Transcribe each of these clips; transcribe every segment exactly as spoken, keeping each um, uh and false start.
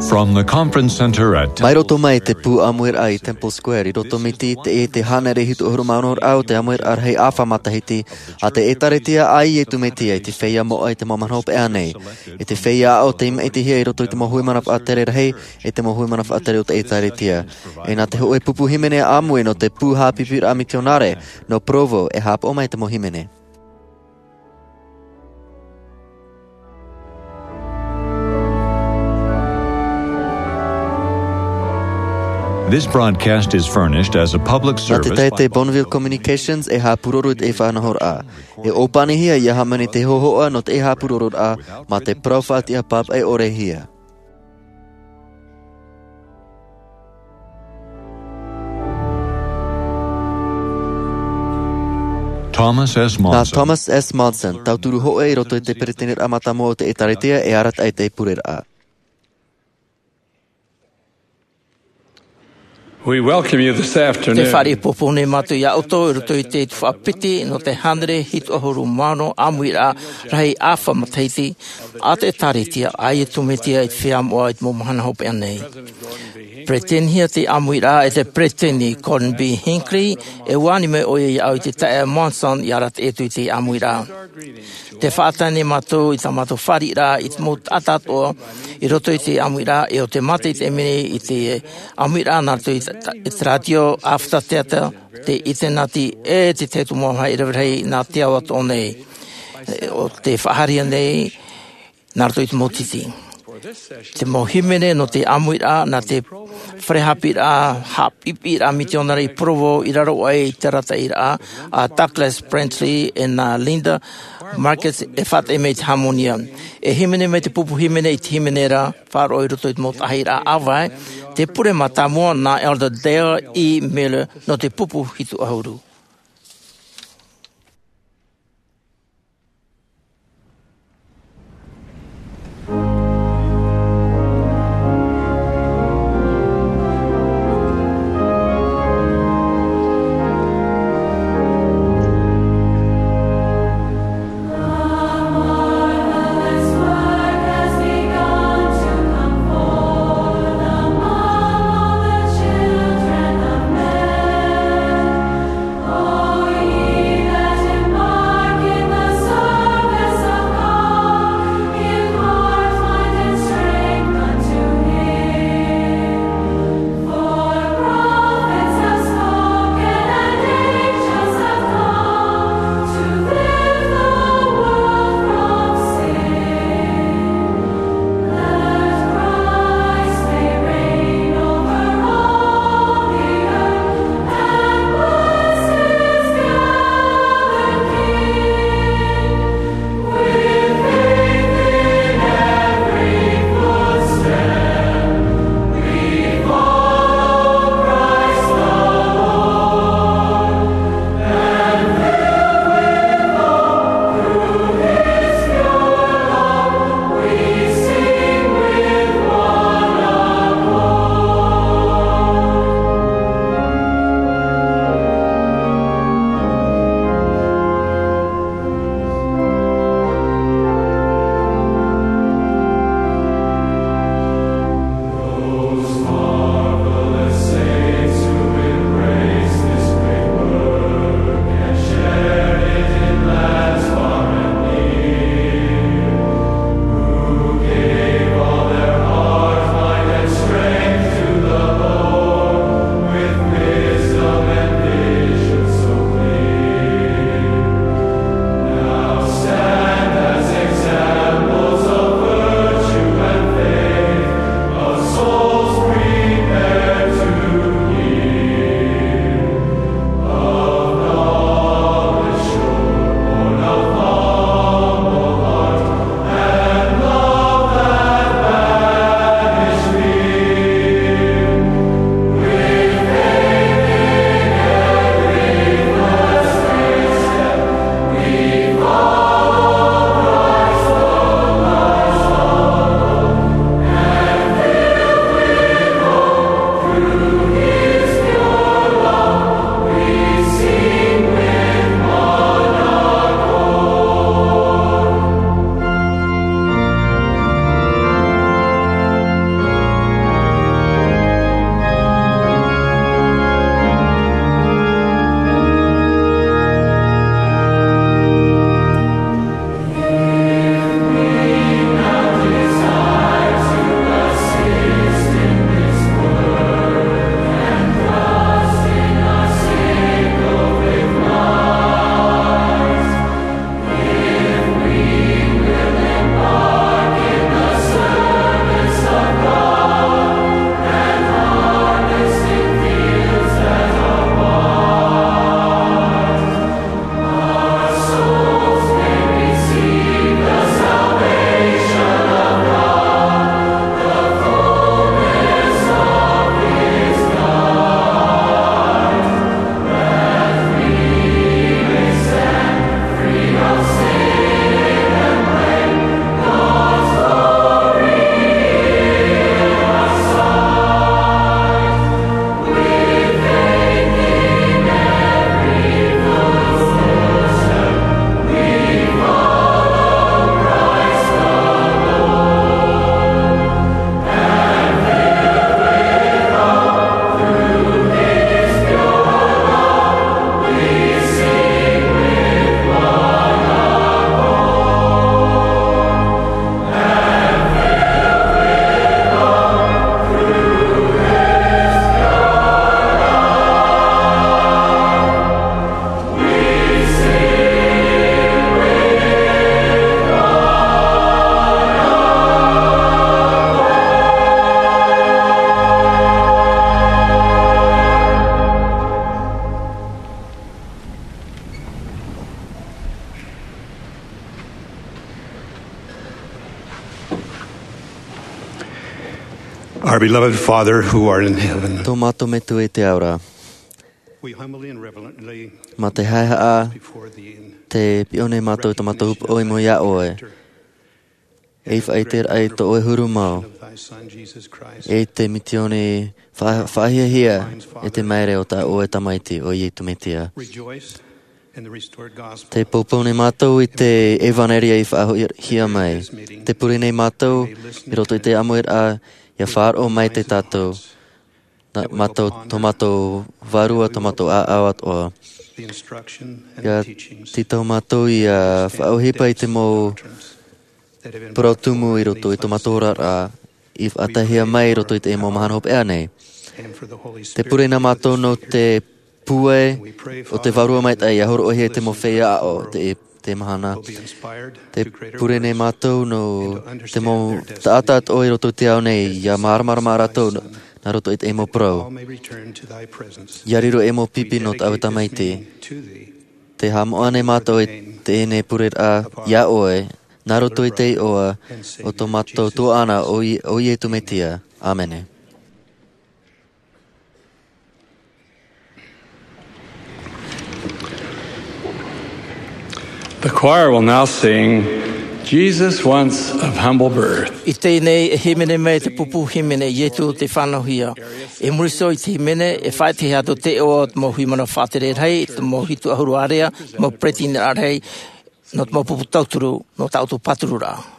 From the conference center at Mai roto mai te pū ʻāmuiraʻa i Temple Square, i roto mai i te, i te hānere hitu ʻahuru mā ono raʻa o te ʻāmuiraʻa rahi ʻāfa matahiti a te ʻĒtārētia a Iesu Mesia i te feiā moʻa i te mau mahana hopeʻa nei. I te feiā aʻo tei maʻitihia i roto i te mau hui mana faʻatere rahi, i te mau hui mana faʻatere o te ʻĒtārētia. E nā te hōʻē pupu hīmene ʻāmui nō te pū haʻapiʻiraʻa mitionare, nō Provo, e haʻapaʻo mai te mau hīmene. This broadcast is furnished as a public service. Nā te taʻata Bonneville Communications e haʻapūroro i te faʻanahoraʻa. E ʻōpanihia ia hāmani te hōhoʻa nō te haʻapūrororaʻa, mā te parau faʻatiʻa pāpaʻi ʻore hia. Thomas S. Nā Monson. Thomas S. Monson, tauturu hōʻē i roto i te peresideni mātāmua o te ʻĒtārētia e arataʻi i te pureraʻa. We welcome you this afternoon. Te fāriʻi pōpō nei mātou iā ʻoutou i roto i te tuhaʻa piti nō te hānere hitu ʻahuru mā ono ʻāmuiraʻa rahi ʻāfa matahiti a te ʻĒtārētia a Iesu Mesia i te feiā moʻa i te mau mahana hopeʻa nei. Peresideni hia te ʻāmuiraʻa e te peresideni Gordon B. Hinckley, e ʻua ani mai ʻoia iāʻu i te taeaʻe Monson i arataʻi atu i te ʻāmuiraʻa. Te faʻatae nei mātou i tā mātou fāriʻiraʻa i te mau taʻata atoʻa i roto i te ʻāmuiraʻa, e ʻo te mātaʻitaʻi mai i te ʻāmuiraʻa nā roto i te, i te rātio, ʻāfata teata, te ʻinitēneti, e te taiete mau haʻavāraʻa nā te ao atoʻa nei. E, ʻo te faʻahaere nei, nā roto i te mau tītī. Te mau hīmene nō te ʻāmuiraʻa, nā te fare haʻapiʻiraʻa, haʻapiʻiraʻa mitionare i Provo, i raro aʻe i te arataʻiraʻa a Douglas Brantley e nā Linda Markes e faʻatae mai i te hāmani. E hīmene mai te pupu hīmene i te hīmene ra, faʻaroʻo i roto i te mau taʻahiraʻa ʻāvae, te pure mātāmua nā Elder Dale E. Miller nō te pupu hitu ʻahuru. Our beloved Father who art in heaven, Tō mātou Metua i te ao ra, we humbly and reverently mā te haʻehaʻa before thee in te piʻo nei mātou i tō mātou hōpoiʻa i mua iā ʻoe. E faʻaʻite raʻa i tō ʻoe huru mau, of thy Son, Jesus Christ, e te misiōni fa-, faʻahiahia e te maere o tā ʻoe Tamaiti, ʻo Iesu Mesia. Rejoice in the restored gospel. Tē poupou nei mātou i te ʻevanelia i faʻahoʻihia mai. Tē pure nei mātou i roto i te ʻāmuiraʻa, ʻia faʻaroʻo mai te tātou, nā mātou, tō mātou vārua, tō mātou ʻāʻau atoʻa. The instruction and ʻIa the teachings tītau mātou ʻia faʻaʻohipa i te mau parau tumu i roto i tō mātou oraraʻa, i faʻataehia mai i roto i te mau mahana hopeʻa nei. And for the Holy Spirit. Tē pure nei mātou nō te pūai o te Vārua Maitaʻi ʻia hōroʻahia i te mau feiā aʻo i te, te mahana. Tē pure nei mātou nō te mau taʻata atoʻa i roto i te ao nei ʻia māramarama rātou nā, nā roto i te mau parau. ʻIa riro ei mau pipi nō tāʻu Tamaiti. Tē haʻamoʻa nei mātou i teie nei pureraʻa iā ʻoe, nā roto i te iʻoa o tō mātou tuaʻana ʻo Ie-, ʻo Iesu Mesia. ʻĀmene. The choir will now sing Jesus Once of Humble Birth. I teie nei e hīmene mai te pupu hīmene Iesu tei fānauhia. I muri iho i te hīmene, e faʻaʻitehia atu te iʻoa o te mau hui mana faʻatere rahi, te mau hitu ʻahuru ārea, mau peretiteni rahi, nō te mau pupu tauturu, nō tā ʻoutou pātururaʻa.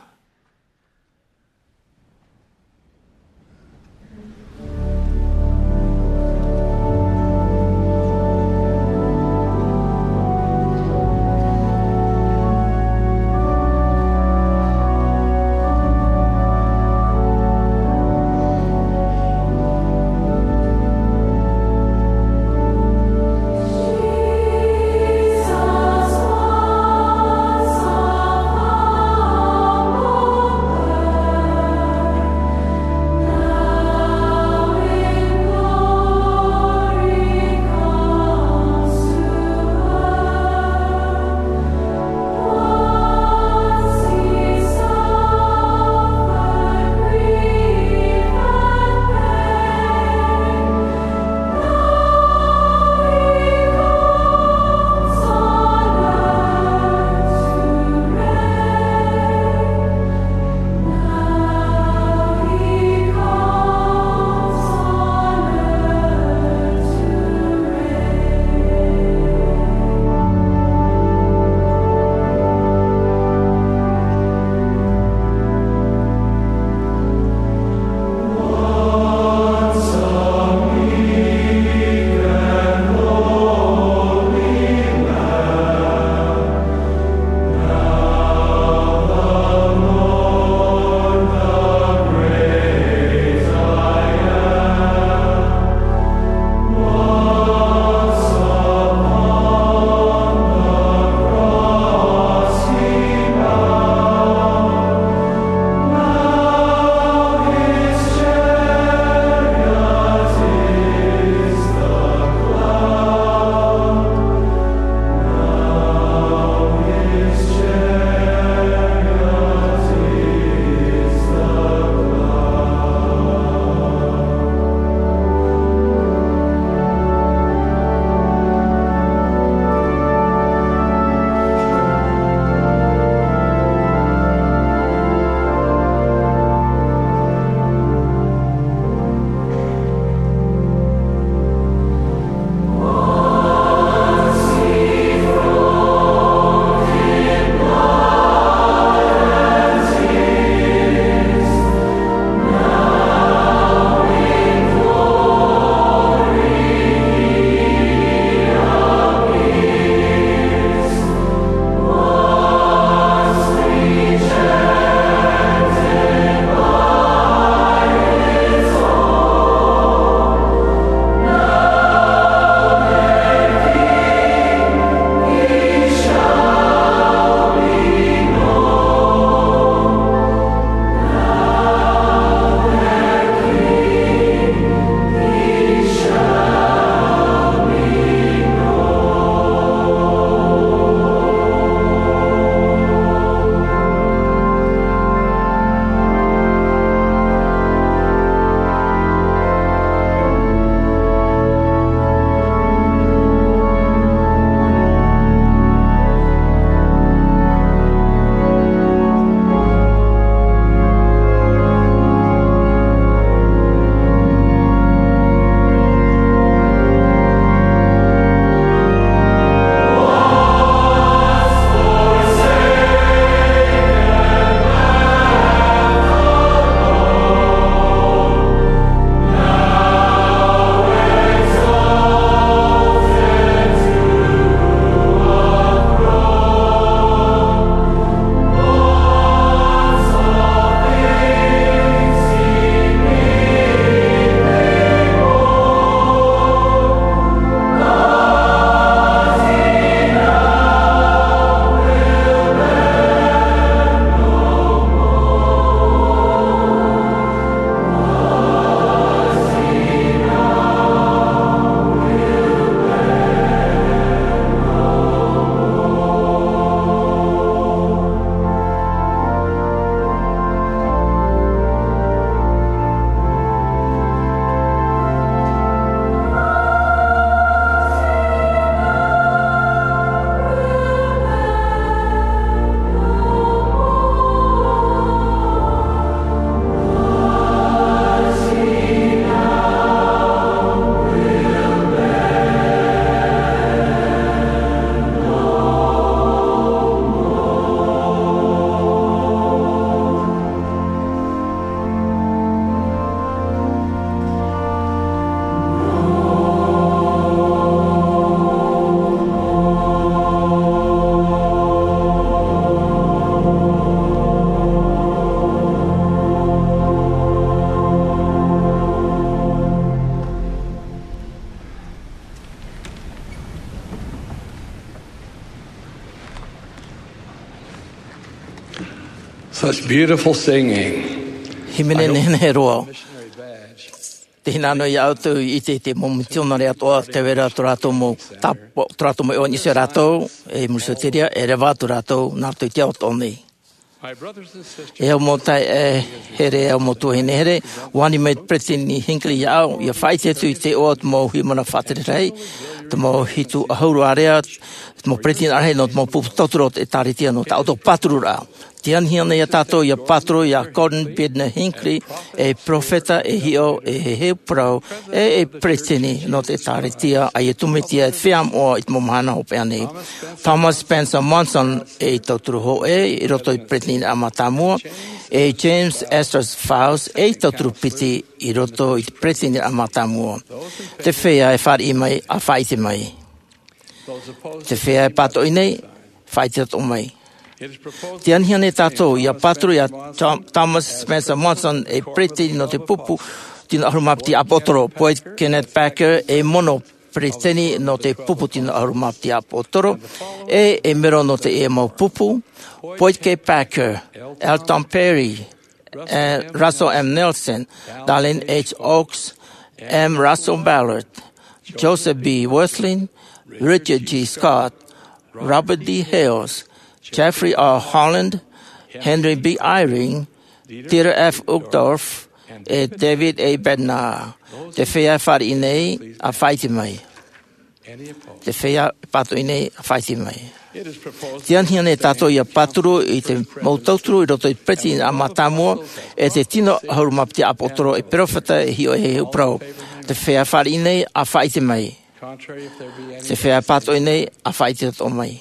Such beautiful singing. Hīmene nehenehe roa. Te hinaʻaro ia ʻoutou i ʻite i te mau mitionare atoʻa, tē vai ra tō rātou mau tāpaʻo, tō rātou mau iʻoa nisi ia rātou, e muri iho i te reira, e reva atu rātou, nā roto i te ao atoʻa nei. E au mau taeaʻe here, e au mau tuahine here, ʻua ani mai te Peresideni Hinckley iāʻu, ʻia faʻaʻite atu i te iʻoa o te mau haʻamāuruuru faʻatere rahi, te mau hitu ʻahuru ārea, te mau peretiteni rahi nō te mau pupu tauturu o te ʻĒtārētia nō tā ʻoutou pātururaʻa. Tē anihia nei ia tātou ʻia pāturu ia Gordon Bednar Hinckley, ei perofeta, ei hiʻo, ei heheu parau, e ei peresideni nō te ʻĒtārētia a Iesu Mesia e te feiā moʻa i te mau mahana hopeʻa nei. Thomas Spencer Monson, ei tauturu hōʻē i roto i te Peretiteniraʻa Mātāmua, e James Esther Faust, ei tauturu piti i roto i te Peretiteniraʻa Mātāmua. Te feiā e fāriʻi mai, ʻa faʻaʻite mai. Te feiā e pātoʻi nei, faʻaʻite atoʻa mai. Tē anihia nei tātou ʻia pāturu ia Tho-, Thomas Spencer Monson, ei peretiteni nō te pupu tino ʻahuru mā piti ʻāpōsetolo, Boyd Kenneth Packer, ei mono peretiteni nō te pupu tino ʻahuru mā piti ʻāpōsetolo, e ei mero nō teie mau pupu, Boyd K. Packer, Elton Perry, e Russell M. Nelson, Dallin H. Oaks, M. Russell Ballard, Joseph B. Wirthlin, Richard G. Scott, Robert D. Hales, Jeffrey R. Holland, Henry B. Eyring, Dieter F. Uchtdorf, e David A. Bednar. Te feiā e fāriʻi nei, ʻa faʻaʻite mai. Te feiā e pātoʻi nei, ʻa faʻaʻite mai. Tē anihia nei tātou ʻia pāturu i te mau tauturu i roto i te Peretiteniraʻa Mātāmua, e te tino ʻahuru mā piti ʻāpōsetolo, e perofeta, e hiʻo, e heheu parau. Te feiā e fāriʻi nei, ʻa faʻaʻite mai. Te feiā e pātoʻi nei, ʻa faʻaʻite atoʻa mai.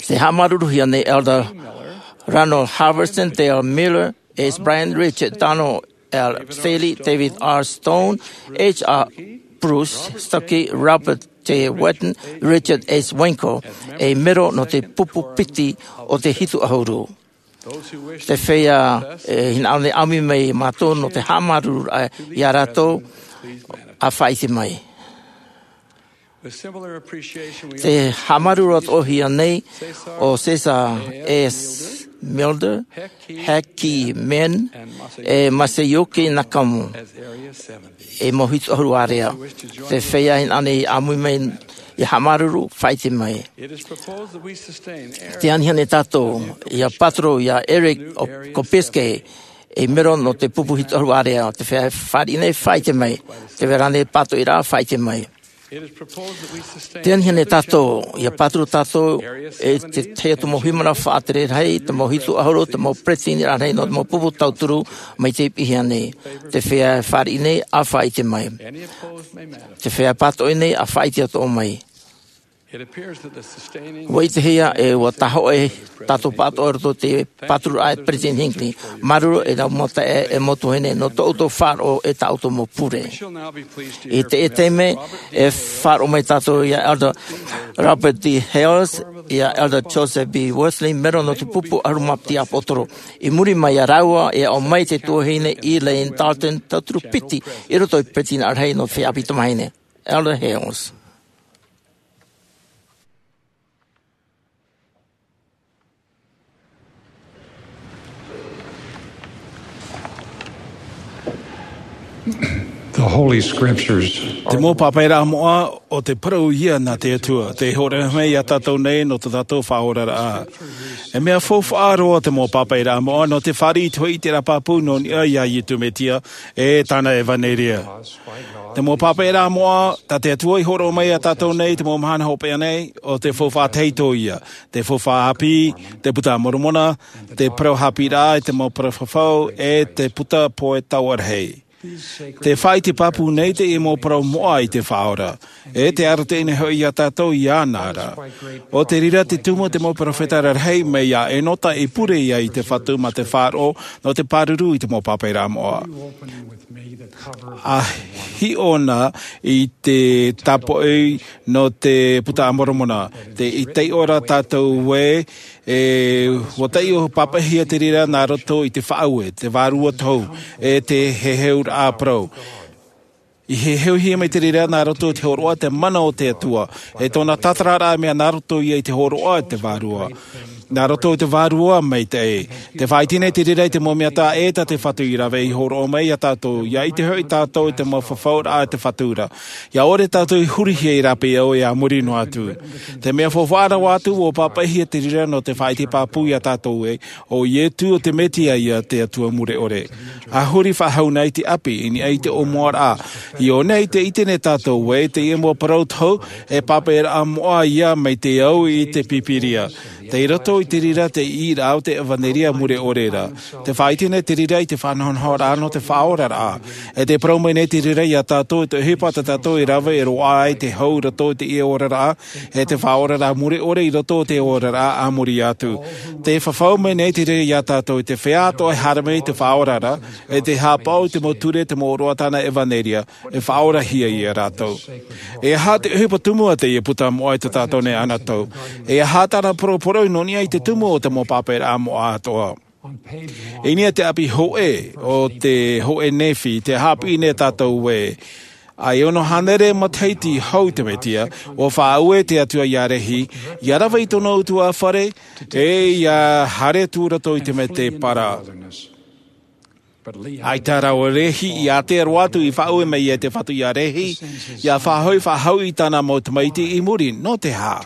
Tē haʻamāuruuruhia nei Elder Ronald Halverson, Dale Miller, S. Brian Richards, Donald L. Staley, David R. Stone, H. R. Bruce Stokke, Robert J. Whetten, Richard S. Winkle, ei mero nō te pupu piti o te hitu ʻahuru. Te feiā e hinaʻaro nei ʻamu mai ia mātou nō te haʻamāuruururaʻa ia rātou, ʻa faʻaʻite mai. Tē haʻamāuruuru atoʻahia nei ʻo Cesar S. Milder, Heki Men, e Masayuki Nakamu, ei mau hitu ʻahuru ārea. Te feiā e hinaʻaro nei ʻamu mai ia haʻamāuruuru, faʻaʻite mai. Tē anihia nei tātou ʻia pāturu ia Eric Kopiske, ei mero nō te pupu hitu ʻahuru ārea. Te feiā e fāriʻi nei, faʻaʻite mai. Tē vai ra ānei pātoʻiraʻa, faʻaʻite mai. Tē anihia nei tātou ʻia pāturu tātou e te tahi atu mau haʻamāuruuru faʻatere rahi, te mau hitu ʻahuru, te mau peretiteniraʻa rahi nō te mau pupu tauturu mai te piʻihia nei. Te feiā e fāriʻi nei, ʻa faʻaʻite mai. Te feiā e pātoʻi nei, ʻa faʻaʻite atoʻa mai. ʻUa ʻitehia ē ʻua tahoʻe tātou pāʻātoʻa i roto i te pātururaʻa a te Peresideni Hinckley. Māuruuru e rave mau taeaʻe, e mau tuahine, nō tō ʻoutou faʻaroʻo e tā ʻoutou mau pure. I teie taime, e faʻaroʻo mai tātou ia Elder Robert D. Hales, ia Elder Joseph B. Wirthlin, mero nō te pupu ʻahuru mā piti ʻāpōsetolo. I muri mai ia rāua, e aʻo mai te tuahine Elaine Dalton, tauturu piti i roto i te Peresideni rahi nō te feiā ʻāpī tamāhine. Elder Hales. The Holy Scriptures are Te mau pāpaʻiraʻa moʻa, ʻo te parau ia nā te Atua, tei hōroʻahia mai ia tātou nei nō tō tātou faʻaoraraʻa. E mea faufaʻa roa te mau pāpaʻiraʻa moʻa nō te fāriʻi i te hoʻi i te ʻiteraʻa pāpū nō niʻa ia Iesu Mesia, e tāna ʻevaneria. Te mau pāpaʻiraʻa moʻa tā te Atua i hōroʻa mai ia tātou nei te mau mahana hopeʻa nei, ʻo te faufaʻa tahito ia, te faufaʻa ʻāpī, te Buka a Moromona, te parau haʻapiʻiraʻa i te mau parau fafau, e te Buka Pohe Taoʻa Rahi. Tē faʻaʻite pāpū nei teie mau parau moʻa i te Faʻaora, e tē arataʻi nei hoʻi ia tātou iāna ra. ʻO te reira tē tumu te mau perofeta rarahi mai ia Enota i pure ia i te Fatu mā te faʻaroʻo nō te pāruru i te mau pāpaʻiraʻa moʻa. ʻA hiʻo na i te tāpoʻi nō te Buka a Moromona, tē taiʻo ra tātou ē, e, ʻua taiʻo pāpaʻihia te reira nā roto i te faʻaue, te Vārua Tohu, e te heheuraʻa parau. I heheuhia mai te reira nā roto i te hōroʻa te mana o te Atua, e tōna tātararaʻa mea nā roto ia i te hōroʻa te Vārua. Nā roto i te vārua maitaʻi. Te faʻaite nei te reira i te mau mea taʻa ʻē tā te Fatu i rave i hōroʻa mai iā tātou, ia ʻite hoʻi tātou i te mau fafauraʻa a te Fatu ra. Ia ʻore tātou i hurihia i rāpae au e a muri noa atu. Te mea faufaʻa rahi atu, ʻua pāpaʻihia te reira nō te faʻaʻite pāpū iā tātou ē, ʻo Ietu o te Metia ia te Atua mure ʻore. A huri faʻahou na i te ʻapi, i niʻa i te ʻōmuaraʻa. I ʻō nei te ʻite nei tātou ē, teie mau parau tohu, e pāpaʻiraʻa moʻa ia mai te au i te Pīpīria. Tei roto i te reira te ʻīraʻa o te ʻevaneria mure ʻore ra. Te faʻaite nei te reira i te faʻanahonahoraʻa nō te faʻaoraraʻa. E te parau mai nei te reira iā tātou i te ʻohipa tā tātou e rave e roaʻa ai te hau i roto i teie oraraʻa, e te faʻaoraraʻa mure ʻore i roto i te oraraʻa a muri atu. Te fafau mai nei te reira iā tātou i te feiā atoʻa e haere mai i te faʻaoraraʻa, e te haʻapaʻo i te mau ture, te mau ʻōroʻa tāna ʻevaneria, e faʻaorahia ia rātou. E aha te ʻohipa tumu a teie puta moʻa i tā tātou nei anaʻe? E aha tāna poroporoʻi nō niʻa i te tumu o te mau pāpaʻiraʻa moʻa atoʻa? I niʻa i te ʻapi hōʻē o te hōʻē Nephi, tē haʻapiʻi nei tātou ē, ʻa e ono hānere matahiti hou te Metia, ʻua faʻaue te Atua iā Rehi, ia rave i tōna ʻutuāfare, e ia haere atu i roto i te mētēpara. ʻAita rā ʻo Rehi i ātea roa atu i faʻaue mai e te Fatu iā Rehi, ia faʻahoʻi faʻahou i tāna mau tamaiti i muri, nō te aha?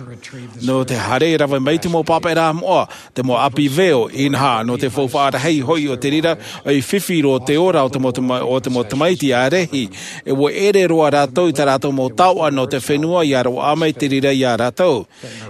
Nō te haere e rave mai te mau pāpaʻiraʻa moʻa, te mau ʻapi veo, inaha, nō te faufaʻa rahi hoʻi o te reira, ʻua fifi roa te ora o te mau tama-, o te mau tamaiti a Rehi, e ʻua ʻere roa rātou i tā rātou mau taoʻa nō te fenua ia roaʻa mai te reira iā rātou.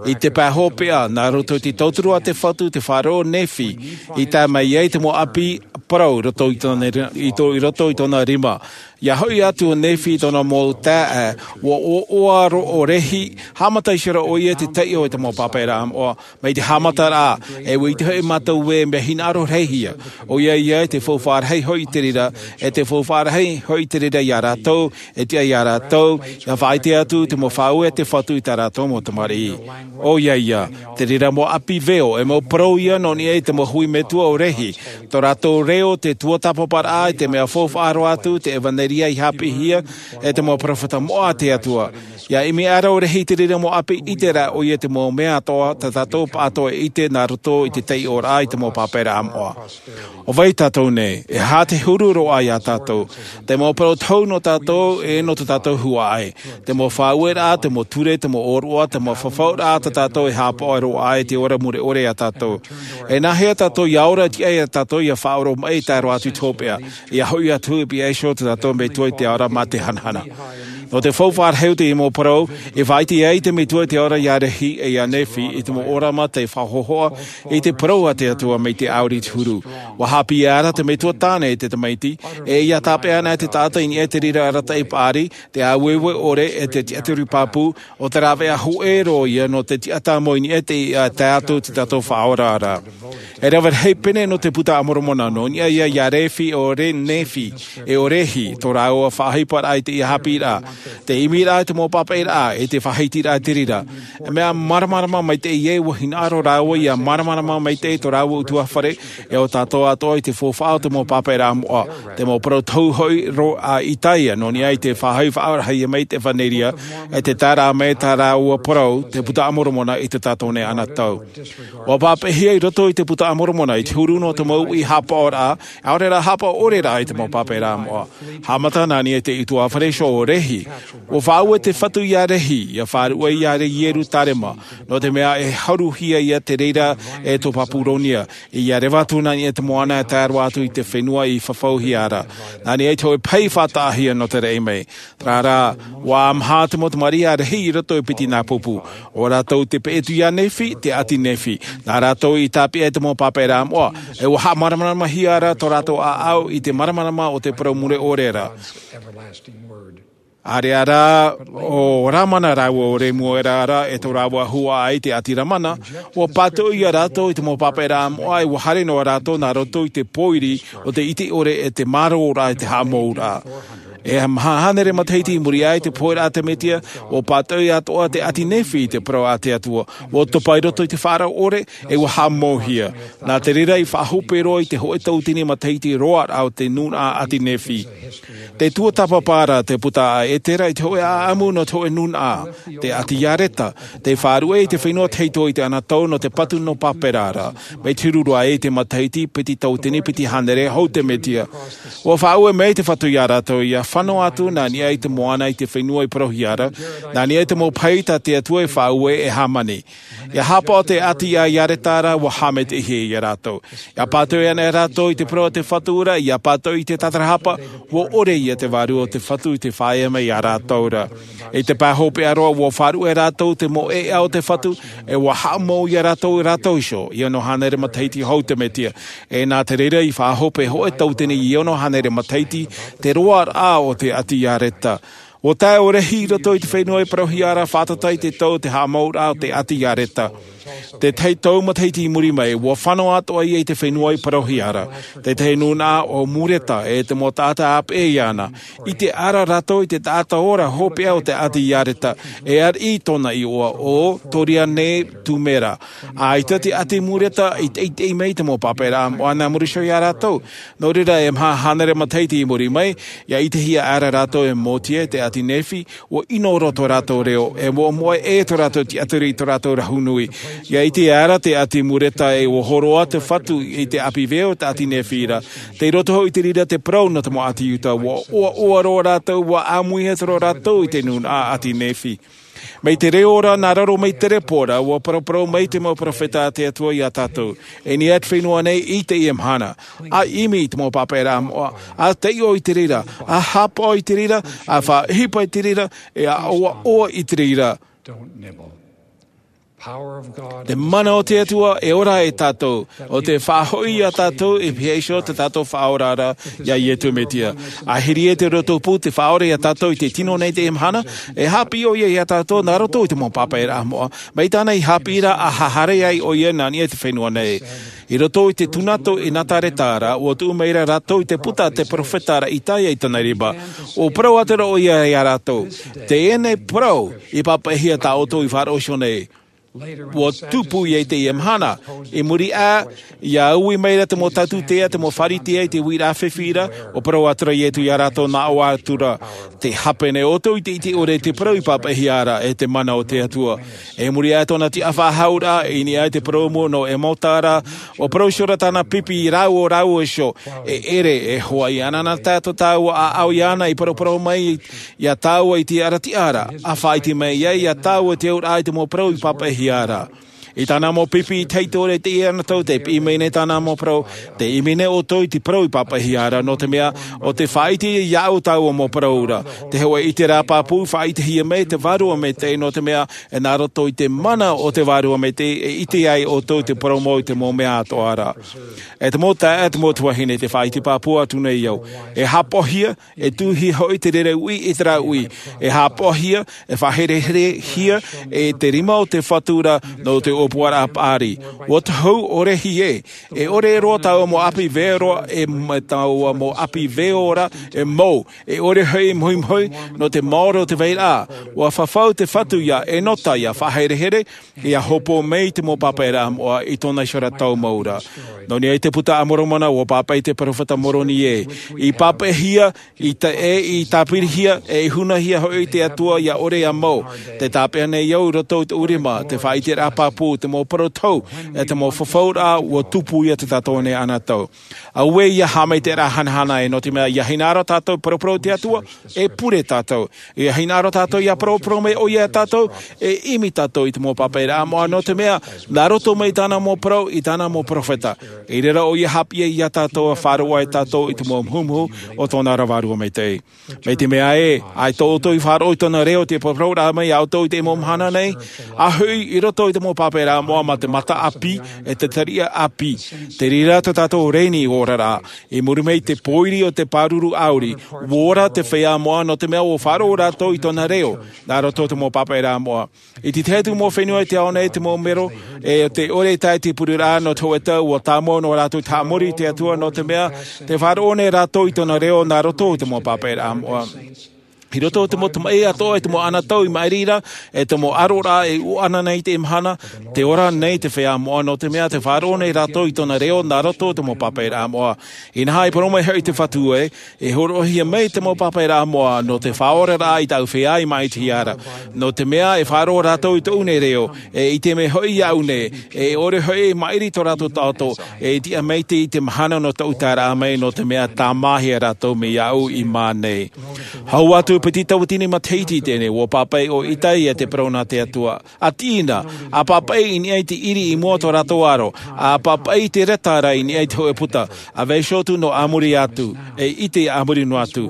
I te pae hopeʻa, nā roto i te tauturu a te Fatu, te fare ʻo Nephi, i tae mai ai te mau ʻapi parau i roto i tōna ri-, i tō-, i roto i tōna rima. Ia hoʻi atu ʻo Nephi i tōna mau taeaʻe, ʻua ʻoaʻoa roa ʻo Rehi, haʻamata iho ra ʻoia i te taiʻo i te mau pāpaʻiraʻa moʻa, mai te haʻamataraʻa, e ʻua ʻite hoʻi mātou ē mea hinaʻaro rahi ïa. ʻOia ia, e te faufaʻa rahi hoʻi te reira, e te faufaʻa rahi hoʻi te reira iā rātou, e tiʻa iā rātou, ia faʻaʻite atu te mau faʻaue a te Fatu i tā rātou mau tamariʻi. ʻOia ia, te reira mau ʻapi veo, e mau parau ïa nō niʻa i te mau hui metua o Rehi, tō rātou reo te tuatāpaparaʻa i te mea faufaʻa roa atu, te ʻevaneria i haʻapiʻihia, e te mau peropheta moʻa a te Atua. Ia ʻimi aʻera ʻo Rehi i te reira mau ʻapi, ʻite ra ʻoia te mau mea atoʻa, tā tātou pāʻatoʻa e ʻite nā roto i te taiʻoraʻa i te mau pāpaʻiraʻa moʻa. ʻO vai tātou nei, e aha te huru roa iā tātou? Te mau parau tohu nō tātou, e nō tō tātou huaʻai. Te mau faʻaueraʻa, te mau ture, te mau ʻōroʻa, te mau fafauraʻa tā tātou e haʻapaʻo roa ai te ora mure ʻore iā tātou. E nāhea tātou ia ora tiʻa iā tātou ia faʻaoromaʻi e tae roa atu i te hopeʻa, ia hoʻi atu i pihaʻi iho tā tātou Metua i te ao ra mā te hanahana. Nō te faufaʻa rahi o te mau parau, e faʻaʻite ai te Metua i te ao ra iā Rehi e iā Nephi i te mau ʻōrama tei faʻahohoʻa i te parau a te Atua mai te ʻāuri i te huru. ʻUa haʻapiʻi aʻera te Metua tāne i te tamaiti, e ia tāpeʻa ana te taʻata i niʻa i te reira arataʻi paʻari, te āueue ʻore, e te tiʻaturi pāpū, ʻo te rāveʻa hōʻē roa ïa nō te tiʻatāmau i niʻa i te, ā, tae atu i tō tātou Faʻaora ra. E rave rahi pene nō te Buka a Moromona, nō niʻa ïa iā Rehi, ʻo Re-, Nephi, e ʻo Rehi, tō rāua faʻaʻohiparaʻa i teie haʻapiʻiraʻa, te ʻimiraʻa i te mau pāpaʻiraʻa, e te faʻahitiraʻa i te reira. E mea māramarama maitaʻi ē, ʻua hinaʻaro rāua ia māramarama maitaʻi tō rāua ʻutuāfare, e ʻo tātou atoʻa i te faufaʻa o te mau pāpaʻiraʻa moʻa, te mau parau tohu hoʻi roa a Isaia, nō niʻa i te faʻaʻohiparaʻahia mai te ʻEvaneria, e te taeraʻa mai tā rāua parau, te Buka a Moromona i tō tātou nei anaʻe. ʻUa pāpaʻihia i roto i te Buka a Moromona, i te huru nō te mau uʻi haʻapaʻoraʻa, ʻaore rā haʻapaʻo ʻore rā i te mau pāpaʻiraʻa moʻa. Haʻamata nā niʻa i te ʻutuāfare iho ʻo Rehi. ʻUa faʻaue te Fatu iā Rehi, ia faʻaruʻe ia Ierutarema, nō te mea e haruhia ïa te reira e tō Papuronia, ia reva atu nā niʻa i te moana e tae roa atu i te fenua i fafauhia ra. Nā niʻa i te hōʻē pahi faʻataʻahia nō te raʻi mai. Terā rā, ʻua maha te mau tamariʻi a Rehi i roto i Piti-nāpupu. ʻO rātou te peʻe atu iā Nephi, te ʻāti Nephi. Nā rātou i tāpeʻa i te mau pāpaʻiraʻa moʻa. E ʻua haʻamāramaramahia ra tō rātou ʻāʻau i te māramarama o te parau mure ʻore ra. ʻĀreʻa rā, ʻo Lamana rāua ʻo Lemuela ra e tō rāua huaʻai te ʻāti Lamana, ʻua pātoʻi ia rātou i te mau pāpaʻiraʻa moʻa e ʻua haere noa rātou nā roto i te pōiri o te ʻite ʻore e te mārōraʻa e te haʻamouraʻa. E maha hānere matahiti i muri aʻe i te pohe raʻa a te mesia, ua pātoʻi atoʻa te ʻāti nephi i te parau a te atua, ua topa i roto i te faʻaora ʻore, e ua haʻamauhia. Nā te reira i faʻahope roa i te hoʻe tauatini matahiti roa raʻa o te nūnaʻa ʻāti nephi. Te tuatāpapa ra te puta a ētera i te hoʻe ʻaʻamu nō te hoʻe nūnaʻa, te ʻāti iareta, te faʻaruʻe i te fenua tahito i te anotau nō te patu nō pāpera ra, mai te huru roa i te matahiti piti tauatini piti hānere hou te mesia. Ua faʻaue mai te fatu iā rātou ia fano atu nā niʻa i te moana i te fenua i parauhia ra, nā niʻa i te mau pahi tā te atua i faʻaue e hāmani. Ia hāpaʻo te ʻāti iareta ra ua hāmani te ihe iā rātou. Ia pātoʻi ana e rātou i te parau a te fatu ra ia pātoʻi i te tatarahapa, ua ʻore ia te vārua o te fatu i te faʻaea mai iā rātou ra. I te pae hopeʻa roa ua faʻaruʻe rātou te mau ʻeʻa o te fatu, e ua haʻamau iā rātou rātou iho i ono hānere matahiti hou te mesia. E nā te reira i faʻahope hoʻe tauatini i ono hānere matahiti te roa raʻa o te ʻāti iareta. Ua tae ʻo rehi i roto i te fenua i parauhia ra fātata i te tau o te haʻamau raʻa o te ʻāti iareta. Te tahi tau matahiti i muri mai ua fano atoʻa ia i te fenua i parauhia ra, te tahi nūnaʻa o mureta e te mau taʻata ʻāpeʻe iāna. I te ara rātou i te taʻata ora hopeʻa o te ʻāti iareta, e ariʻi tōna iʻoa o toriane tumera. ʻAita te ʻāti mureta i teitei mai te mau pāpera moʻa nā muri iho iā rātou. Nō reira e maha hānere matahiti i muri mai, ia ʻitehia ara rātou e motia te ʻāti nephi, ua ʻino roa tō rātou reo, e moʻamoʻa e tō rātou tiʻaturi i tō rātou rahu nui. Ia ʻite ara te ʻāti mureta e ua hōroʻa te fatu i te ʻāpī veo o te ʻāti nephi ra, tei roto hoʻi i te reira te parau nō te mau ʻāti iuda ua ʻoaʻoa roa rātou ua ʻāmuihia roa rātou i te nūnaʻa ʻāti nephi. Mai te reo ra nā raro mai te repo ra ua paraparau mai te mau peropheta a te atua iā tātou. E nei atu fenua nei i teie mahana, a ʻimi i te mau pāpera moʻa, a taiʻo i te reira, a hāpaʻo i te reira, a faʻaʻohipa i te reira, e a ʻoaʻoa i te reira. Te mana o te atua e ora e tātou, o te faʻahoʻi iā tātou i pīhaʻi iho tā tātou faʻaora ra iā iesu mesia. A hiri e te roto pū te faʻaora iā tātou i te tino nei teie mahana, e hāpiʻi ʻo ia iā tātou nā roto i te mau pāpera moʻa, mai tāna i hāpiʻi ra a haere ai ʻo ia nā niʻa i te fenua nei. I roto i te tūnato i nazareta ra ua tuʻu mai ra rātou i te puta a te peropheta ra isaia i tōna rima. Ua parau atu ra ʻo ia iā rātou, teie nei parau i pāpaʻihia tā ʻoutou i faʻaroʻo iho nei, ua tupu ia i teie mahana. I muri aʻe, ia ui mai ra te mau taututea, te mau pharisea i te uiraʻa fifi ra, ua parau atu ra iesu iā rātou nā ʻō atu ra, te hape nei ʻoutou i te ʻite ʻore i te parau i pāpaʻihia ra e te mana o te atua. I muri aʻe tōna tiʻafaʻahouraʻa i niʻa i te parau mau nō emauda ra, ua parau iho ra tāna pipi rāua rāua iho, e ʻere e hoʻi ana nā tātou tāua ʻāʻau iāna i paraparau mai iā tāua i te arataʻi ra, a faʻaʻite mai ai iā tāua te auraʻa i te mau parau i pāpaʻihia ra. I tāna mau pipi i te haitore teie anotau te piʻi mai nei tāna mau parau, te ʻimi nei ʻoutou i te parau i pāpaʻihia ra nō te mea, o te faʻaʻite iāʻu tāua mau parau ra. Te hoʻe ʻite rā pāpū faʻaʻitehia mai te vārua maitaʻi nō te mea, e nā roto i te mana o te vārua maitaʻi e ʻite ai ʻoutou te parau mau i te mau mea atoʻa ra. E te mau taeaʻe, te mau tuahine, te faʻaʻite pāpū atu nei au, e hāpaʻohia, e tuʻuhia hoʻi te reira uʻi i terā uʻi, e hāpaʻohia, e faʻahereherehia e te rima o te fatu ra nō te ʻōpuaraʻa paʻari. Ua tohu ʻo rehi ē, e ʻore roa taua mau ʻāpī veo ra e, taua mau ʻāpī veo ra e mau, e ʻore hoʻi mohumohu nō te maoro o te vairaʻa. Ua fafau te fatu ia enota, ia faʻaherehere, ia hopoiʻa mai te mau pāpāraʻa moʻa i tōna iho ra tau mau ra. Nō niʻa i te puta a Moromona, ua pāpaʻi te peropheta Moroni ē, i pāpaʻihia, i ta-, e i tāpirihia, e i hunahia hoʻi te Atua ia ʻore ia mau. Tē tāpeʻa nei au i roto i tōʻu rima, te faʻaʻiteraʻa pāpū, te mau parau tohu, e te mau fafauraʻa, ua tupu ia tā tātou nei anotau. Auē ia haʻamaitaʻiraʻa hanahana ē, nō te mea ia hinaʻaro tātou paraparau te Atua, e pure tātou. Ia hinaʻaro tātou ia paraparau mai ʻoia ia tātou, e ʻimi tātou i te mau pāpaʻiraʻa moʻa, nō te mea, nā roto mai i tāna mau parau, i tāna mau peropheta. I reira ʻoia e haʻapiʻi ia tātou, e faʻaroʻo ai tātou i te mau muhumuhu o tōna ra Vārua Maitaʻi. Mai te mea ē, ʻaita ʻoutou i faʻaroʻo i tōna reo, te paraparau mai ia ʻoutou i te mau mahana nei, a hoʻi i roto i te mau pāpaʻi papaʻiraʻa moʻa mā te mata ʻāpī, e te tariʻa ʻāpī. Te reira tō tātou reni oraraʻa. I muri mai te pōiri o te pāruru ʻāuri, ʻua ora te feiā moʻa nō te mea ʻua faʻaroʻo rātou i tōna reo, nā roto te mau papaʻiraʻa moʻa. I te tahi atu mau fenua i te ao nei te mau mero, e te ʻore tae te pureraʻa nō te hoʻē tau ʻua tāmau nō rātou te haʻamori i te Atua nō te mea, tē faʻaroʻo nei rātou i tōna reo nā roto i te mau papaʻiraʻa moʻa. I roto i te mau tamaʻi atoʻa, i te mau anotau i maʻiri ra, e te mau ʻaroraʻa e ʻoaʻoa nei i teie mahana, tē ora nei te feiā moʻa nō te mea, tē faʻaroʻo nei rātou i tōna reo nā roto i te mau papaʻiraʻa moʻa. Inaha, i parau mai hoʻi te Fatu ē, e hōroʻahia mai te mau papaʻiraʻa moʻa nō te faʻaoraraʻa i tāʻu feiā i maʻitihia ra. Nō te mea, e faʻaroʻo rātou i tōʻu nei reo, e ʻite mai hoʻi iāʻu nei, e ʻore hoʻi e maʻiri tō rātou taʻoto, e tiʻa maitaʻi i te mahana nō tōʻu taeraʻa mai, nō te mea tāmāhia rātou mai iāʻu i maʻa nei. Hau atu piti tauatini matahiti i teie nei, ʻua pāpaʻi ʻo Itai ia te parau nā te Atua. ʻA tiʻi na, ʻa pāpaʻi i niʻa i te ʻiri i mua tō rātou aro, ʻa pāpaʻi i te reta ra i niʻa i te hōʻē puta, ʻa vaiiho atu nō ʻāmuri atu, e ʻite ʻāmuri noa atu.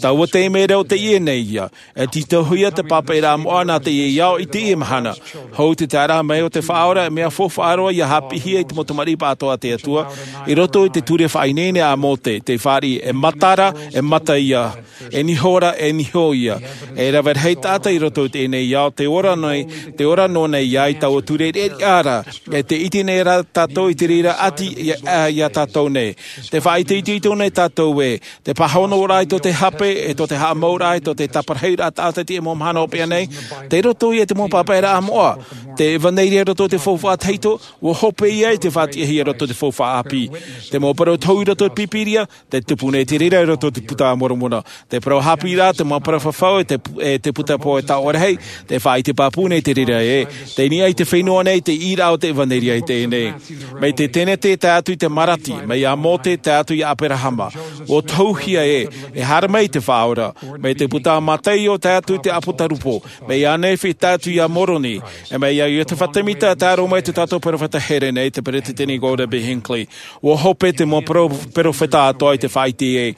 Taua taime reo teie nei ia, e tītauhia te papaʻiraʻa moʻa nā teie ao i teie mahana. Hou te taeraʻa mai o te Faʻaora, e mea faufaʻa roa ia haʻapiʻihia i te mau tamariʻi pāʻatoʻa a te Atua, i roto i te ture faʻaineine a Mōte, tē fāriʻi, e mata ra, e mata ia. E niho ra, e niho ia. E rave rahi taʻata i roto i teie nei ao, tē ora nei, tē ora noa nei ia i taua ture riʻariʻa ra, e tē ʻite nei rā tātou i te reira ʻati ia, ia, ia tātou nei. Tē faʻaitoito nei tātou ē, te pāhonoraʻa i tō te hape, e tō te haʻamauraʻa, e tō te taparahiuraʻa taʻata i teie mau mahana hopeʻa nei, tei roto ia i te mau papaʻiraʻa moʻa. Te ʻevaneria i roto i te faufaʻa tahito, ʻua hope ia i te faʻatiʻahia i roto i te faufaʻa ʻāpī. Te mau parau tohu i roto i te Pīpīria, tē tupu nei te reira i roto i te Puta a Moromona. Te parau haʻapiʻiraʻa, te mau parau fafau, e te, e te puta pō e taoʻa rahi, tē faʻaʻite pāpū nei te reira ē. Tei niʻa i te fenua nei, te ʻīraʻa o te ʻevaneria i teie nei. Mai te Tenete tae atu i te Marati, mai iā Mōte tae atu iā ʻAperahama. ʻUa tohuhia ē, e haere mai te Faʻaora. Mai te puta a Mataio tae atu i te ʻApotarupo. Mai iā Nephi tae atu iā Moroni. E mai iā Iotefa Temita, tae roa mai tō tātou perofeta here nei, te Peresideni Gordon B. Hinckley. ʻUa hope te mau pero-, perofeta atoʻa i te faʻaʻite ē.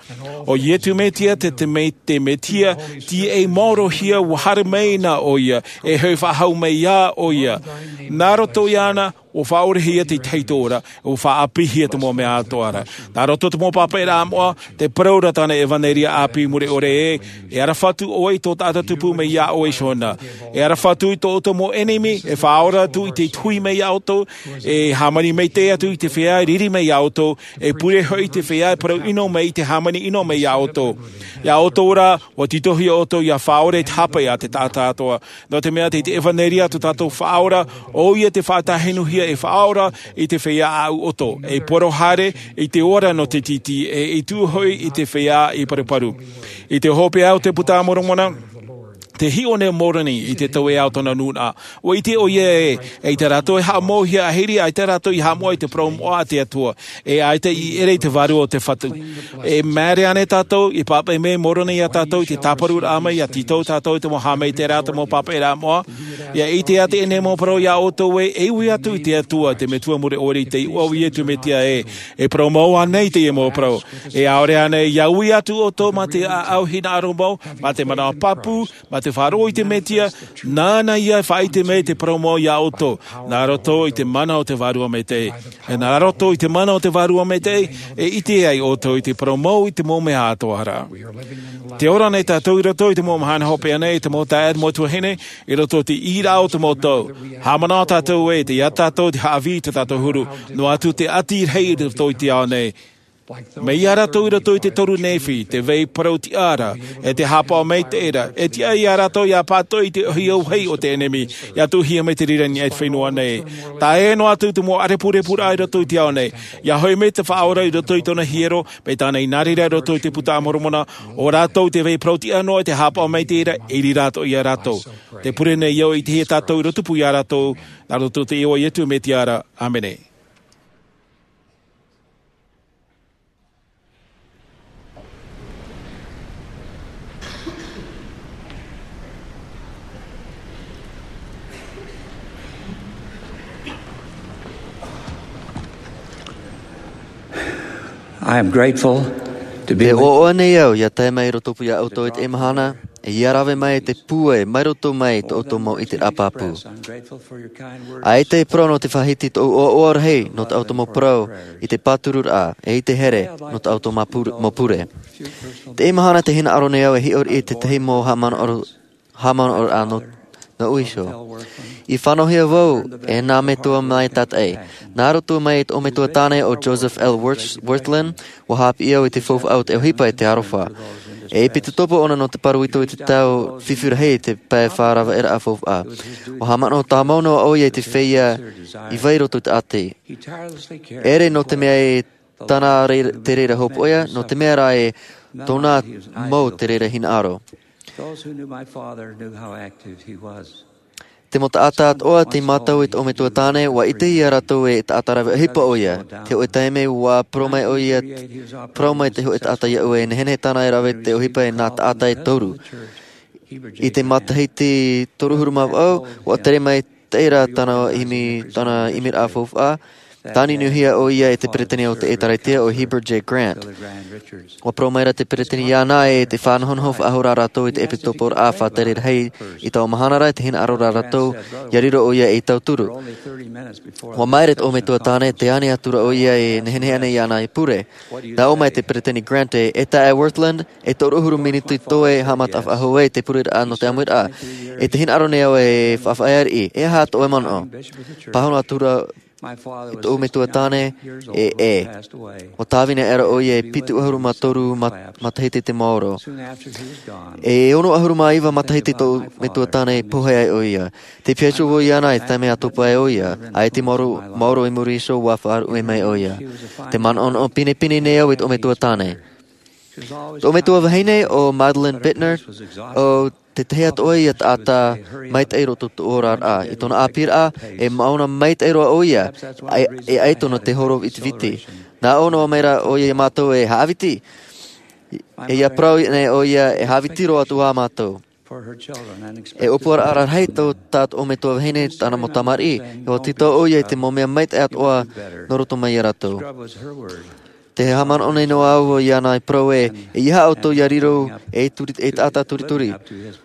ʻO Iesu Mesia te, te me-, te Mesia, tīaʻi maorohia, ʻua haere mai na ʻoia, e hoʻi faʻahou mai ā ʻoia. Nā roto iāna, ʻua faʻaorehia te tahito ra, ʻua faʻaʻāpīhia te mau mea atoʻa ra. Nā roto te mau papaʻiraʻa moʻa, tē parau ra tāna ʻevaneria ʻāpī mure ʻore ē, e aroha atu ʻoe i tō tātou tupu mai iā ʻoe iho na. E aroha atu i tō ʻoutou mau ʻenemi, e faʻaora atu i te tuhi mai iā ʻoutou, e hāmani maitaʻi atu i te feiā e riri mai iā ʻoutou, e pure hoʻi i te feiā e parau ʻino mai i te hāmani ʻino mai iā ʻoutou. Iā ʻoutou rā, ʻua tītauhia ʻoutou ʻia faʻaora i te hape a te taʻata atoʻa. Nō te mea tei te ʻevaneria tō tātou Faʻaora, ʻoia te faʻatāhinuhia e faʻaora i te feiā ʻāʻau ʻoto, e poro haere i te ora nō te tītī, e i tuʻu hoʻi i te feiā i paruparu. I te hopeʻa o te Puta a Moromona, tē hiʻo nei ʻo Moroni i te tauihaʻa o tōna nūnaʻa. ʻUa ʻite ʻoia ē, ʻaita rātou e haʻamauhia ʻahiri, ʻaita rātou i haʻamoʻa i te parau moʻa a te Atua, e ʻaita i ʻere i te vārua o te Fatu. E māere ānei tātou, i pāpaʻi mai Moroni iā tātou i te tāparuraʻa mai, ʻia tītau tātou i te mau haʻamaitaʻiraʻa, te mau papaʻiraʻa moʻa? ʻIa ʻite ā teie nei mau parau iā ʻoutou ē, e ui atu i te Atua, te Metua mure ʻore i te iʻoa o Iesu Mesia ē, e parau mau ānei teie mau parau? E ʻaore ānei, ʻia ui atu ʻoutou mā te ʻāʻau hinaʻaro mau, mā te manaʻo pāpū, mā te faʻaroʻo i te Mesia, nāna ia e faʻaʻite mai te parau mau iā ʻoutou, nā roto i te mana o te Vārua Maitaʻi. E nā roto i te mana o te Vārua Maitaʻi, e ʻite ai ʻoutou i te parau mau i te mau mea atoʻa ra. Tē ora nei tātou i roto i te mau mahana hopeʻa nei, te mau taeaʻe, te mau tuahine, i roto i te ʻīraʻa o te mau tau. Haʻamanaʻo tātou ē, tei ia tātou te haʻavī i tō tātou huru, noa atu te ʻati rahi i roto i te ao nei. Mai iā rātou i roto i te toru Nephi, te vai parau-tiʻa ra, e te haʻapaʻo maitaʻi ra, e tiʻa iā rātou ʻia pātoʻi i te ʻohipa o te ʻenemi, ʻia tuʻuhia mai te reira i niʻa i te fenua nei. Tae noa atu te mau ʻārepurepuraʻa i roto i te ao nei, ʻia hoʻi mai te Faʻaora i roto i tōna hiero, mai tāna i nā reira i roto i te Puta a Moromona, ʻo rātou te vai parau-tiʻa noa, e te haʻapaʻo maitaʻi ra, e riro atoʻa iā rātou. Tē pure nei au i te hia tātou i roto pū iā rātou, nā roto i te iʻoa o Iesu Mesia ra. ʻĀmene. I am grateful to be E with ʻoaʻoa nei au ʻia tae mai i roto pū iā ʻoutou i teie mahana. E ia rave mai te pūai mai roto mai i tō ʻoutou mau ʻiteraʻa pāpū. ʻAita e parau nō te faʻahiti tōʻu ʻoaʻoa rahi nō tā ʻoutou mau parau i te pātururaʻa e i te here nō tā ʻoutou mau pure. Teie mahana te hinaʻaro nei au e hiʻo riʻi i tētahi mau haʻamanaʻo haʻamanaʻoraʻa nō nōʻu iho. I fānauhia vau e nā metua maitaʻi nā roto mai i tōʻu metua tāne o Joseph L Wirthlin. Ua haʻapiʻi au i te faufaʻa o te ʻohipa i te aroha e ʻepitopo ʻōna nō te pāroita i te tau fifi rahi i te pae fāraveʻaraʻa faufaʻa. Ua haʻamanaʻo tāmau noa ʻoia i te feiā i vai roto i te ʻati. ʻEre nō te mea i tāna te reira hopoiʻa nō te mea rā e tōna mau te reira hinaʻaro. Te mau taʻata atoʻa tei mātau i tōʻu metua tāne ua ʻite ia rātou e taʻata rave ʻohipa ʻoia. Te hoʻe taime ua parau mai ʻoia parau mai te hoʻe taʻata iāʻu e nehenehe tāna e rave te ʻohipa i nā taʻata e toru. I te matahiti toru ʻahuru mā vaʻu ua tere mai teie rā tāna ʻimi tāna ʻimiraʻa faufaʻa. Tāniuniuhia ʻoia e te peresideni o te ʻēkālesia o Heber J Grant. Ua parau mai ra te peresideni iāna e te faʻanahonaho faʻahou rā rātou i te ʻepitoporaʻa faʻatere rahi i taua mahana ra i te hinaʻaro rā rātou ia riro ʻoia ei tauturu. Ua māere tōʻu metua tāne te ani atu ra ʻoia e nehenehe ana iāna e pure. Nā ʻō mai te peresideni Grant e e taʻa Wirthlin e toru ʻahuru miniti toe haʻamata faʻahou ai te pureraʻa nō te ʻāmuiraʻa. E te hinaʻaro nei au e faʻafaʻaea riʻi e aha tōʻu e manaʻo. Pāhono atu ra i tōʻu metua tāne e e ua tāvini aʻera ʻoia e pitu ʻahuru mā toru matahiti te maoro. E ono ʻahuru mā iva matahiti tōʻu metua tāne i pohe ai ʻoia. Te piahi atu vau iāna i te taime a topa ai ʻoia ʻaita i maoro i muri iho ua faʻaruʻe mai ʻoia. Te manaʻonaʻo pinepine nei au i tōʻu metua tāne. Tōʻu metua vahine o Madeline Bittner o tētahi atoʻa ia taʻata maitaʻi roto tōʻu oraraʻa i tōna ʻāpīraʻa e maʻona maitaʻi roa ʻoia. E ʻaita nō te horo vitiviti nā ʻō noa mai ra ʻoia iā mātou e haʻaviti. E ia parau nei ʻoia e haʻaviti roa atu ā mātou. E ʻōpuaraʻa rahi tō tā tōʻu metua vahine tāna mau tamariʻi e ua tītau ʻoia i te mau mea maitaʻi atoʻa nō roto mai iā rātou. Te haʻamanaʻo nei noa au iāna i parau e e aha ʻoutou ia riro ei taʻata turituri.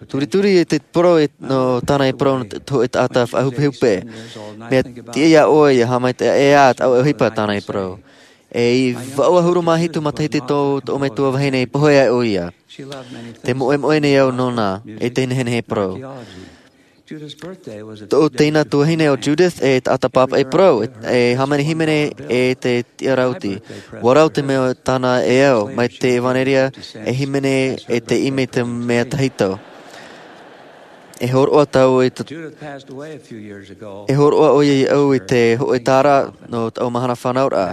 Turituri e te parau nō tāna e parau nō te hoʻe taʻata faʻahupehupe. Mea tiʻa iā ʻoe ia haʻamaitaʻi ʻē ā taʻu ʻohipa tāna e parau. E i vaʻu ʻahuru mā hitu matahiti tō tōʻu metua vahine i pohe ai ʻoia. Te moʻemoʻe nei au nōna e te nehenehe parau. Tōʻu teina tuahine o Judith e taʻata pāpaʻi parau e hāmani hīmene e te tiʻaraʻa uti. Ua rau te mea tāna e au mai te ʻevanelia e hīmene e te ʻimi te mea tahito. E hōroʻa tāua i te e hōroʻa ʻoia iāʻu i te hoʻe tāra nō taʻu mahana fānauraʻa.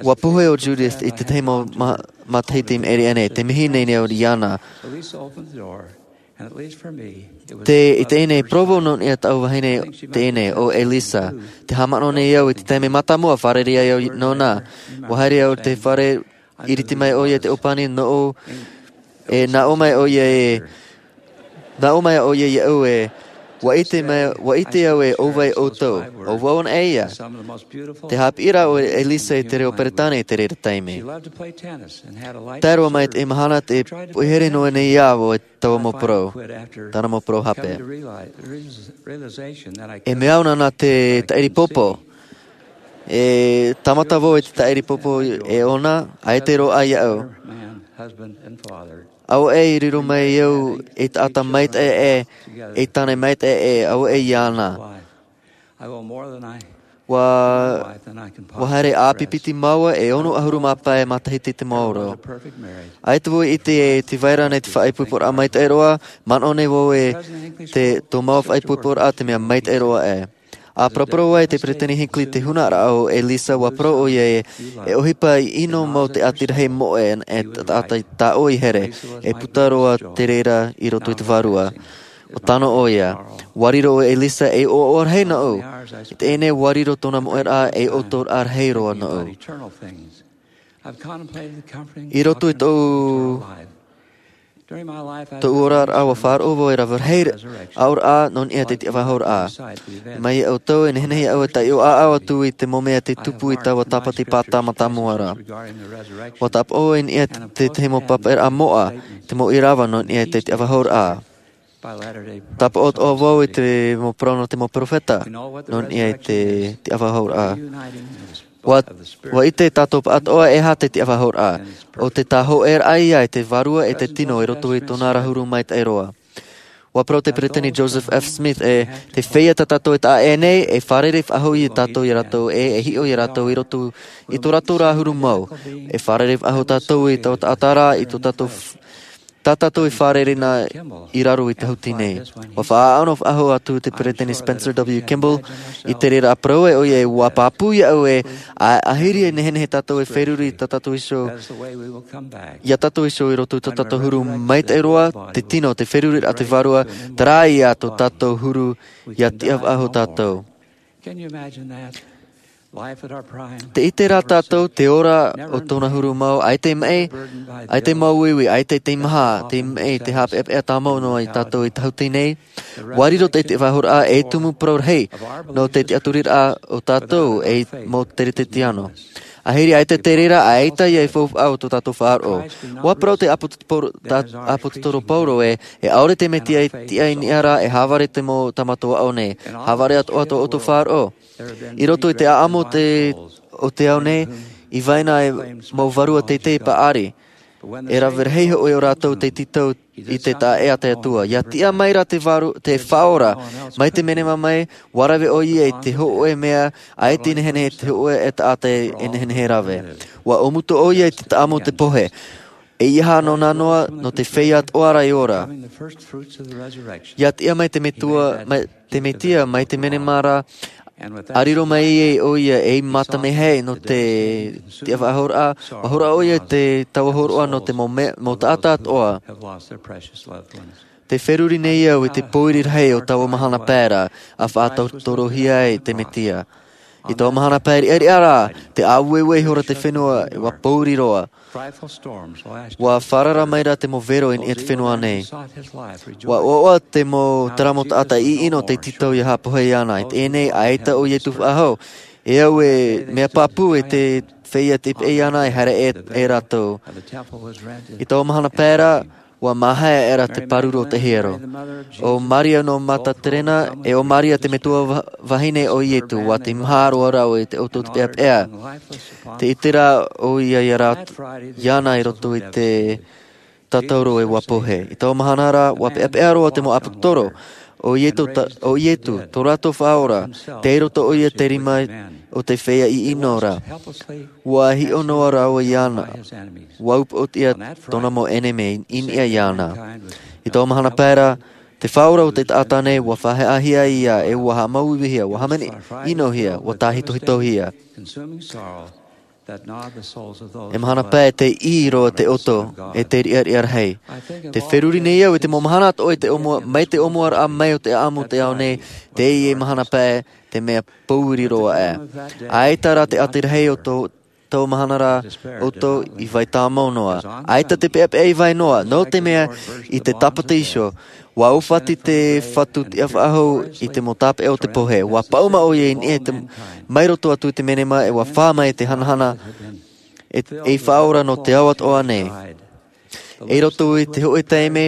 Ua pohe o Judith i tētahi mau matahiti i maʻiri aʻe nei te mihi nei nei au iāna. Te i teie nei provo nō niʻa taʻu vahine teie nei o elisa. Te haʻamanaʻo nei au i te taime mātāmua fārerei ai au nōna. Ua haere au i te fare iriti mai ʻoia i te ʻōpani nōʻu e nā ʻō mai ʻoia e nā ʻō mai ʻoia iāʻu e ua ʻite mai ua ʻite au e ʻōvai ʻoutou. ʻO vau anaʻe ia. Te haʻapiʻiraʻa o elisa i te reo peretāne i te reira taime. Tae roa mai te mahana te poʻihere noa nei iā vau e taua mau parau tāna mau parau hape. E mea au nāna te taʻiri popo. E tāmata vau i te taʻiri popo e ʻōna ʻaita e roaʻa iāʻu. Auaʻe i riro mai au ei taʻata maitaʻi ʻē ei tāne maitaʻi ʻē auaʻe iāna. Ua ua haere ʻāpipiti māua e ono ʻahuru mā pae matahiti te maoro. ʻAita vau i ʻite e te vai ra nei te faʻaipoiporaʻa maitaʻi roa. Manaʻo nei vau e te tō māua faʻaipoiporaʻa te mea maitaʻi roa ʻē. A paraparau ai te peresideni hinckley te hunaraʻa o elisa ua parau ʻoia e e ʻohipa i ʻino mau te ʻati rahi moʻe e taʻata i tāʻoe i here e puta roa te reira i roto i te vārua. Ua tano ʻoia. Ua riro o elisa ei ʻoaʻoa rahi nōʻu. I teie nei ua riro tōna moʻeraʻa ei ʻotoraʻa rahi roa nōʻu. I roto i tōʻu Tōʻu oraraʻa ua faʻaroʻo vau e rave rahi aʻoraʻa nō niʻa i te tiʻavāhouraʻa. Mai iā ʻoutou e nehenehe au e taiʻo ʻāʻau atu i te mau mea tei tupu i taua tāpati pātā mātāmua ra. Ua tāpaʻo i niʻa i te tahi mau pāpaʻiraʻa moʻa, te mau ʻīrava nō niʻa i te tiʻavāhouraʻa. Tāpaʻo atoʻa vau i te mau parau nō te mau peropheta nō niʻa i te tiʻavāhouraʻa. Ua ua ʻite tātou pāʻatoʻa e aha te tiʻavāhouraʻa. ʻO te tāhōʻēraʻa ia i te vārua e te tino i roto i tōna ra huru maitaʻi roa. Ua parau te peresideni joseph f smith e te feiā tā tātou e taʻa ʻē nei e fārerei faʻahou iā tātou iā rātou ʻe e hiʻo iā rātou i roto i tō rātou ra huru mau. E fārerei faʻahou tātou i taua taʻata ra i tō tātou tā tātou e fārerei na i raro i te hauti nei. Ua faʻaʻano faʻahou atu te peresideni spencer w kimball i te reira parau e ʻoia e ua pāpū iā ʻu e ʻaʻe ʻahiri e nehenehe tātou e feruri tā tātou iho iā tātou iho i roto i tō tātou huru maitaʻi roa te tino te feruriraʻa te vārua. Terā ia tō tātou huru ia tiʻa faʻahou tātou. Te ʻite rā tātou te ora o tōna huru mau ʻaita e maʻi ʻaita e mau uiui ʻaita e teimaha te maʻi te haʻapeʻapeʻa tāmau noa iā tātou i te hauti nei. Ua riro te tiʻavāhouraʻa ei tumu parau rahi nō te tiʻaturiraʻa o tātou ei mau teretetiano. ʻAhiri ʻaita te reira ʻaita ia e faufaʻa o tō tātou faʻaroʻo. Ua parau te ʻāpōsetolo paulo e e ʻaore te mesia i tiʻa i niʻa ra e hāvare te mau tāmata aʻo nei. Hāvare atoʻa tō ʻoutou faʻaroʻo. I roto i te ʻaʻamu o te ao nei i vai na e mau vārua teitei paʻari. E rave rahi hoʻi ʻo rātou tei tītau i te taʻa ʻē a te atua ia tiʻa mai ra te faʻaora mai te menema mai. Ua rave ʻoia i te hoʻe mea ʻaita e nehenehe te hoʻe e taʻata e nehenehe rave. Ua ʻōmutu ʻoia i te taʻamu o te pohe. E ia hā nō nā noa nō te feiā atoʻa ra e ora. Ia tiʻa mai te mesia mai te menema ra a riro mai ai ʻoia ei mata mea hei nō te tiʻavāhouraʻa. Ua horoʻa ʻoia i te taua hōroʻa nō te mau taʻata atoʻa. Te feruri nei au i te pōiri rahi o taua mahana pae ra a faʻatautorohia ai te mesia. I taua mahana pae riʻariʻa rā te ʻāueue ihora te fenua e ua pōiri roa. Ua fārara mai ra te mau vero i niʻa i te fenua nei. Ua ʻoaʻoa te mau terā mau taʻata ʻiʻino tei tītau ia haʻapohe iāna i teie nei ʻaita ʻo iesu faʻahou. E au e mea pāpū e te feiā tei peʻe iāna e haere e rātou. I taua mahana pae ra ua māhae aʻera te pāruru o te hiero. ʻO maria nō mataterena e ʻo maria te metua vahine o iesu ua teimaha roa rāua i te ʻoto o te peʻapeʻa. Te ʻite rā ʻoia iāna i roto i te tātauro e ua pohe i taua mahana ra ua peʻapeʻa roa te mau ʻāpōsetolo. ʻO iesu tō rātou faʻaora tei roto ʻoia te rima o te feiā ʻiʻino ra. Ua hiʻo noa rāua iāna. Ua upoʻotiʻa tōna mau ʻenemi i niʻa iāna. I taua mahana pae ra te faʻaora o te taʻata nei ua faʻaheahia ia e ua haʻamāuiuihia ua hāmani ʻinohia ua tāhitohitohia. E mahana pae te ʻī roa te ʻoto e te riʻariʻa rahi. Te feruri nei au i te mau mahana atoʻa i te ʻōmua mai te ʻōmuaraʻa mai o te ʻaʻamu o te ao nei. Teie mahana pae te mea pōiri roa ʻā. ʻAita rā te ʻati rahi o taua mahana ra ʻoto i vai tāmau noa. ʻAita te peʻapeʻa i vai noa nō te mea i te tāpati iho ua ʻōfati te fatu tiʻa faʻahou i te mau tāpeʻa o te pohe ua paʻuma ʻoia i niʻa i te mai roto atu i te menema e ua fā mai te hanahana e faʻaora nō te ao atoʻa nei. I roto i te hoʻe taime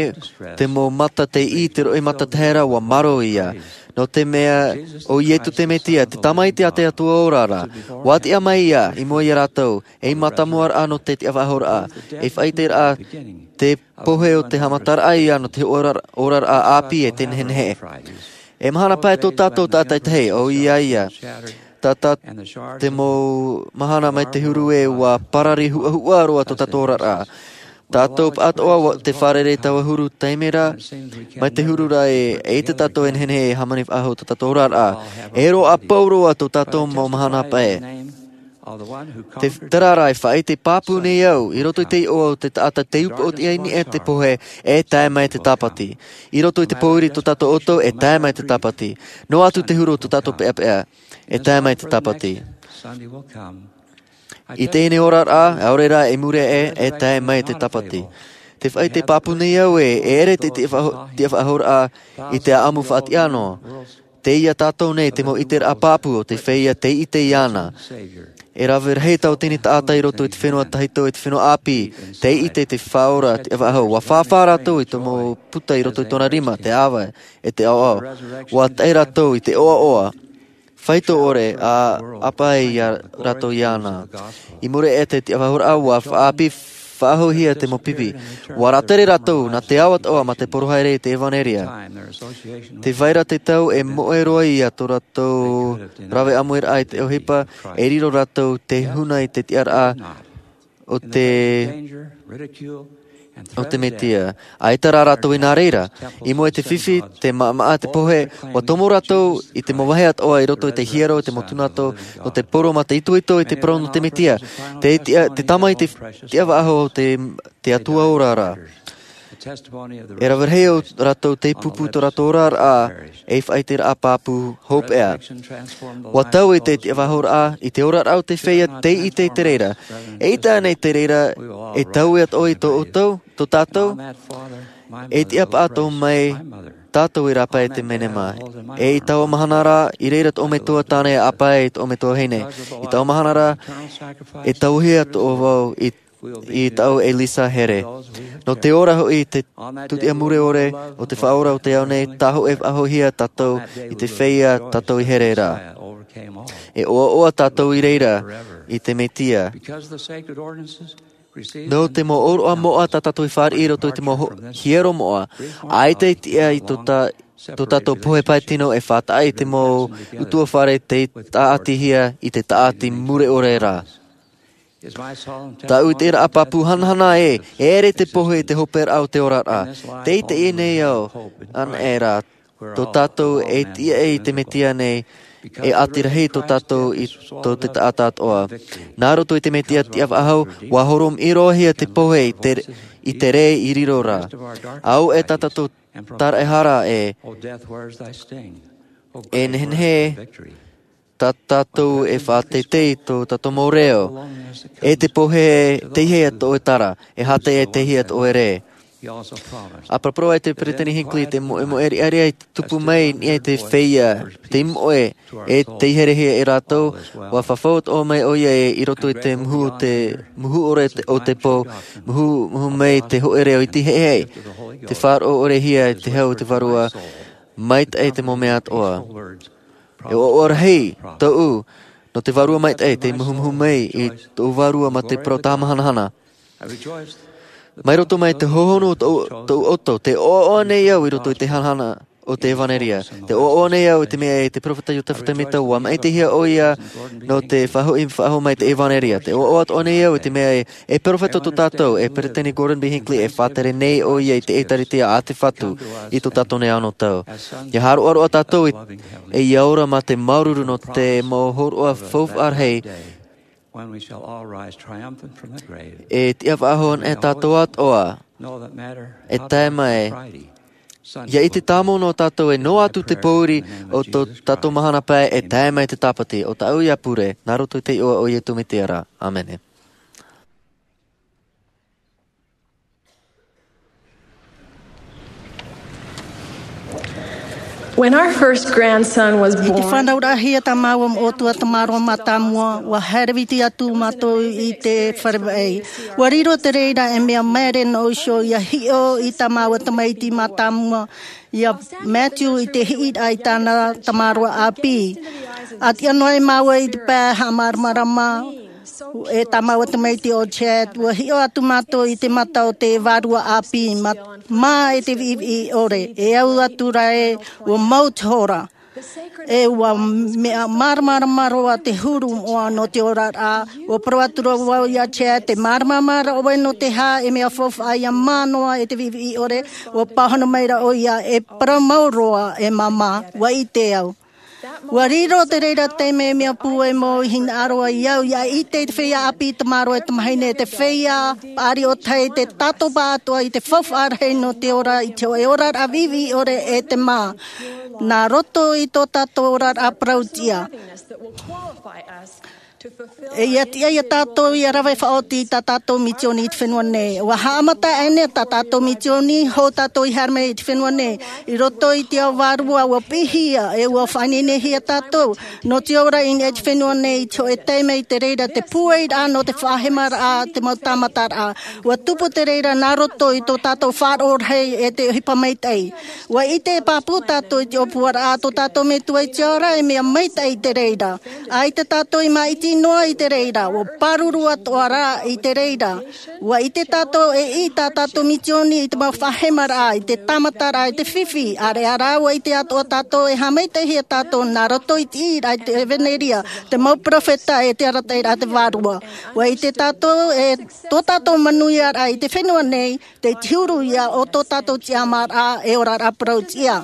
te mau mata tei ʻī te roʻi mata tahera ua maro ia. Nō te mea ʻo iesu te mesia te tamaiti a te atua ora ra. Ua tiʻa mai ia i mua iā rātou ei mātāmuaraʻa nō te tiʻavāhouraʻa ei faʻaiteraʻa te pohe o te haʻamataraʻa ia nō te oraraʻa ʻāpī e te nehenehe. E mahana pae tō tātou tātaitahi ʻo ia ia. Tata te mau mahana mai te huru e ua parari huʻahuʻa roa tō tātou oraraʻa. Tātou pāʻatoʻa te fārerei taua huru taime ra mai te huru ra e ʻite tātou e nehenehe e hāmani faʻahou tō tātou oraraʻa. E roaʻa pauroa tō tātou mau mahana pae. Te terā rā e faʻaite pāpū nei au i roto i te iʻoa o te taʻata tei upoʻotiʻa i niʻa i te pohe e tae mai te tāpati. I roto i te pōiri tō tātou ʻoto e tae mai te tāpati. Noa atu te huru o tō tātou peʻapeʻa e tae mai te tāpati. I teie nei oraraʻa ʻaore rā i muri aʻe e tae mai te tāpati. Te faʻaʻite pāpū nei au ē, e ʻere te tiʻa faʻaho-, tiʻa faʻahouraʻa i te ʻāʻamu faʻatiʻa noa. Tei iā tātou nei te mau ʻiteraʻa pāpū o te feiā tei ʻite iāna. E rave rahi tautini taʻata i roto i te fenua tahito, i te fenua ʻāpī, tei ʻite i te Faʻaora tiʻa faʻahou. ʻUa fāfā rātou i te mau puta i roto i tōna rima, te ʻāvae, e te ʻaoʻao. ʻUa tae rātou i te ʻoaʻoa. Faito ʻore, ʻa ʻāpī ai iā rātou iāna. I muri aʻe i te tiʻa faʻahouraʻa, ʻua faʻaʻāpī faʻahouhia te mau pipi. ʻUa rātere rātou nā te ao atoʻa mā te porohai ra i te ʻevanelia. Tē vai ra te tau e moʻe roa ia tō rātou rave ʻāmuiraʻa i te ʻohipa, e riro rātou te huna i te tiʻaraʻa o te, o te Mesia. ʻAita rā rātou i nā reira. I mua i te fifi, te maʻamaʻa, te pohe, ʻua tomo rātou i te mau vāhi atoʻa i roto i te hiero, te mau tūnato, nō te poro mā te itoito i te parau nō te Mesia. Te tiʻa, te tama i te tiʻa faʻahou o te, te Atua ora ra. E rave rahi ō rātou tei pūpū tō rātou oraraʻa ei faʻaʻiteraʻa pāpū hopeʻa. ʻUa taui te tiʻa faʻahouraʻa i te oraraʻa o te feiā tei ʻite i te reira. E ʻite ānei te reira, e taui atoʻa i tō ʻoutou, tō tātou? E tiʻa paʻatoʻa mai tātou i rāpae i te menema. E i taua mahana ra, i reira tō ʻoe metua tāne e ʻāpī i tō ʻoe metua vahine. I taua mahana ra, e tauhia atoʻa vau i i tāʻu e Lisa here. Nō te ora hoʻi i te tūtiʻa mure ʻore o te Faʻaora o te ao nei, tāhōʻē faʻahouhia tātou i te feiā tātou i here ra. E ʻoaʻoa tātou i reira i te Mesia. Nō te mau ʻōroʻa moʻa tā tātou i fāriʻi i roto i te mau ho-, hiero moʻa, ʻaita e tiʻa i tō tā-, tō tātou pohe pae tino e faʻataʻa i te mau ʻutuāfare tei tāʻatihia i te tāʻati mure ʻore ra. Tāʻu ʻiteraʻa pāpū hanahana ē, e ʻere te pohe i te hoperaʻa o te oraraʻa. Tei teie nei ao anaʻe ra, tō tātou e tiʻa i te Mesia nei, e ʻati rahi tō tātou i tō te taʻata atoʻa. Nā roto i te Mesia tiʻa faʻahou, ʻua horomiʻi roa hia te pohe i te, i te rē i riro ra. Auē tā tātou taraehara ē, e nehenehe tā tātou e faʻateitei tō tātou mau reo, e te pohe teihea tō ʻoe tara, e hāteʻa teihea tō ʻoe rē. ʻA paraparau ai te Peresideni Hinckley te moʻemoʻe riʻariʻa i tupu mai i niʻa i te feiā, te moʻe, e tei herehia e rātou, ʻua fafau atoʻa mai ʻoia i roto i te muhu, te muhu ʻore te, o te pō, muhu, muhu mai te hōʻē reo iti heihei, te faʻaroʻo ʻore hia i te hau o te Vārua, maitaʻi te mau mea atoʻa. E ʻoaʻoa rahi tōʻu, nō te Vārua maitaʻi, tei muhumuhu mai i tō Vārua mā te parau tāmahanahana. Mai roto mai te hohonu o tō, tōʻu ʻoto, tē ʻoaʻoa nei au i roto i te hanahana o te ʻevanelia. Tē ʻoaʻoa nei au i te mea ē te peropheta Iosefa Sāmita, ʻua māʻitihia ʻoia nō te faʻahoʻi faʻahou mai te ʻevanelia. Tē ʻoaʻoa atoʻa nei au i te mea ē, e peropheta tō tātou, e Peresideni Gordon B. Hinckley, e faʻatere nei ʻoia i te ʻĒtārētia a te Fatu i tō tātou nei anotau. ʻIa hāroʻaroʻa tātou i, e ʻia ora mā te māuruuru nō te mau hōroʻa faufaʻa rahi, e tiʻa faʻahou anaʻe tātou atoʻa, e tae mai, ʻia ʻite tāmau noa tātou ē noa atu te pōuri o tō tātou mahana pae e tae mai te Tāpati. ʻO tāʻu ïa pure, nā roto i te iʻoa o Iesu Mesia ra. ʻĀmene. When our first grandson was born, i te fānauraʻahia tā māua mau ʻōtua tamaroa mātāmua, ʻua haere viti atu mātou i te fare vaʻa. ʻUa riro te reira e mea maere noa iho ʻia hiʻo i tā māua tamaiti mātāmua, iā Matthew, i te hiʻiraʻa i tāna tamaroa ʻāpī. ʻA tiʻa noa ai māua i te pae haʻamāramarama, e tā māua tamaiti ʻo Chad, ʻua hiʻo atu mātou i te mata o te vārua ʻāpī, mā, mā e te viʻiviʻi ʻore, e au atu ra ē, ʻua mau te hora. E ʻua mea māramarama roa te huru moʻa nō te oraraʻa, ʻua parau atu ra vau iā Chad, tē māramarama ra ʻoe nō te aha e mea faufaʻa ʻia mā noa e te viʻiviʻi ʻore, ʻua pāhono mai ra ʻoia, e parau mau roa e māmā, ʻua ʻite au. ʻUa riro te reira taime mea pūai mau i hinaʻaro ai au, ʻia ʻite i te feiā ʻāpī tamaroa e tamahine, te feiā paʻari o tahi, te tatoʻa atoʻa i te faufaʻa rahi nō te ora i te hōʻē oraraʻa viʻiviʻi ʻore e te mā. Nā roto i tō tātou oraraʻa parau-tiʻa. E ia tiʻa ia tātou ia rave faʻaoti i tā tātou misioni i te fenua nei. Ua haʻamata aʻenei tā tātou misioni hou tātou i haere mai i te fenua nei. I roto i te ao vārua ua piʻihia e ua faʻaineinehia tātou nō te ora i niʻa i te fenua nei i te hoʻe taime i te reira te pūairaʻa nō te faʻahemaraʻa, te mau tāmataraʻa. Ua tupu te reira nā roto i tō tātou faʻaroʻo rahi e te ʻohipa maitaʻi. Ua ʻite e pāpū tātou i te ʻōpuaraʻa tō tātou metua i te ao ra e mea maitaʻi i te reira. ʻAita tātou i māʻiti noa i te reira, ua pāruru atoʻa rā i te reira. Ua ʻite tātou e ʻī tā tātou misioni i te mau faʻahemaraʻa, i te tāmataraʻa, i te fifi, ʻāreʻa rā ua ʻite atoʻa tātou e haʻamaitaʻihia tātou nā roto i te ʻīraʻa i te ʻevanelia, te mau peropheta e te arataʻiraʻa te vārua. Ua ʻite tātou e tō tātou manuiaraʻa i te fenua nei, te huru ia o tō tātou tiʻamāraʻa e oraraʻa parau tiʻa.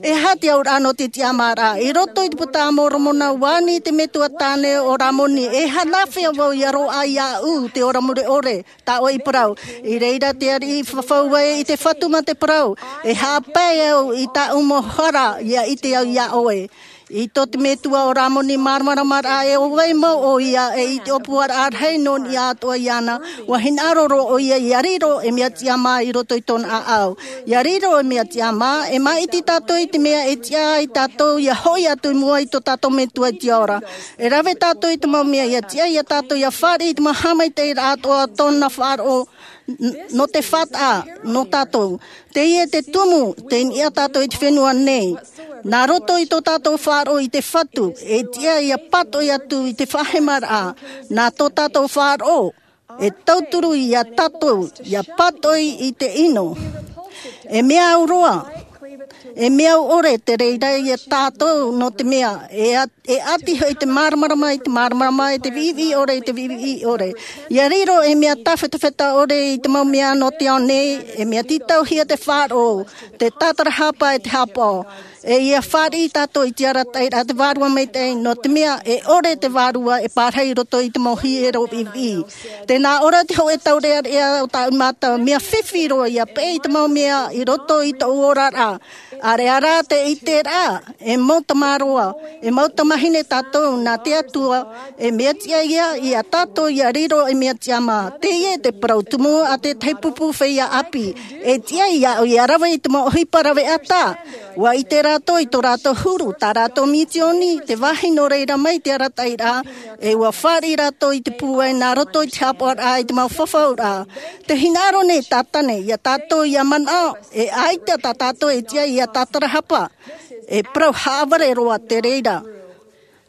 E aha te auraʻa nō te tiʻamāraʻa? I roto i te puta a Moromona ua ani te metua tāne o Ramoni, e aha nā hea vau ia roaʻa iāʻu te ora mure ʻore, tā ʻoe i parau. I reira te ariʻi i fafau ai i te Fatu mā te parau, e haʻapae au i tāʻu mau hara ia ʻite au iā ʻoe. I tō te metua o Ramoni māramarama rā e ʻo vai mau ʻoia e i te ʻōpuaraʻa rahi nō niʻa atoʻa iāna, ua hinaʻaro roa ʻoia ia riro e mea tiʻamā i roto i tōna ʻāʻau. Ia riro e mea tiʻamā, e māʻiti tātou i te mea e tiʻa ai tātou ia hoʻi atu i mua i tō tātou metua i te ao ra. E rave tātou i te mau mea ia tiʻa ia tātou ia fāriʻi i te mau haʻamaitaʻiraʻa atoʻa tōna faʻaroʻo nō te faʻataʻa nō tātou. Teie te tumu, tei niʻa tātou i te fenua nei. Nā roto i tō tātou faʻaroʻo i te Fatu, e tiʻa ia pātoʻi atu i te faʻahemaraʻa, nā tō tātou faʻaroʻo, e tauturu ia tātou, ia pātoʻi i te ʻino. E mea au roa, e mea au ʻore te reira ia tātou nō te mea, e a E ʻati hoʻi te māramarama i te māramarama, e te viʻiviʻi ʻore i te viʻiviʻi ʻore. Ia riro e mea tāfetafeta ʻore i te mau mea nō te ao nei, e mea tītauhia te faʻaroʻo, te tātarahapa e te hapaʻo. E ia fāriʻi tātou i te arataʻiraʻa te vārua maitaʻi, nō te mea e ʻore te vārua e pārahi i roto i te mau hiero viʻiviʻi. Tē nā ʻō ra te hōʻē taureʻareʻa o tāʻu mātau, mea fifi roa ia peʻe i te mau mea i roto i tōʻu oraraʻa. ʻĀreʻa rā te ʻiteraʻa, e mau tamāroa, e mau tamāhine tātou nā te Atua, e mea tiʻa ia, ia tātou ia riro e mea tiʻamā. Teie te parau tumu a tētahi pupu feiā ʻāpī, e tiʻa iāʻu ia rave i te mau ʻohipa raveʻa. Ua ʻite rātou i tō rātou huru, tā rātou misioni, te vāhi nō reira mai te arataʻiraʻa, e ua fāriʻi rātou i te pūai nā roto i te hapaʻoraʻa i te mau fafauraʻa. Te hinaʻaro nei Tātane, ia tātou ia manaʻo, e ʻaita tā tātou e tiʻa ia tātarahapa. E parau haʻavare roa te reira.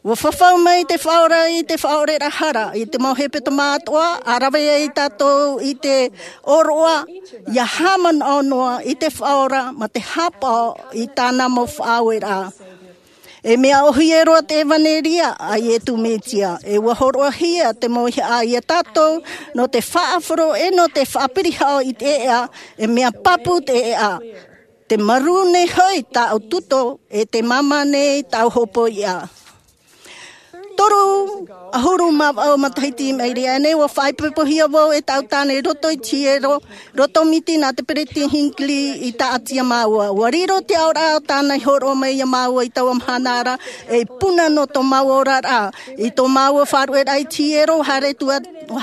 Ua fafau mai te Faʻaora i te faʻaoreraʻa hara, i te mau hepetoma atoʻa, ʻa rave ai tātou i te ʻōroʻa, ia haʻamanaʻo noa i te Faʻaora, mā te hapaʻo i tāna mau faʻaueraʻa. E mea ʻōhie roa te ʻevanelia a Iesu Mesia, e ua hōroʻahia te mauhaʻa ia tātou, nō te faʻahoro e nō te faʻapirihao i te ʻēʻa, e mea pāpū te ʻēʻa. Te marū nei hoʻi tāʻu tuto, e te māmā nei tāʻu hopoiʻa. Toru ʻahuru mā vaʻu matahiti i maʻiri aʻe nei, ua faʻaipoipohia vau e tāʻu tāne i roto i te hiero, roto miti nā te Peretiteni Hinckley i tāʻati iā māua. Ua riro te aʻoraʻa o tāna i hōroʻa mai iā māua i taua mahana ra, ei puna nō tō māua oraraʻa. I tō māua faʻarueraʻa i te hiero, haere atu,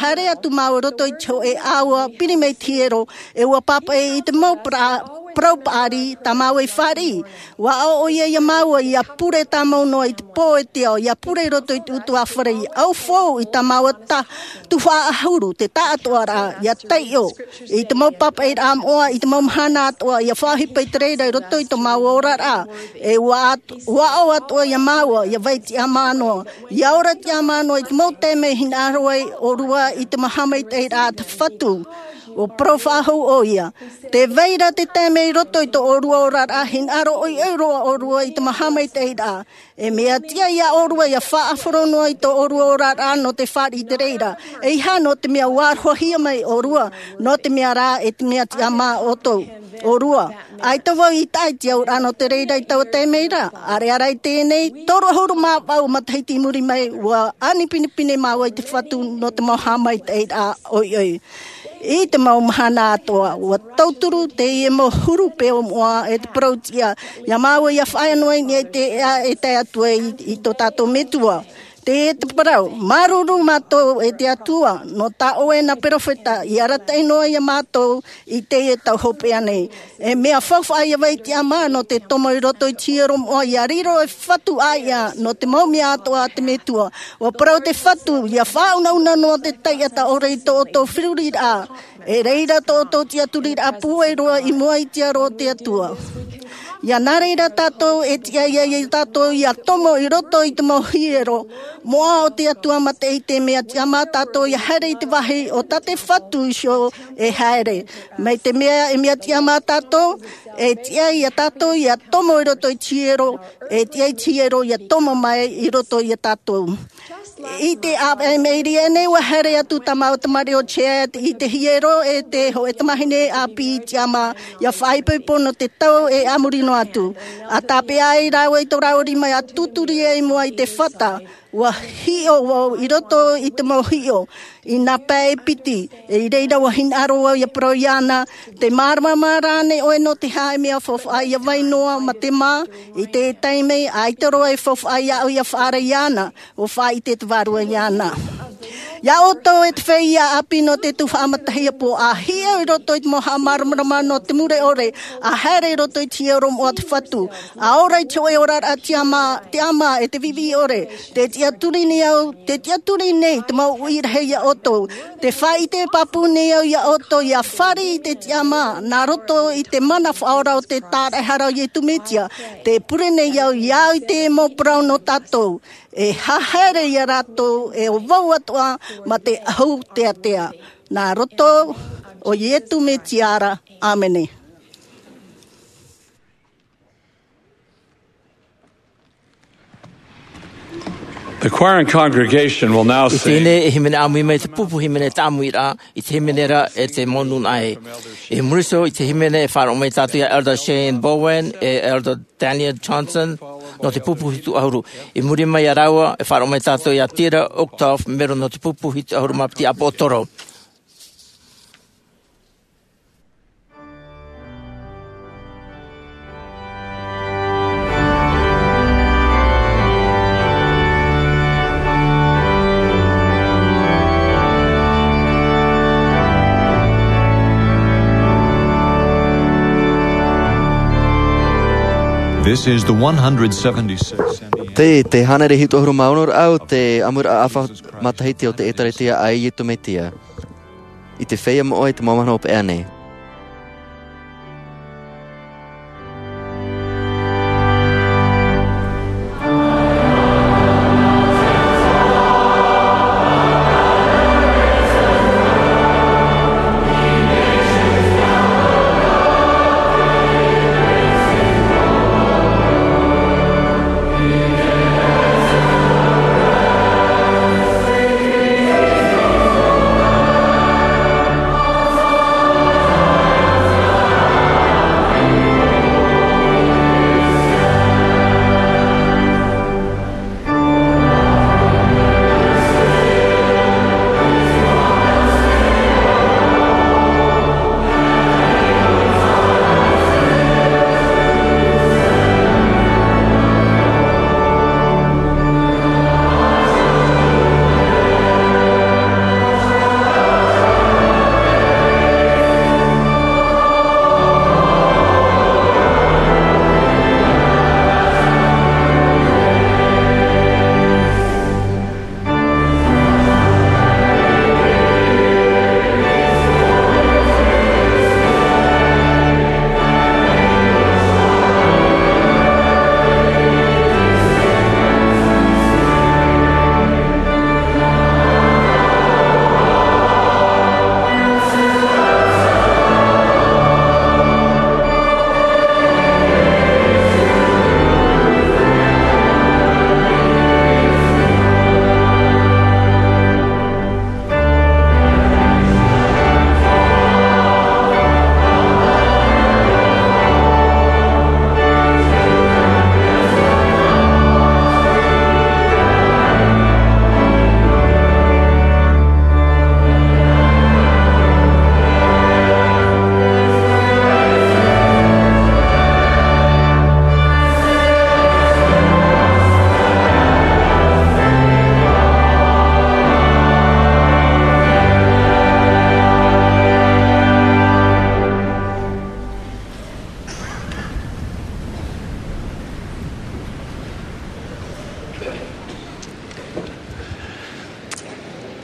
haere atu māua i roto i te hōʻē ʻāua piri mai te hiero, e ua pāpaʻi i te mau pra-, parau paʻari tā māua i fāriʻi. Ua aʻo ʻoia iā māua ia pure tāmau noa i te pō e te ao, ia pure i roto i te ʻutuāfare, ia ʻaufau i tā māua ta-, tuhaʻa ʻahuru, te taʻatoʻaraʻa, ia taiʻo i te mau pāpaʻiraʻa moʻa, i te mau mahana atoʻa, ia faʻaʻohipa i te reira i roto i tō māua oraraʻa. E ua at-, ua aʻo atoʻa iā māua ia vai tiʻamā noa, ia ora tiʻamā noa i te mau taime e hinaʻaro ai ʻōrua i te mau haʻamaitaʻiraʻa a te Fatu. ʻUa parau faʻahou ʻoia. Tē vai ra te taime i roto i tō ʻōrua oraraʻa, hinaʻaro ʻoiʻoi roa ʻōrua i te mau haʻamaitaʻiraʻa. E mea tiʻa iā ʻōrua ia faʻahoro noa i tō ʻōrua oraraʻa nō te fāriʻi i te reira. ʻEiaha nō te mea ua arohahia mai ʻōrua, nō te mea rā e te mea tiʻamā ʻoutou, ʻōrua. ʻAita vau i taʻa i te auraʻa nō te reira i taua taime ra. ʻĀreʻa rā i teie nei, toru ʻahuru mā vaʻu matahiti i muri mai, ua ani pinepine māua i te Fatu nō te mau haʻamaitaʻiraʻa ʻoiʻoi. I te mau mahana atoʻa, ua tauturu teie mau huru peu moʻa e te parau tiʻa, iā māua ia faʻaea noa i niʻa i te ʻēʻa e tae atu ai i, i tō tātou Metua. E te parau, māuruuru mātou e te Atua, nō tā ʻoe nā perofeta, i arataʻi noa ia mātou i teie tau hopeʻa nei. E mea faufaʻa ia vai Tiama nō te tomo i roto i te hiero moʻa ia riro e fatu ʻāiʻa nō te mau mea atoʻa a te Metua. ʻUa parau te fatu, ia faʻaunauna noa te taiʻa ʻore i tō ʻoutou feruriraʻa. E reira tō ʻoutou tiʻaturiraʻa pūai roa i mua i te aro o te Atua. Ia nā reira tātou e tiʻa ia, ia tātou ia tomo i roto i te mau hiero moʻa o te Atua, mā te, i te mea Tiama tātou ia haere i te vāhi o tā te fatu iho e haere. Mai te mea e mea Tiama tātou, e tiʻa ia tātou ia tomo i roto i te hiero, e tiʻa i te hiero ia tomo mai i roto ia tātou. I te ʻāvaʻe mai reira nei, ʻua haere atu tā māua tamariʻi o Chad i te hiero e te hōʻē tamahine ʻāpī Tiama, ia faʻaipoipo nō te tau e a muri noa atu. ʻA tāpeʻa ai rāua i tō rāua rima ia tūturi ai i mua i te fata, ʻua hiʻo vau i roto i te mau hiʻo, i nā pae piti, e i reira ʻua hinaʻaro vau ia parau iāna, te māramarama rānei ʻoe nō te hā e mea faufaʻa ia vai noa mā te mā, i te taime, ʻaita roa e faufaʻa iāʻu ia faʻaara iāna, ʻua faʻaʻite te Vārua iāna. Ia ʻoutou e te feiā ʻāpī nō te tuhaʻa matahiapo, ʻa hiʻo i roto i te mau haʻamāramarama nō te mure ʻore, ʻa haere i roto i te hiero moʻa o te fatu, ʻa ora i te hōʻē oraraʻa Tiama, Tiama e te viʻiviʻi ʻore, tē tiʻaturi nei au, tē tiʻaturi nei te mau uʻi rahi ia ʻoutou, tē faʻaʻite pāpū nei au ia ʻoutou, ia fāriʻi i te Tiama, nā roto i te mana faʻaora o te tāraʻehara o Iesu Mesia, tē pure nei au, ia au i te mau parau nō tātou, e haere ia rātou, e ʻo vau atoʻa, mā te ʻahu teatea. Nā roto o Iesu Mesia ra, ʻāmene. The choir and congregation will now sing. I teie nei e hīmene ʻāmui mai te pupu hīmene tāʻamuraʻa, i te hīmene ra e te mau nūnaʻa ē. I muri iho i te hīmene e faʻaroʻo mai tātou ia Elder Shane Bowen, e Elder Daniel Johnson, nō te pupu hitu ʻahuru. I muri mai ia rāua, e faʻaroʻo mai tātou ia Tira Uchtdorf, mero nō te pupu hitu ʻahuru mā piti ʻāpōsetolo. This is the one hundred seventy-six. Te, te hānere hitu ʻahuru mā ono ra ʻāʻau, te ʻāmuraʻa ʻāfa matahiti o te ʻĒtārētia a Iesu Mesia. I te feiā moʻa i te mau mahana hopeʻa nei.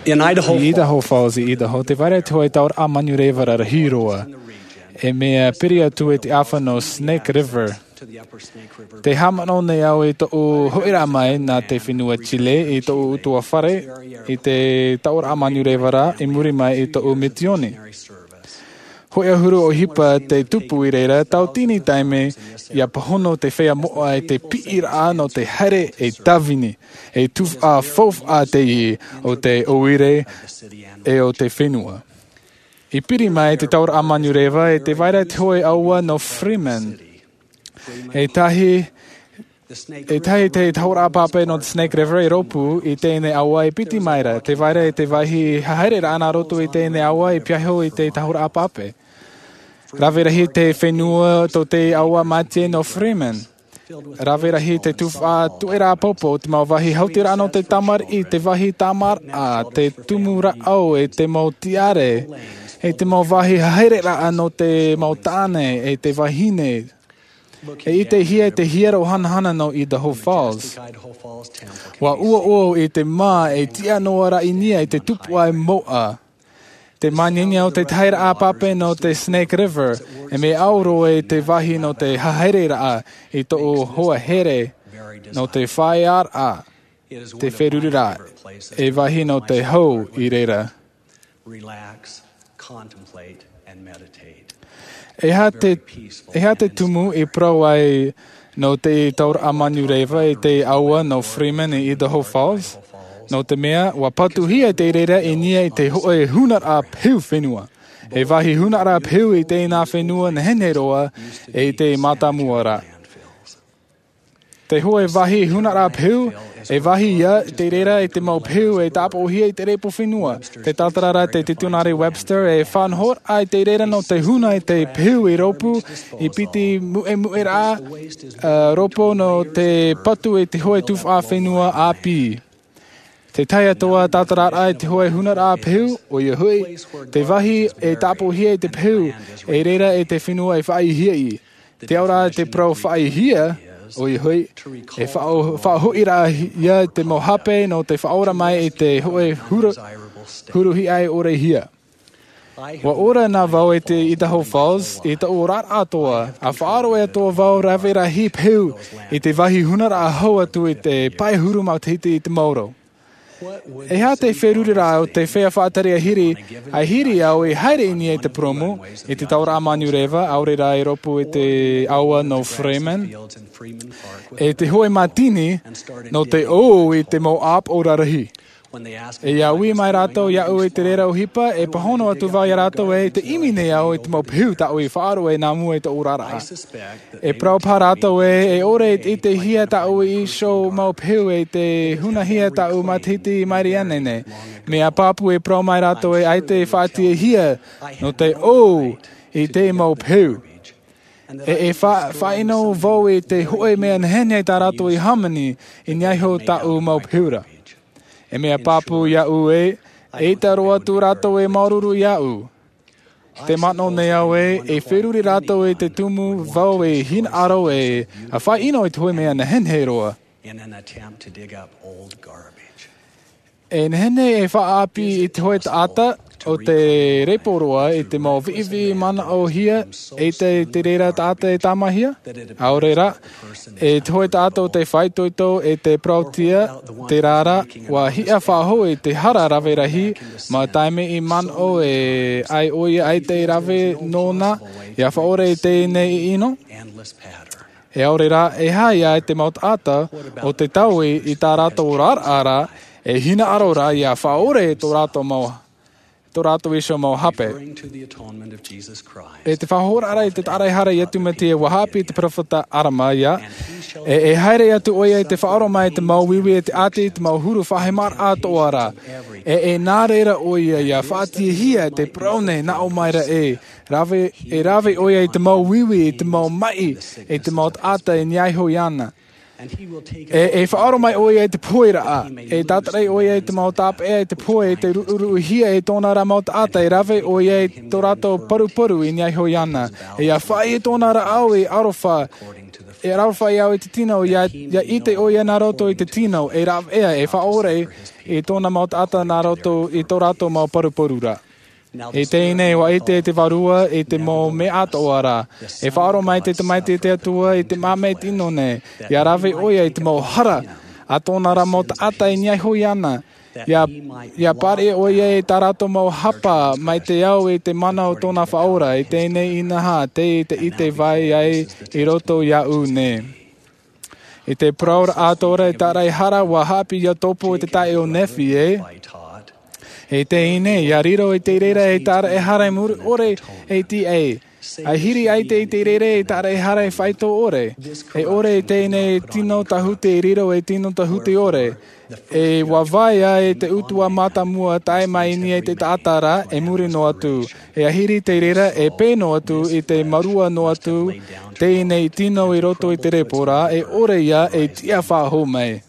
I Idaho Falls, i Idaho, tē vai ra te hōʻē tauraʻa manureva rahi roa, e mea piri atu i te ʻāfa nō Snake River. Tē haʻamanaʻo nei au i tōʻu hoʻiraʻa mai nā te fenua Chile i tōʻu ʻutuāfare i te tauraʻa manureva ra i muri mai i tōʻu misioni. Hōʻē ʻahuru ʻohipa te tupu i reira, tauatini taime ʻia pāhono te feiā moʻa i te piʻiraʻa nō te haere ei tāvini, ei tuhaʻa faufaʻa teie o te ʻoire e o te fenua. I piri mai te tauraʻa manureva, e tē vai ra te hōʻē ʻāua nō Freeman. E tahi, e tahi te tauraʻa pāpē nō te Snake River i rōpū i teie nei ʻāua e piti mai ra. Tē vai ra te vāhi haereraʻa nā roto i teie nei ʻāua i pīhaʻi i te tauraʻa pāpē. Rave rahi te fenua tō te ʻāua mātie nō Freeman. Rave rahi te tuhaʻa tuʻeraʻa popo, te mau vāhi hautiraʻa nō te tamariʻi, te vāhi tāmāraʻa, te tumu rāʻau, e te mau tiare, e te mau vāhi haereraʻa nō te mau tāne, e te vahine. E ʻitehia te hiero hanahana nō Idaho Falls. ʻUa ʻuaʻua i te mā e tiʻa noa ra i niʻa i te tupuʻa moʻa. Te māniania o te tauraʻa pāpē nō te Snake River, e mea ʻauro i te vāhi nō te haereraʻa i tōʻu hoa here nō te feiā raʻa, te feruriraʻa, e vāhi nō te hau i reira. Relax, contemplate, and meditate. E aha te, e aha te tumu i parau ai nō te tauraʻa manureva i te ʻāua nō Freeman i Idaho Falls? Nō te mea, ʻua patuhia te reira i niʻa i te hōʻē hunaraʻa peu fenua. E vāhi hunaraʻa peu i teie nā fenua nehenehe roa e i te mātāmua ra. Te hōʻē vāhi hunaraʻa peu, e vāhi ia, te reira i te mau peu e tāpoʻohia i te repo fenua. Te tātararaʻa te titionare Webster e faʻanahoraʻa i te reira nō te huna i te peu i rōpū, i piti muʻemuʻeraʻa, ā, rōpū nō te patu i te hōʻē tuhaʻa fenua ʻāpī. Te tahi atoʻa tātararaʻa i te hōʻē hunaraʻa peu, ʻoia hoʻi, te vāhi e tāpoʻohia i te peu, e reira i te fenua e faʻaʻīhia. Te auraʻa te parau faʻaʻīhia, ʻoia hoʻi, e faʻa-, faʻahoʻiraʻa ia te mau hape nō te faʻaora mai i te hōʻē huru-, huru hiʻai ʻore hia. ʻUa ora na vau i te Idaho Falls, i tōʻu oraraʻa atoʻa, ʻa faʻaroʻo atoʻa vau rave rahi peu i te vāhi hunaraʻa hau atu i te pae huru matahiti i te maoro. E aha te feruriraʻa o te feiā faʻatere ahiri, ahiri au i haere i niʻa i te purōmu, i te tauraʻa manureva, ʻaore rā i rōpū i te ʻāua nō Freeman, e te hōʻē mātini, nō te ʻō i te mau ʻāpoʻo rarahi. E ʻia ui mai rātou iāʻu i te reira ʻohipa, e pāhono atu vau iā rātou ē, tē ʻimi nei au i te mau peu tāʻu i faʻaroʻo nā mua i tōʻu oraraʻa. E parau paha rātou ē, e ʻore i ʻitehia tāʻu iho mau peu e tē hunahia tāʻu matahiti i maʻiri aʻe nei. Mea pāpū e parau mai rātou ē, ʻaita e faʻatiʻahia nō te ʻō i te mau peu. E, e fa-, faʻaʻino vau i te hōʻē mea nehenehe tā rātou i hāmani i niʻa iho tāʻu mau peu ra. E mea pāpū iāʻu ē, eʻita roa atu rātou e māuruuru iāʻu. Tē manaʻo nei au ē, e feruri rātou i te tumu vau e hinaʻaro e, ʻa faʻaʻino i te hōʻē mea nehenehe roa. In an attempt to dig up old garbage. E nehenehe e faʻaʻāpī i te hōʻē taʻata o te repo roa i te mau viʻiviʻi manaʻohia, eʻita te reira taʻata e tāmāhia. ʻAore rā, e te hōʻē taʻata o te faʻaitoito e te parauʻtiʻa, terā rā, ʻua hiʻa faʻahou i te hara rave rahi, mau taime i manaʻo ē ʻaita ʻoia ʻaita e rave nōna, ʻia faʻaora i teie nei ʻino. E ʻaore rā, e aha ia te mau taʻata o te taui i tā rātou oraraʻa ra, e hinaʻaro rā ʻia faʻaora i tō rātou mau, tō rātou iho mau hape. Referring to the atonement of Jesus Christ. E te faʻahoʻoraʻa i te taʻata e hara iā Iesu Mesia, ʻua haʻapiʻi te peropheta Arama ia, e, e haere atu ʻoia i te faʻaora mai i te mau uiui e te ʻāti, te mau huru faʻahemaraʻa atoʻa ra. E, e nā reira ʻoia ʻia faʻatiʻahia te parau nei nā ʻō mai ra ē, rave, e rave ʻoia i te mau uiui, i te mau maʻi, i te mau taʻata i niʻa iho iāna. E, e faʻaora mai ʻoia i te pohe ra, e tātaʻi ʻoia i te mau tāpeʻa i te pohe, e te ruʻuruʻuhia e tōna ra mau taʻata, e rave ʻoia i tō rātou paruparu i niʻa iho iāna. E ʻia faʻaʻī i tōna rāʻau i aroha, E rave faʻaʻite au i te tino, ia ʻite ʻoia nā roto i te tino e rave ʻē e faʻaʻore i tōna mau taʻata nā roto i tō rātou mau paruparu ra. I teie nei ua ʻite te vārua i te mau mea atoʻa ra. E faʻaroʻo mai te tamaiti a te atua i te māmā tino nei, ia rave ʻoia i te mau hara a tōna ra mau taʻata e niʻa iho iāna. Ia pāriʻi ʻoia i tā rātou mau hapa mai te ao i te mana o tōna faʻaora i teie nei inaha tei te ʻite vai ai i roto iāʻu nei. I te parau ra atoʻa i tāraʻehara ua haʻapiʻi ia topo i te taʻe o nephi e i teie nei ia riro i te reira e tāraʻehara e muri ʻore e tiʻai. Ahiri ʻaita i te reira e tāraʻehara e faito ʻore e ʻore i teie nei tino tahute e riro e tino tahute ʻore. E ua vai ai te utuʻa mātāmua tae mai nei i te taʻata ra e muri noa atu e ahiri te reira e pē noa atu i te marua noa atu teie nei tino i roto i te repo ra e ʻore ia e tiʻa faʻahou mai.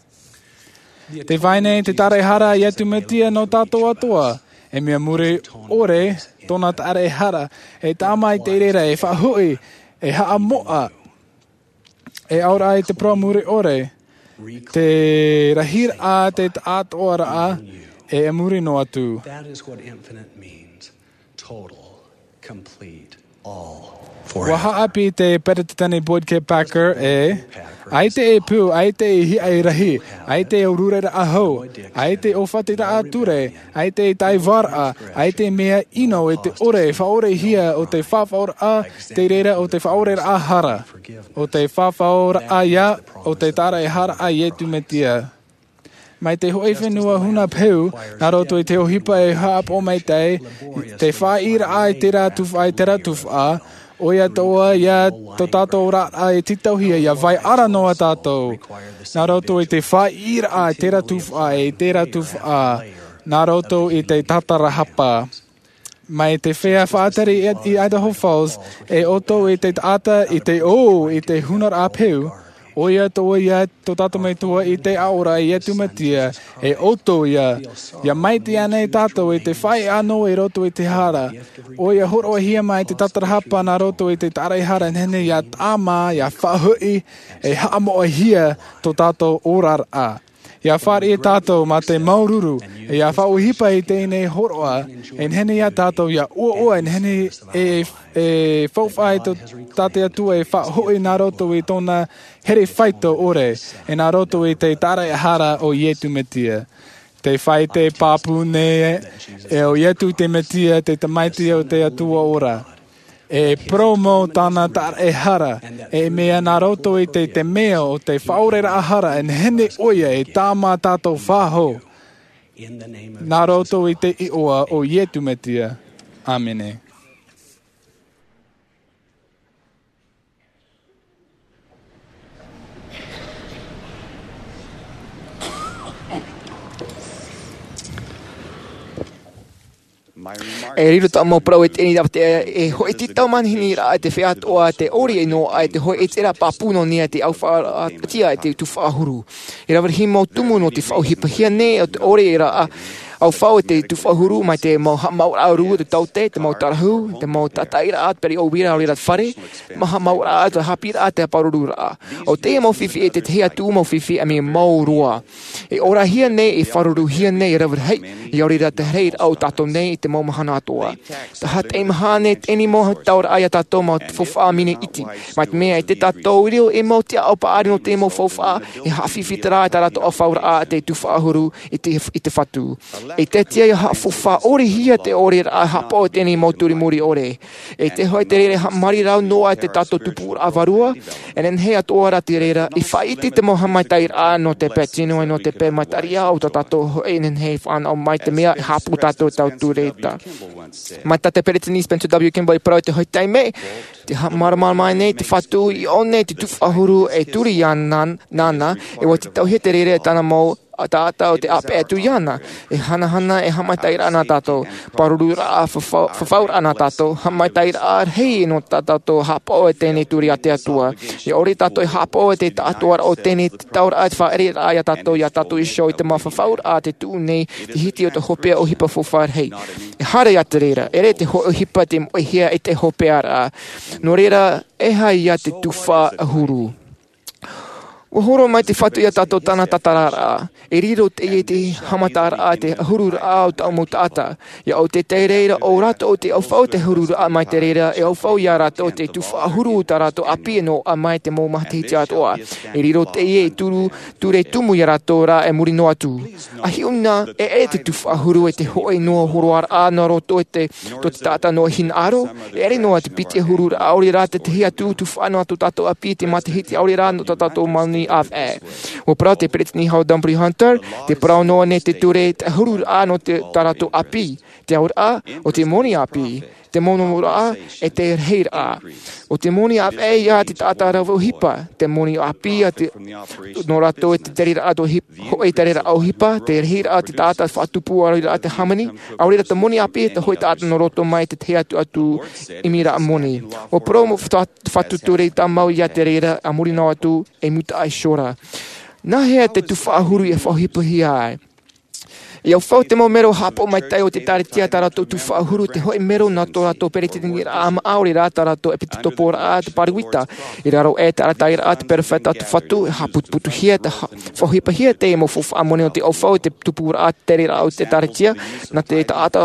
Te vai nei te tāraʻehara a iesu mesia nō tātou atoʻa. E mea muri ʻore tōna tāraʻehara e tāmā i te reira e faʻahoʻi e haʻamoʻa e auraʻa i te parau muri ʻore te rahiraʻa te taʻatoʻaraʻa e muri noa atu. That is what infinite means. Total, complete, all. Ua haʻapiʻi te peresideni boyd k packer e ʻaita e pū, ʻaita e hiʻa e rahi, ʻaita e ʻōrureraʻa hou, ʻaita e ʻōfatiraʻa ture, ʻaita e taivaraʻa, ʻaita e mea ʻino i te ʻore e faʻaʻorehia o te faʻaʻoraʻa te reira o te faʻaʻoreraʻa hara o te faʻaʻoraʻa ia o te tāraʻehara a iesu mesia. Mai te hoʻi fenua huna peu nā roto i te ʻohipa e haʻapaʻo maitaʻi te faʻaʻiraʻa i terā tufaʻa i terā tufaʻa ʻoia atoʻa ia tō tātou oraraʻa e tītauhia ia vai ara noa tātou nā roto i te faʻaʻiraʻa i terā tufaʻa i terā tufaʻa nā roto i te tatarahapa. Mai te feiā faʻatari i idaho falls e ʻoutou i te taʻata i te ʻō i te hunaraʻa peu ʻoia atoʻa ia tō tātou metua i te aʻoraʻa a iesu mesia e ʻoutou ia ia maite ana e tātou i te faʻaʻino i roto i te hara ʻoia hōroʻahia mai te tatarahapa nā roto i te tāraʻehara e nehenehe ia tāmā ia faʻahoʻi e haʻamoʻahia tō tātou oraraʻa. Ia fāriʻi e tātou mā te māuruuru ia faʻaʻohipa i teie nei hōroʻa e nehenehe ia tātou ia ʻoaʻoa e nehenehe e faufaʻa i tō tātou atua e faʻahoʻi nā roto i tōna here faito ʻore e nā roto i te tāraʻehara o iesu mesia. Te fai te pāpū nei e o iesu te mesia te tamaiti o te atua ora. E poromo tāna tāraʻehara e mea nā roto i te te mea o te faʻaʻoreraʻa hara e nehenehe ʻoia e tāmā tātou faʻahou nā roto i te iʻoa o iesu mesia. Āmene. E riro taʻu mau parau e teie nei rāpatea e hoʻi tītau manihini raʻa e te feiā atoʻa te ʻori e noa ai te hoʻi e te rā pāpū nō nei e te ʻaufaʻa tia e te tufaʻa huru. E rave rahi mau tumu nō te faʻaʻohipahia nei o te ʻori e rā ʻaufaʻa e te tufaʻa huru mai te mau haʻamāuʻaraʻa rū o te taute te mau tarahu te mau tataʻiraʻa te pere o vira o rira te fare te mau haʻamāuʻaraʻa te hāpiʻiraʻa te pārururaʻa. O teie mau fifi e tētahi atu mau fifi a mea mau roa. E ʻorahia nei e faʻaruruhia nei e rave rahi i ʻaore rā te haere i rā o tātou nei i te mau mahana atoʻa. Taha teie mahana e teie mau tauraʻa iā tātou mau faufaʻa mini iti mai te mea e te tātou riro e mau tiaʻau paʻari nō te mau faufaʻa e haʻafifi te rā e tā rātou ʻaufaʻaraʻa te tufaʻa huru i te fatu. E te tia ia haʻafaufaʻa ʻorihia te ʻoreraʻa haʻapaʻo teie mau turimuri ʻore. E te hoʻi te reira e haʻamāri rau noa e te tātou tupuraʻa vārua e nehenehe atoʻa rā te reira i faʻaʻite te mau haʻamaitaʻiraʻa nō te pae tino e nō te pae mataʻiraʻa o tā tātou hoʻi e nehenehe e fānaʻo mai te mea e haʻapū tātou tau tūreita. Mai tā te peresideni spencer w kimball i parau i te hoʻi taime te haʻamāramarama nei te fatu i ʻō nei te tufaʻa huru e turi iāna nāna e ua tītauhia te reira e tāna mau taʻata o te ʻāpeʻe atu iāna. E hanahana e haʻamaitaʻiraʻa nā tātou pārururaʻa fafauraʻa nā tātou haʻamaitaʻiraʻa rahi nō tā tātou haʻapaʻo e teie turi a te atua. E ʻore tātou e haʻapaʻo e te taʻatoʻaraʻa o teie tauraʻa te faʻaʻereraʻa iā tātou iā tātou iho i te mau fafauraʻa te tuʻu nei te hiti o te hopeʻa ʻohipa faufaʻa rahi. E haere iā te reira ʻere te hoʻi ʻohipa te moʻehia e te hopeʻaraʻa. Nō reira e haere iā te tufaʻa huru. Ua horo mai te Fatu iā tātou tāna tātararaʻa. E riro teie te haʻamataraʻa, te ʻahururaʻa o taua mau taʻata. ʻIa ʻō te reira, ʻo rātou te ʻaufau te ʻahururaʻa mai te reira, e ʻaufau iā rātou te tufaʻa huru o tā rātou ʻāpī e noaʻa mai te mau matahiti atoʻa. E riro teie e turu, ture tumu iā rātou rā e muri noa atu. ʻA hiʻo na, e ʻere te tufaʻa huru e te hōʻē noa hōroaraʻa nā roto i te, tō te taʻata noa hinaʻaro, e ʻere noa te piti ʻahururaʻa, ʻaore rā te tahi atu tufaʻa nō tō tātou ʻāpī i te matahiti, ʻaore rā nō tā tātou moni ʻāvaʻe. Ua parau te Peresideni Howard W. Hunter, tē parau noa nei te ture te ʻahururaʻa nō te, tā rātou ʻāpī, te auraʻa, ʻo te moni ʻāpī, te monomonoraʻa, e te rahiraʻa. ʻO te moni ʻāvaʻe ia te taʻata rave ʻohipa, te moni ʻāpī a te, nō rātou e te tereraʻa tō hip-, hōʻē tereraʻa ʻohipa, te rahiraʻa te taʻata faʻatupu ʻaore rā te hāmani, ʻaore rā te moni ʻāpī te hōʻē taʻata nō roto mai te tahi atu atu ʻimiraʻa moni. Ua parau mau fa-, Fatu ture tāmau iā te reira, a muri noa atu, e mutaʻa iho ra. Nā hea te tufaʻa huru e faʻaʻohipahia ai? ʻIa ʻaufau te mau mero haʻapaʻo maitaʻi o te ʻĒkālesia tā rātou tufaʻa huru, te hōʻē mero nā tō rātou peresideniʻraʻa maʻa, ʻaore rā tā rātou ʻepitokoporaʻa, te pāruita. I raro aʻe te arataʻiraʻa, te perofeta, te Fatu, e haʻaputuputuhia, te ha-, faʻaʻohipahia te mau faufaʻa moni o te ʻaufau, te tupuraʻa, te tereraʻa o te ʻĒkālesia, nā te taʻata,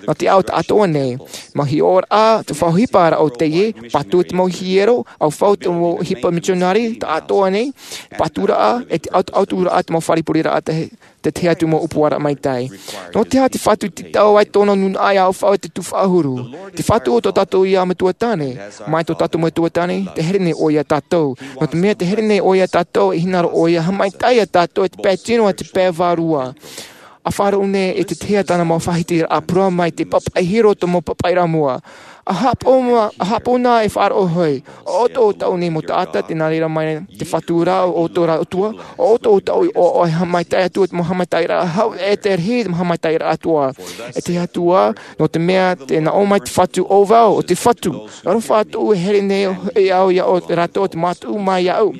nā te ao taʻatoʻa nei. Mau hiʻoraʻa, te faʻaʻohiparaʻa o teie, patu te mau hiero, ʻaufau te mau ʻohipa mitionare, taʻatoʻa nei, paturaʻa, e te ʻautu-, ʻauturaʻa te mau fare pureraʻa te te tahi atu mau ʻōpuaraʻa maitaʻi. Nō te aha te Fatu i tītau ai tōna nūnaʻa ʻia ʻaufau te tufaʻa huru? Te Fatu o tō tātou ia Metua Tāne, mai tō tātou Metua Tāne, tē here nei ʻoia iā tātou. Nō te mea tē here nei ʻoia iā tātou, e hinaʻaro ʻoia, haʻamaitaʻi iā tātou, e te pae tino, e te pae vārua. ʻA faʻaroʻo nei e te tahi tāna mau faʻahitiraʻa parau mai te pāpaʻi i roto mau pāpaʻiraʻa mua. ʻA haʻapaʻo ma-, ʻa haʻapaʻo na e faʻaroʻo hoʻi. ʻO ʻoutou taʻu nei mau taʻata, tē nā reira mai te Fatu ra, ʻo ʻoutou rā ʻOtua, ʻo ʻoutou taʻu i ʻoaʻoa e haʻamaitaʻi atu, te mau haʻamaitaʻiraʻa hau, e te rahi, te mau haʻamaitaʻiraʻa atoʻa. E te Atua, nō te mea, tē nā ʻō mai te Fatu, ʻo vau, ʻo te Fatu. Aroha atu e here nei, e au iā ʻo rātou te mātuʻa mai iāʻu.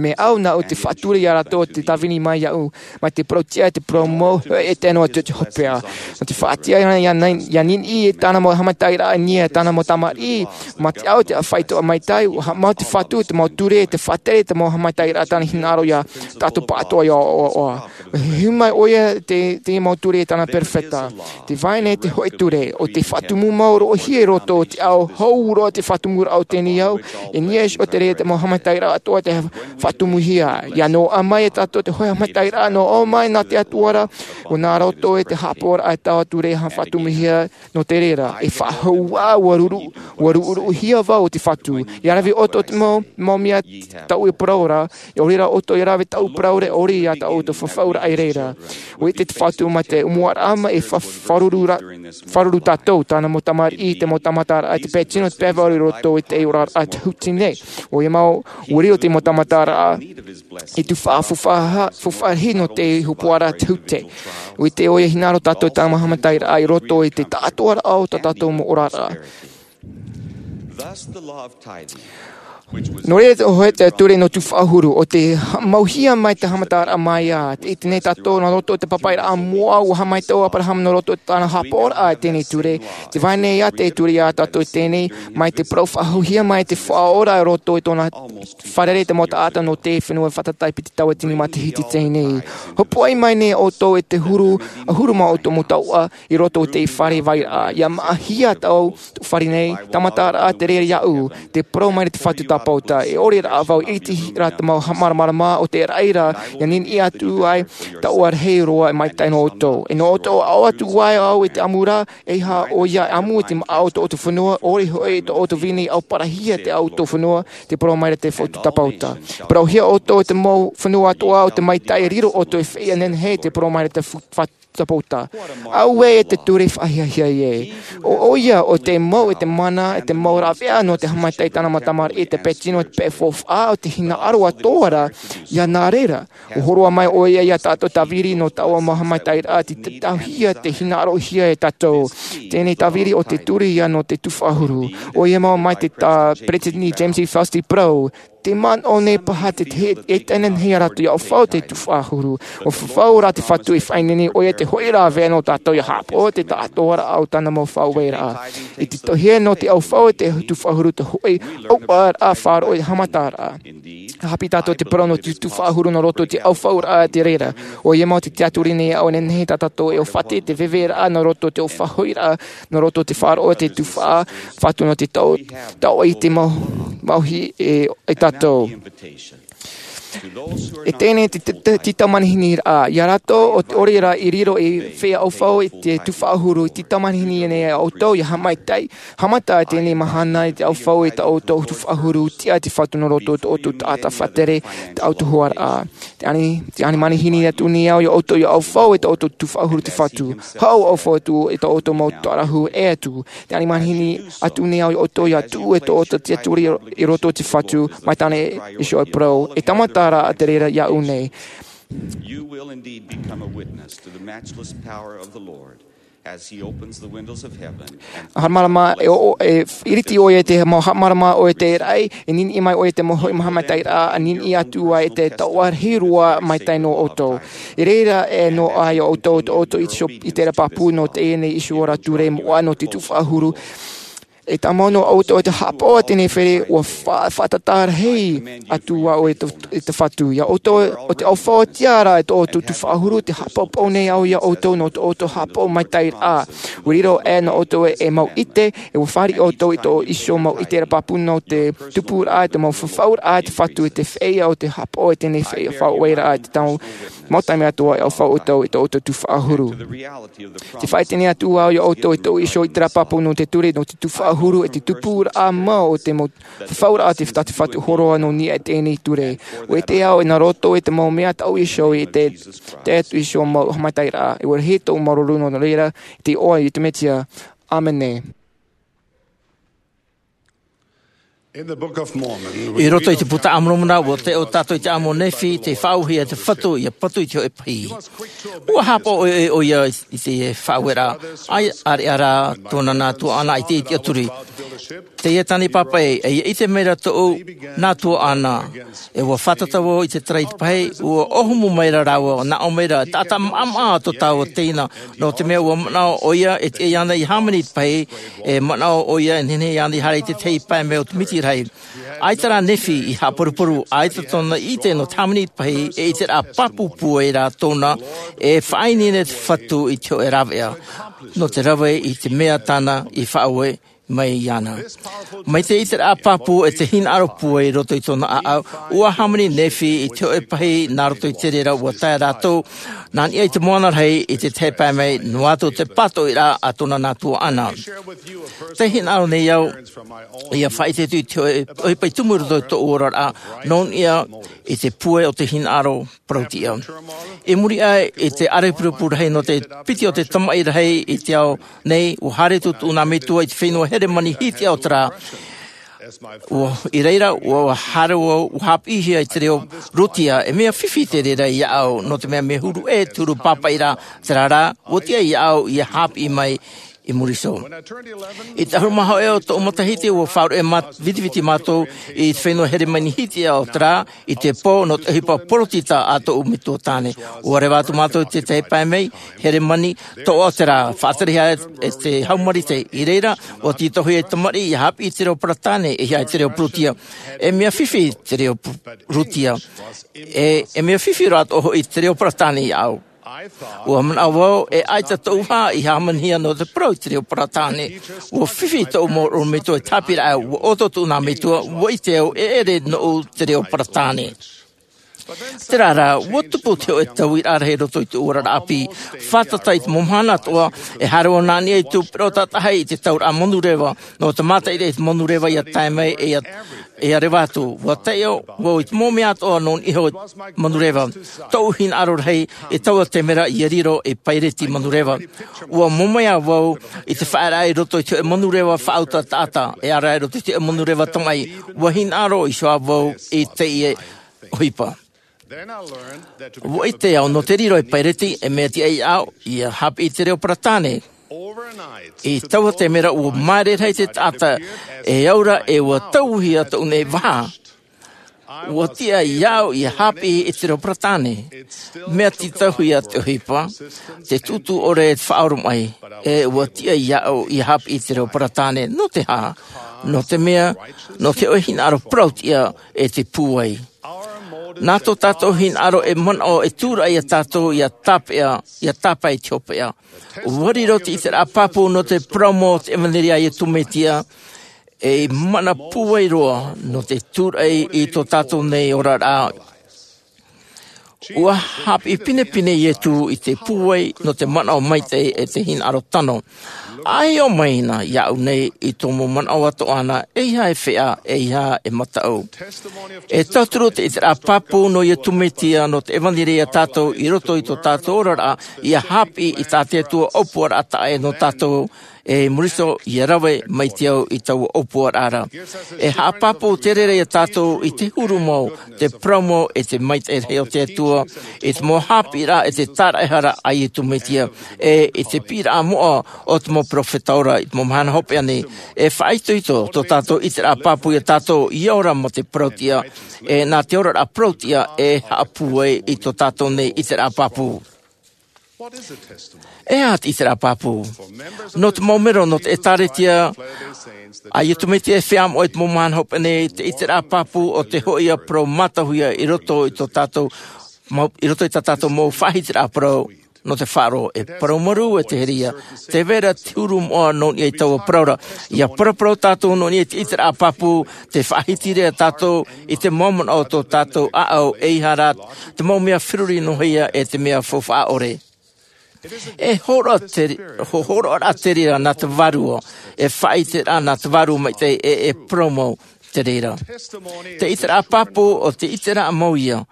Mea au nāʻu te faʻatura iā rātou te tāvini mai iāʻu. Mai te parau tiʻa, te parau mau, e te anō atu te hopeʻa. Nō te faʻatiʻa ʻia, ʻia, ʻia niniʻi e tāna mau haʻamaitaʻiraʻa i niʻa, tāna mau tamariʻi, mā te au te faʻaitoito maitaʻi, ʻua haʻamau te Fatu, te mau ture, te faʻatere, te mau haʻamaitaʻiraʻa tāna hinaʻaro iā tātou pāʻatoʻa ʻia ʻoaʻoa. Heheu mai ʻoia te, te mau ture tāna perofeta. Tē vai nei te hōʻē ture, ʻo tē faʻatumu mau roʻohia i roto o te ao, hou roa te faʻatumuraʻa o teie nei ao, i niʻa iho atu i te reira te mau haʻamaitaʻiraʻa atoʻa tē faʻatumuhia. ʻIa noaʻa mai e tātou te hōʻē haʻamaitaʻiraʻa noaʻa mai nā te Atua ra, ʻo nā roto i te haʻapaʻoraʻa e taua ture e faʻatumuhia nō te reira. E faʻahou ā, ʻua ruru-, ʻua ruʻuruʻuhia vau e te Fatu. ʻIa rave ʻoutou i te mau, mau mea tāʻu e parau ra, ʻaore rā ʻoutou e rave tāʻu parau ra, ʻaore ia tāʻu te fafauraʻa i reira. ʻUa ʻite te Fatu mai te ʻōmuaraʻa mai e fa-, fāruru ra-, fāruru tātou, tāna mau tamariʻi, te mau tāmataraʻa, te pae tino, te pae vārua i roto i te oraraʻa tahiti nei. ʻOia mau, ʻua riro te mau tāmataraʻa i te faʻa-, faʻa-, faʻaʻite nō te ʻōpuaraʻa tahiti. ʻUa ʻite ʻoia e hinaʻaro tātou i tāna mau haʻamaitaʻiraʻa i roto i te taʻatoʻaraʻa o tā tātou mau oraraʻa. Nō reira te hōʻē ture nō tufaʻa huru, ʻo tē haʻamauhia mai te haʻamataraʻa mai ā. Tē ʻite nei tātou nā roto i te pāpaʻiraʻa moʻa, ʻua haʻamaitaʻi ʻo Aberahama nā roto i tāna haʻapaʻoraʻa i teie nei ture. Tē vai nei ā te ture iā tātou i teie nei, mai te parau faʻahouhia mai te Faʻaora i roto i tōna fārerei i te mau taʻata nō te fenua fātata i piti tauatini matahiti i teie nei. Hopoiʻa mai nei ʻoutou e te huru, ʻahuru mā ʻoutou mau tauʻa, i roto i te fare vairaʻa. ʻIa māʻahia tāʻu fare nei, tāmataraʻa te reira iāʻu, tē parau mai ra te Fatu Tāpauta. E ʻore rā vau e ʻite ra te mau māramarama o te reira, ʻia niniʻi atu ai, tāʻu e rahi roa e maitaʻi nō ʻoutou. E nō ʻoutou e aʻo atu ai au i te ʻamu ra, ʻeiaha ʻoia e ʻamu i te māʻa o tō ʻoutou fenua, ʻaore hoʻi tō ʻoutou vīnī e ʻauparahia te ʻoutou fenua, tē parau mai ra te Fatu Tāpauta. Parauhia ʻoutou i te mau fenua atoʻa o te maitaʻi e riro ʻoutou e feiā nehenehe, tē parau mai ra te Fu-, Fatu Tāpauta. Auē e te ture faʻahiahia ē. ʻO, ʻoia, ʻo te mau, e te mana, e te mau rāveʻa nō te haʻamaitaʻi i tāna mau tamariʻi, te pae tino, te pae faufaʻa, ʻo te hinaʻaro atoʻa ra, ʻia nā reira. ʻUa hōroʻa mai ʻoia iā tātou tāviri nō taua mau haʻamaitaʻiraʻa, tē, tē tāuhia, tē hinaʻarohia e tātou. Teie tāviri ʻo te ture ïa nō te tufaʻa huru. ʻOia mau mai te tā Peresideni James E. Faust i parau, tē manaʻo nei paha te, te, e tae nei rātou ʻia ʻaufau te tufaʻa huru. ʻUa fafau rā te Fatu e faʻaineine ʻoia te hōʻē rāveʻa nō tātou ʻia haʻapaʻo i te taʻatoʻaraʻa o tāna mau faʻaueraʻa. I te tauihaʻa nō te ʻaufau i te tufaʻa huru te hōʻē ʻauʻauraʻa faʻaroʻo i te haʻamataraʻa. Hāpiʻi tātou te parau nō te tufaʻahuru nō roto i te ʻaufauraʻa i te reira. ʻOia mau te tiaturi nei aʻo nehenehe tā tātou e ʻōfati te veveraʻa nō roto i te ʻōfaʻahoʻiraʻa, nō roto i te faʻaroʻo i te tufaʻa fatu nō te tau, tau i te mau, mauhi e, e tātou. E teie te, te, te, te tau manihini rā, iā rātou o te ʻore rā i riro i feiā ʻaufau i te tufaʻahuru, te tau manihini nei ʻoutou ia haʻamaitaʻi, haʻamata teie mahana i te ʻaufau i tā ʻoutou tufaʻahuru, tiʻa te fatu nō roto i tō ʻoutou taʻata faʻatere, tā ʻoutou huaraʻa. Te ani, te ani manihini atu nei au iā ʻoutou ia ʻaufau i tō ʻoutou tufaʻahuru te fatu. Haʻu ʻaufau atu i tō ʻoutou mau tarahu e atu. Te ani manihini atu nei au iā ʻoutou ia tuʻu i tō ʻoutou tiaturi i roto i te fatu, mai tāna e iho e parau. E tāmata rā te reira iāʻu nei. You will indeed become a witness to the matchless power of the Lord as he opens the windows of heaven and Haʻamārama, e, o, e, iriti ʻoia i te mau haʻamārama ʻoia i te raʻi, e niniʻi mai ʻoia i te mau hoʻi haʻamaitaʻiraʻa, e niniʻi atu ai i te taoʻa rahi roa maitaʻi nō ʻoutou. I reira e noaʻa iā ʻoutou, tō ʻoutou iho, i terā pāpū nō teie nei iho ra ture moʻa nō te tufaʻahuru. E tāmau nō ʻoutou i te haʻapaʻo i teie nei fare, ʻua fa-, faʻatātā rahi atu vau i te, i te fatu. Iā ʻoutou, o te ʻaufau tiʻa rā i tō ʻoutou tufaʻahuru, tē haʻapaʻopaʻo nei au iā ʻoutou nō tō ʻoutou haʻapaʻo maitaʻiraʻa. ʻUa riro ē nō ʻoutou e, e mau ʻite, e ʻua fāriʻi ʻoutou i tō iho mau ʻite ra pāpū nō te tupuraʻa, te mau fafauraʻa, te fatu, e te feiā o te haʻapaʻo i teie nei feiā faʻaueraʻa, te tau mau taime atoʻa e ʻaufau ʻoutou i tō ʻoutou tufaʻahuru. Te faʻaʻite nei atu au iā ʻoutou i tō iho ʻite ra pāpū nō te ture, nō te tufaʻahuru, e te tupuraʻa mau o te mau fafauraʻa te fatu, te fatu hōroʻa nō niʻa i teie nei ture. ʻUa ʻite au e nā roto i te mau mea tō iho i te, te atu iho mau haʻamaitaʻiraʻa. E ʻua rahi tōʻu māuruuru nō reira, i te iʻoa o Iesu Mesia. ʻĀmene. In the Book of Mormon, I roto i te Puta a Moromona, ʻua taiʻo tātou i te ʻāmo o Nephi, tei faʻauehia te fatu, ʻia patu i te hōʻē pahī. ʻUa haʻapaʻo ʻoia i te faʻaueraʻa, ʻaita rā tōna nā tuaʻana i te iti ʻaturi. Teie tāna i pāpaʻi, e ʻite mai ra tōʻu nā tuaʻana. E ʻua fātata vau i te tarai i te pahī, ʻua ʻōhumu mai ra rāua, nā ʻō mai ra, taʻata maʻamaʻa tō tāua teina, nō te mea ʻua manaʻo ʻoia, e tiʻa iāna ʻia hāmani i te pahī, e manaʻo ʻoia, e nehenehe iāna ʻia haere i te tahi pae mai o te miti rahi. ʻAita rā Nephi i haʻaparuparu, ʻaita tōna ʻite nō te hāmani i te pahī, e ʻiteraʻa pāpū pūai rā tōna, e faʻaineine te fatu i te hōʻē rāveʻa. Nō te rave i te mea tāna i faʻaue mai iāna. Mai te ʻiteraʻa pāpū e te hinaʻaro pūai i roto i tōna ʻāʻau, ʻua hāmani Nephi i te hōʻē pahī nā roto i te reira ʻua tae rātou, nā niʻa i te moana rahi i te tahi pae mai, noa atu te pātoʻiraʻa a tōna nā tuaʻana. Tē hinaʻaro nei au, ʻia faʻaʻite atu i te hōʻē, ʻohipa i tumu i roto i tōʻu oraraʻa, nō niʻa i te pūai o te hinaʻaro parau-tiʻa. I muri aʻe i te ʻārepurepu rahi nō te piti o te tamaʻi rahi i te ao nei, ʻua haere atu tōʻu nā metua i te fenua Heremani Hitiʻa o te rā. ʻUa, i reira, ʻua haere vau, ʻua hāpiʻihia i te reo Rūtia, e mea fifi te reira iāʻu, nō te mea mea huru ʻē te huru pāpaʻi ra, terā rā, ʻua tiʻa iāʻu ʻia hāpiʻi mai i muri iho. I te ʻahuru mā hōʻē o tōʻu matahiti, ʻua faʻaruʻe mā-, vitiviti mātou i te fenua Heremani Hitiʻa o te rā, i te pō nō te ʻohipa poritita a tōʻu metua tāne. ʻUa reva atu mātou i te tahi pae mai, Heremani, tōʻa o te rā, faʻaterehia e te hau marite. I reira, ʻua tītauhia te tamariʻi ʻia hāpiʻi i te reo Paratāne, e ʻeiaha i te reo Rūtia. E mea fifi te reo Rūtia. E, e mea fifi rā atoʻa hoʻi te reo Paratāne iāʻu. ʻUa manaʻo vau, e ʻaita tōʻu vāhi i hāmanihia nō te parau i te reo Paratāne. ʻUa fifi tōʻu mau ʻorometua i te haʻapiʻiraʻa, ʻua ʻoto tōʻu nā metua, ʻua ʻite au e ʻere nōʻu te reo Paratāne. Terā rā, ʻua tupu te hōʻē tauiraʻa rahi i roto i tōʻu oraraʻa ʻāpī. Fātata i te mau mahana atoʻa, e haere vau nā niʻa i tōʻu peroʻo tātaʻahi i te tauraʻa manureva, nō te mātaʻitaʻi i te manureva ʻia tae mai, e ʻia ʻia reva atu. ʻUa taiʻo vau i te mau mea atoʻa nō niʻa iho i te manureva. Tōʻu hinaʻaro rahi, e taua taime ra ʻia riro ei paireti manureva. ʻUa mōmea vau i te faʻaearaʻa i roto i te hōʻē manureva faʻauta taʻata, e ʻere rā i roto i te hōʻē manureva tamaʻi. ʻUa hinaʻaro iho ā vau i teie ʻohipa. ʻUa ʻite au nō te riro ei paireti, e mea tiʻa iāʻu ʻia hāpiʻi i te reo Paratāne. I taua taime ra ʻua māere rahi te taʻata, e au ra e ʻua tauihia tōʻu nei vaha. ʻUa tiʻa iāʻu ʻia hāpiʻi i te reo Paratāne. Mea tītauhia te ʻohipa, te tūtū ʻore e te faʻaoromaʻi, e ʻua tiʻa iāʻu ʻia hāpiʻi i te reo Paratāne. Nō te aha? Nō te mea, nō te hōʻē hinaʻaro parau-tiʻa e te pūai. Nā tō tātou hinaʻaro e manaʻo e tūraʻi iā tātou ia tāpeʻa, ia tāpae i te hopeʻa. Ua riro te ʻiteraʻa pāpū nō te parau mau o te ʻevanelia a Iesu Mesia ei mana pūai roa nō te tūraʻi i tō tātou nei oraraʻa. Ua haʻapiʻi pinepine Iesu i te pūai nō te manaʻo maitaʻi e te hinaʻaro tano. ʻA hiʻo mai na iāʻu nei i tō mau manaʻo atoʻa na, ʻeiaha e feʻa, ʻeiaha e mataʻu. E tauturu te ʻiteraʻa pāpū nō Iesu Mesia nō te ʻevanelia iā tātou i roto i tō tātou oraraʻa, ia haʻapiʻi i tā te Atua ʻōpuaraʻa taʻa ʻē nō tātou, e muri iho ia rave mai te au i taua ʻōpuaraʻa ra. E haʻapāpū te reira iā tātou i te huru mau, te parau mau e te maitaʻi rahi o te Atua, i te mau haʻapiʻiraʻa e te tāraʻehara a Iesu Mesia, e i te piʻiraʻa moʻa o te mau peropheta ora i te mau mahana hopeʻa nei. E faʻaitoito tō tātou ʻiteraʻa pāpū iā tātou ia ora mā te parautiʻa, e nā te oraraʻa parautiʻa e haʻapūai i tō tātou nei ʻiteraʻa pāpū. E aha te ʻiteraʻa pāpū? Nō te mau mero nō te ʻētāretia a Iesu Mesia e feiā moʻa i te mau mahana hopeʻa nei, te ʻiteraʻa pāpū o te hoʻi ia parau mātauhia i roto i tō tātou mau, i roto i tā tātou mau faʻahitiraʻa parau nō te faʻaroʻo. E parau marū e te here ia, tē vai ra te huru moʻa nō niʻa i taua parau ra. Ia paraparau tātou nō niʻa i te ʻiteraʻa pāpū, te faʻahiti ra tātou i te mau manaʻo o tō tātou ʻāʻau, ʻeiaha rā te mau mea feruri noa ia e te mea faufaʻa ʻore. E hōroʻa te, hō-, hōroʻaraʻa te reira nā te Vārua, e faʻaʻiteraʻa nā te Vārua Maitaʻi, e, e parau mau te reira. Te ʻiteraʻa pāpū o te ʻiteraʻa mau ia,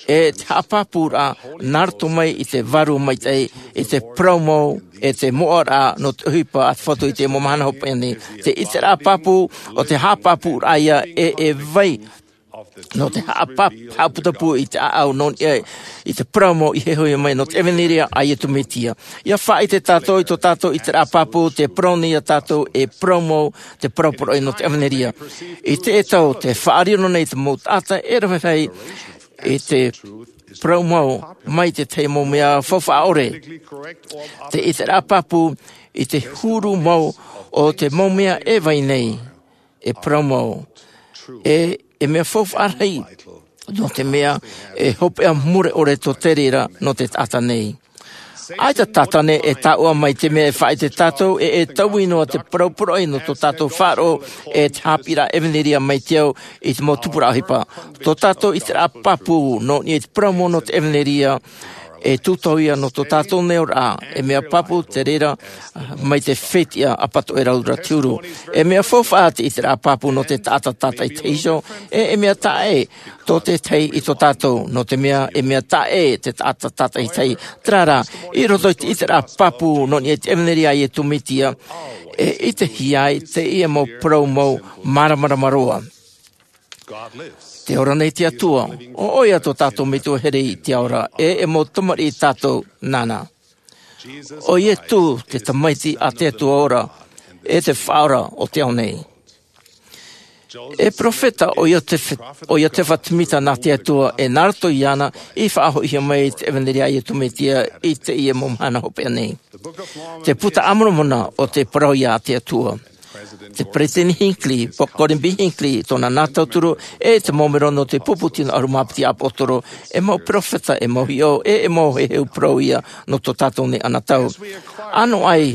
e te haʻapāpūraʻa nā roto mai i te Vārua Maitaʻi, i te parau mau, e te moʻaraʻa nō te ʻohipa a te Fatu i te mau mahana hopeʻa nei. Te ʻiteraʻa pāpū o te haʻapāpūraʻa ia e, e vai nō te haʻapā-, haʻaputapū i te ʻāʻau nō niʻa i te parau mau i hōhoʻa mai nō te ʻevanelia a Iesu Mesia. Ia faʻaʻite tātou i tō tātou ʻiteraʻa pāpū, te parau nei iā tātou e parau mau, te parau parau nō te ʻevanelia. I teie tau, tē faʻariro nei te mau taʻata e rave rahi i te parau mau mai te tahi mau mea faufaʻa ʻore. Te ʻiteraʻa pāpū i te huru mau o te mau mea e vai nei, e parau mau, e, e mea faufaʻa rahi, nō te mea e hopeʻa mure ʻore tō te reira nō te taʻata nei. ʻAita te taʻata nei e taʻoʻa mai te mea e faʻaʻite tātou, e, e taui noa te parau parau nō tō tātou faʻaroʻo, e te haʻapiʻiraʻa ʻevanelia mai te au i te mau tupuraʻa ʻohipa. Tō tātou ʻiteraʻa pāpū nō niʻa i te parau mau nō te ʻevanelia, e tūtau ia nō tō tātou nei oraraʻa, e mea pāpū te reira mai te fetiʻa ʻapatoʻerau ra te huru. E mea faufaʻa te ʻiteraʻa pāpū nō te taʻata tātaʻitahi iho, e, e mea taʻa ʻē tō te tahi i tō tātou, nō te mea, e mea taʻa ʻē te taʻata tātaʻitahi. Terā rā, i roto i te ʻiteraʻa pāpū nō niʻa i te ʻevanelia a Iesu Mesia, e ʻitehia ai teie mau parau mau māramarama roa. Tē ora nei te Atua, ʻo ʻoia tō tātou Metua here i te ao ra, e, e mau tamariʻi tātou nāna. ʻO Iesu te Tamaiti a te Atua ora, e te Faʻaora o te ao nei. E peropheta ʻo Iosefa, ʻo Iosefa Semita nā te Atua, e nā roto iāna i faʻahoʻihia mai te ʻevanelia a Iesu Mesia i teie mau mahana hopeʻa nei. Te Puta a Moromona ʻo te parau ia a te Atua. Te Peresideni Hinckley, Gordon B. Hinckley, tōna nā tauturu, e te mau mero nō te pupu tino ʻahuru mā piti ʻāpōsetolo, e mau peropheta, e mau hiʻo, e, e mau heheu parau ia nō tō tātou nei anotau. ʻAno ai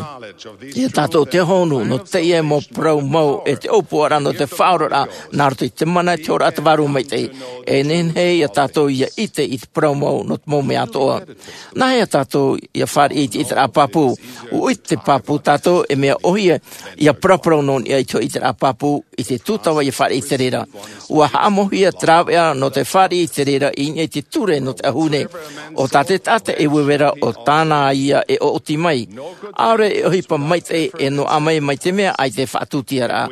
ia tātou te hohonu nō teie mau parau mau e te ʻōpuaraʻa nō te faʻaoraraʻa nā roto i te mana, te oraraʻa, te Vārua Maitaʻi, e nehenehe ia tātou ia ʻite i te parau mau nō te mau mea atoʻa. Nāhea tātou ia fāriʻi i te ʻiteraʻa pāpū? ʻUa ʻite pāpū tātou e mea ʻōhie ia paraparau nō niʻa i te ʻiteraʻa pāpū i te tūtava ia fāriʻi i te reira. ʻUa haʻamauhia te rāveʻa nō te fāriʻi i te reira i niʻa i te ture nō te ʻahune. ʻO tā te taʻata e uevera, ʻo tāna ia e ʻoʻoti mai. ʻAore e ʻohipa maitaʻi e noaʻa mai, mai te mea ʻaita e faʻatūtiaraʻa.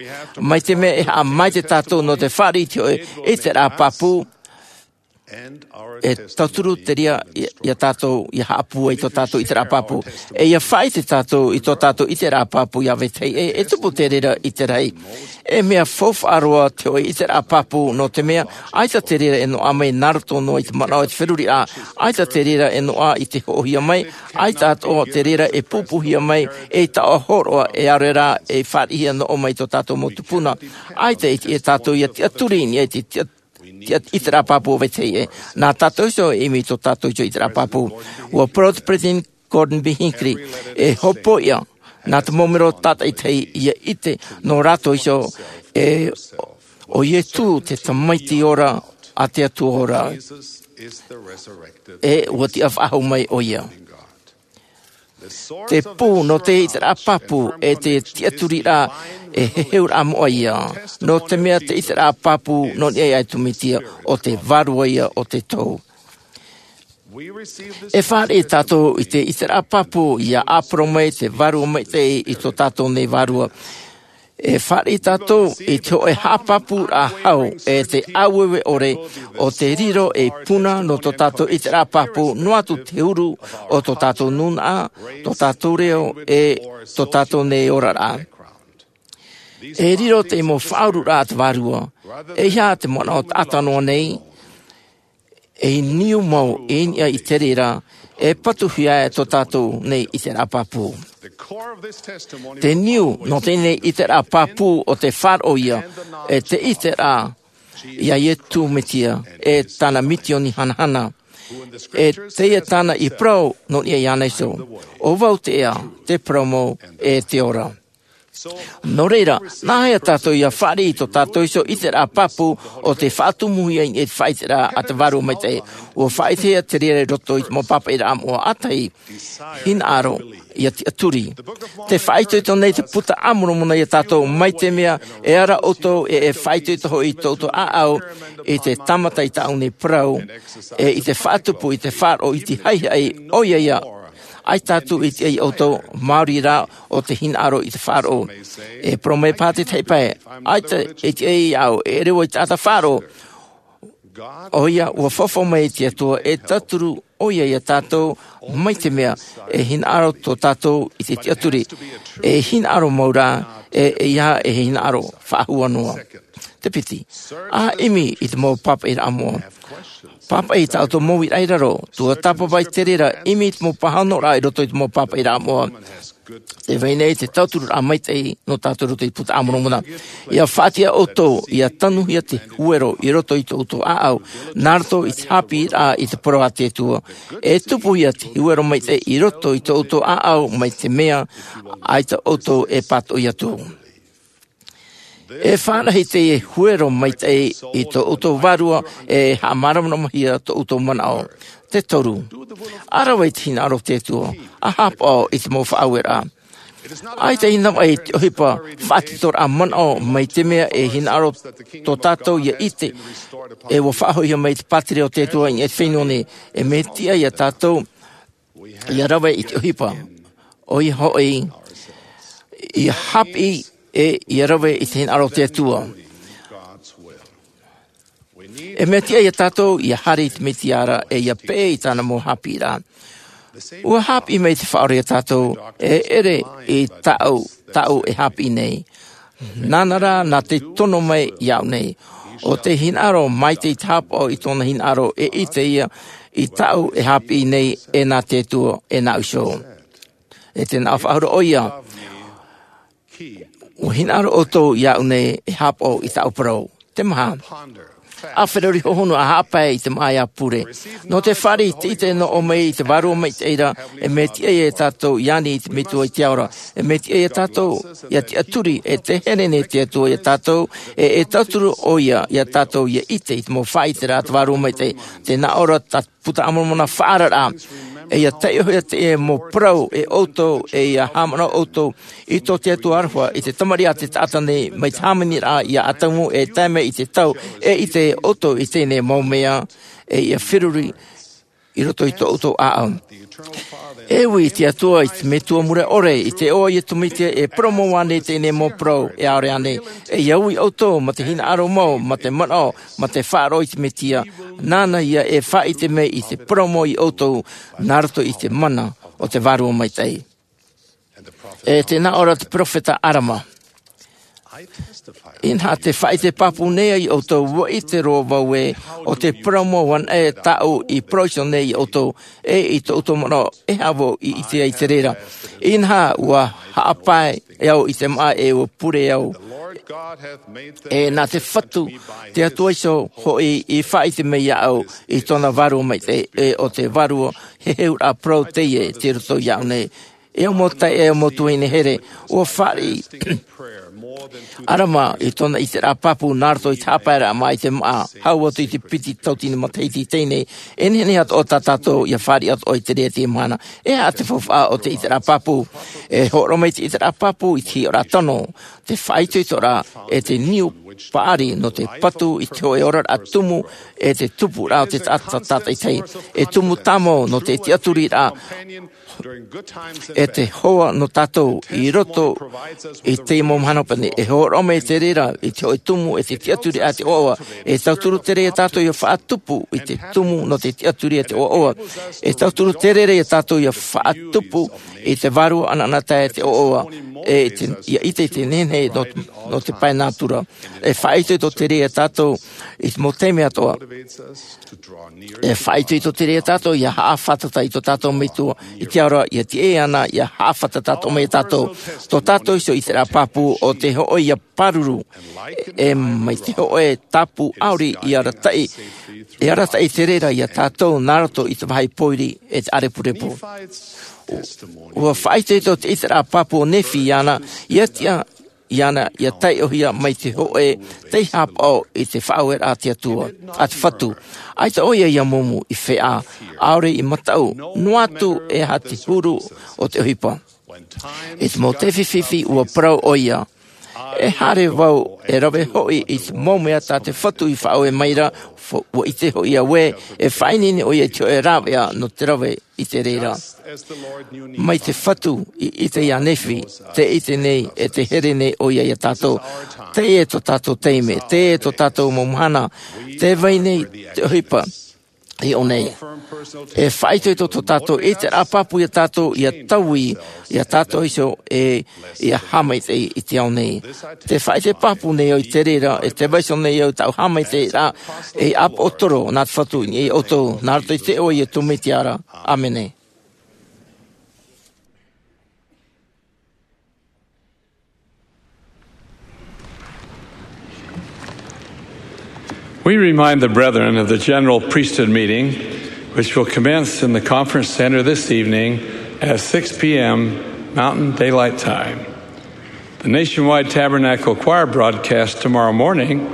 Mai te mea e haʻamaitaʻi tātou nō te fāriʻi i te hōʻē ʻiteraʻa pāpū, e tauturu te reira ia, ia tātou, ia haʻapūai i tō tātou ʻiteraʻa pāpū. E ia faʻaʻite tātou i tō tātou ʻiteraʻa pāpū ia vetahi, e, e tupu te reira i te rahi. E mea faufaʻa roa te hōʻē ʻiteraʻa pāpū, nō te mea, ʻaita te reira e noaʻa mai nā roto noa i te manaʻo e te feruriraʻa, ʻaita te reira e noaʻa i te hoʻohia mai, ʻaita atoʻa te reira e pūpūhia mai, e taʻo hōroʻa, e ʻaore rā, e fāriʻihia noa mai tō tātou mau tupuna. ʻAita e tiʻa tātou ia tiʻaturi i niʻa i te tiʻa-, ʻiteraʻa pāpū o Vetahi ʻē. Nā tātou iho e ʻimi i tō tātou iho ʻiteraʻa pāpū. Ua parau te peresideni Gordon B. Hinckley, e hopoiʻa nā te mau mero tātaʻitahi ia ʻite nō rātou iho e ʻo Iesu te Tamaiti ora a te Atua ora. E ua tiʻa faʻahou mai ʻo ia. Te pū nō te ʻiteraʻa pāpū e te tiʻaturiraʻa e heheuraʻa moʻa ia, nō te mea te ʻiteraʻa pāpū nō niʻa i te Mesia, ʻo te Vārua ia o te tohu. E fāriʻi tātou i te ʻiteraʻa pāpū ia ʻāporo mai te Vārua Maitaʻi i tō tātou nei vārua. E fāriʻi tātou i te hōʻē haʻapāpūraʻa hau e te ʻāueue ʻore o te riro ei puna nō tō tātou ʻiteraʻa pāpū, noa atu te huru o tō tātou nūnaʻa, tō tātou reo, e tō tātou nei oraraʻa. E riro te mau faʻaururaʻa a te Vārua, e ʻeiaha te manaʻo taʻata noa nei, e niu mau i niʻa i te reira, e patuhia e tō tātou nei ʻiteraʻa pāpū. Te niu nō teie nei ʻiteraʻa pāpū ʻo te faʻaroʻo ia, e te ʻiteraʻa ia Iesu Mesia, e tāna misioni hanahana. E teie tāna i parau nō niʻa iāna iho. ʻO vau te ea, te parau mau, e te ora. Nō reira, nā hea tātou ia fāriʻi i tō tātou iho ʻiteraʻa pāpū ʻo te faʻatumuhia i te faʻaʻiteraʻa a te Vārua Maitaʻi? ʻUa faʻaʻitehia te reira i roto i te mau pāpaʻiraʻa moʻa. ʻĀtahi, hinaʻaro ia tiʻaturi. Tē faʻaitoito nei te Puta a Moromona ia tātou, mai te mea e ara ʻoutou e, e faʻaitoito hoʻi i tō ʻoutou ʻāʻau i te tāmata i tāʻu nei parau, e i te faʻatupu i te faʻaroʻo i te haʻihaʻi, ʻoia ia, ʻaita atu i tiʻa ia ʻoutou, maori rā ʻo te hinaʻaro i te faʻaroʻo. E parau mai paha te tahi pae, ʻaita i tiʻa iāʻu, e ʻere vau i te taʻata faʻaroʻo. ʻOia, ʻua faufaʻa mai te Atua e tauturu ʻoia ia tātou, mai te mea e hinaʻaro tō tātou i te tiʻaturi. E hinaʻaro mau rā, e, e ʻeiaha e hinaʻaro faʻahou noa. Te piti, ʻa ʻimi i te mau pāpaʻiraʻa moʻa. Pāpaʻi tā ʻoutou mau uiraʻa i raro, tuatāpapa i te reira, ʻimi i te mau pāhonoraʻa i roto i te mau pāpaʻiraʻa moʻa. Tē vai nei te tautururaʻa maitaʻi nō tātou i roto i te Puta a Moromona. ʻIa faʻatiʻa ʻoutou, ʻia tanuhia te huero i roto i tō ʻoutou ʻāʻau, nā roto i te haʻapiʻiraʻa i te parau a te Atua. E tupuhia te huero maitaʻi i roto i tō ʻoutou ʻāʻau, mai te mea ʻaita ʻoutou e pātoʻi atu. E fāriʻi te huero maitaʻi i tō ʻoutou vārua, e haʻamāramaramahia tō ʻoutou manaʻo. Te toru, ʻa rave i te hinaʻaro o te Atua, ʻa haʻapaʻo i te mau faʻaueraʻa. ʻAita i navaʻi te ʻohipa faʻatitoraʻa manaʻo, mai te mea e hinaʻaro tō tātou ʻia ʻite, e ʻua faʻahoʻihia mai te pātireia o te Atua i niʻa i te fenua nei, e mea tiʻa ia tātou ʻia rave i te ʻohipa. ʻOia hoʻi, ʻia haʻapiʻi, e ʻia rave i te hinaʻaro o te Atua. E mea tiʻa ia tātou ʻia haere i te Mesia ra, e ʻia peʻe i tāna mau haʻapiʻiraʻa. ʻUa haʻapiʻi mai te Faʻaora ia tātou, e ʻere i tāʻu, tāʻu e haʻapiʻi nei. Nāna rā, nā te tono mai iāʻu nei. ʻO te hinaʻaro maitaʻi te haʻapaʻo i tōna hinaʻaro, e ʻite ia i tāʻu e haʻapiʻi nei, e nā te Atua, e nāʻu iho. E te nā faʻahou ʻoia. ʻUa hinaʻaro ʻoutou iāʻu nei, e haʻapaʻo i tāʻu parau. Te maha. ʻA feruri hohonu, ʻa haʻapae i te māʻa pure. Nō te fāriʻi i te ʻite nō ʻō mai i te Vārua Maitaʻi ra, e mea tiʻa ia tātou ʻia ani i te Metua i te ao ra. E mea tiʻa ia tātou ʻia tiʻaturi, e te here nei te Atua ia tātou, e, e tauturu ʻoia ia tātou ʻia ʻite i te mau faʻaʻiteraʻa a te Vārua Maitaʻi. Tē nā ʻō ra tā Puta a Moromona, faʻaararaʻa. E ʻia taiʻohia te mau parau e ʻoutou, e ʻia haʻamanaʻo ʻoutou i tō te Atua aroha, i te Tamariʻi a te taʻata nei, mai te hāmaniraʻa ia Atamu e tae mai i te tau, e ʻite ʻoutou i teie nei mau mea, e ʻia feruri i roto i tō ʻoutou ʻāʻau. E ui i te Atua, i te Metua mure ʻore, i te iʻoa o Iesu Mesia, e parau mau ānei teie nei mau parau, e ʻaore ānei? E ʻia ui ʻoutou mā te hinaʻaro mau, mā te manaʻo, mā te faʻaroʻo i te Mesia, nāna ia e faʻaʻite mai i te parau mau ia ʻoutou, nā roto i te mana o te Vārua Maitaʻi. E tē nā ʻō ra te peropheta Arama. Inaha tē faʻaʻite pāpū nei au ia ʻoutou, ʻua ʻite roa vau ē, ʻo te parau mau anaʻe tāʻu i parau iho nei ia ʻoutou, e i tō ʻoutou manaʻo, e haʻavau i ʻite ai i te reira. Inaha ʻua haʻapae e au i te māʻa e ua pure au. E nā te Fatu, te Atua iho hoʻi i faʻaʻite mai iāʻu i tōna vārua maitaʻi, e ʻo te vārua heheuraʻa parau teie tei roto iāʻu nei. E au mau taeaʻe, e au mau tuahine here, ʻua fāriʻi ʻĀrama i tōna ʻiteraʻa pāpū nā roto i te haʻapaeraʻa mai te māʻa, hau atu i te piti tautini matahiti i teie nei. E nehenehe atoʻa tā tātou ʻia fāriʻi atoʻa i te reira i teie mahana. E aha te faufaʻa o te ʻiteraʻa pāpū? E hōroʻa mai te ʻiteraʻa pāpū i te hiʻoraʻa tano, te faʻaitoitoraʻa, e te niu paʻari nō te patu i te hōʻē oraraʻa tumu, e te tupuraʻa o te taʻata tātaʻitahi. E tumu tāmau nō te tiʻaturiraʻa, e te hoa nō tātou i roto i teie mau mahana hopeʻa nei. E hōroʻa mai te reira i te hōʻē tumu, e te tiʻaturiraʻa te ʻoaʻoa. E tauturu te reira iā tātou ʻia faʻatupu i te tumu nō te tiʻaturiraʻa te ʻoaʻoa. E tauturu te reira iā tātou ʻia faʻatupu i te vārua ʻanaʻanatae te ʻoaʻoa. E te, ʻia ʻite i te nehenehe nō, nō te pae nātura. E faʻaitoito te reira iā tātou i te mau taime atoʻa. E faʻaitoito te reira iā tātou ʻia haʻafātata i tō tātou Metua i te ao ra, ʻia tiʻa iāna ʻia haʻafātata atoʻa mai iā tātou. Tō tātou iho ʻiteraʻa pāpū ʻo te hōʻē ʻia pāruru, e mai te hōʻē tāpū ʻauri i arataʻi, e arataʻi te reira iā tātou nā roto i te vāhi pōiri e te ʻārepurepu. ʻUa faʻaitoito te ʻiteraʻa pāpū o Nephi iāna, ʻia tiʻa iāna ʻia taiʻohia mai te hōʻē tei haʻapaʻo i te faʻaueraʻa a te Atua, a te Fatu. ʻAita ʻoia ʻia mumu i feʻa, ʻaore i mataʻu, noa atu e aha te huru o te ʻohipa. I te mau taime fifi ʻua parau ʻoia, e haere vau e rave hoʻi i te mau mea tā te Fatu i faʻaue mai ra, fo-, ʻua ʻite hoʻi au ē, e faʻaineine ʻoia i te hōʻē rāveʻa nō te rave i te reira. Mai te Fatu i ʻite iā Nephi, tē ʻite nei, e tē here nei ʻoia iā tātou. Teie tō tātou taime, teie tō tātou mau mahana, tē vai nei te ʻohipa i ʻō nei. E faʻaitoito tō tātou ʻiteraʻa pāpū iā tātou, ʻia taui iā tātou iho e ʻia haʻamaitaʻi i te ao nei. Tē faʻaʻite pāpū nei au i te reira, e tē vaiiho nei au i tāʻu haʻamaitaʻiraʻa ei ʻāpoʻotoro nā te Fatu i niʻa iā ʻoutou, nā roto i te iʻoa o Iesu Mesia ra. ʻĀmene. We remind the brethren of the general priesthood meeting, which will commence in the conference center this evening at six p.m. Mountain Daylight Time. The Nationwide Tabernacle Choir broadcast tomorrow morning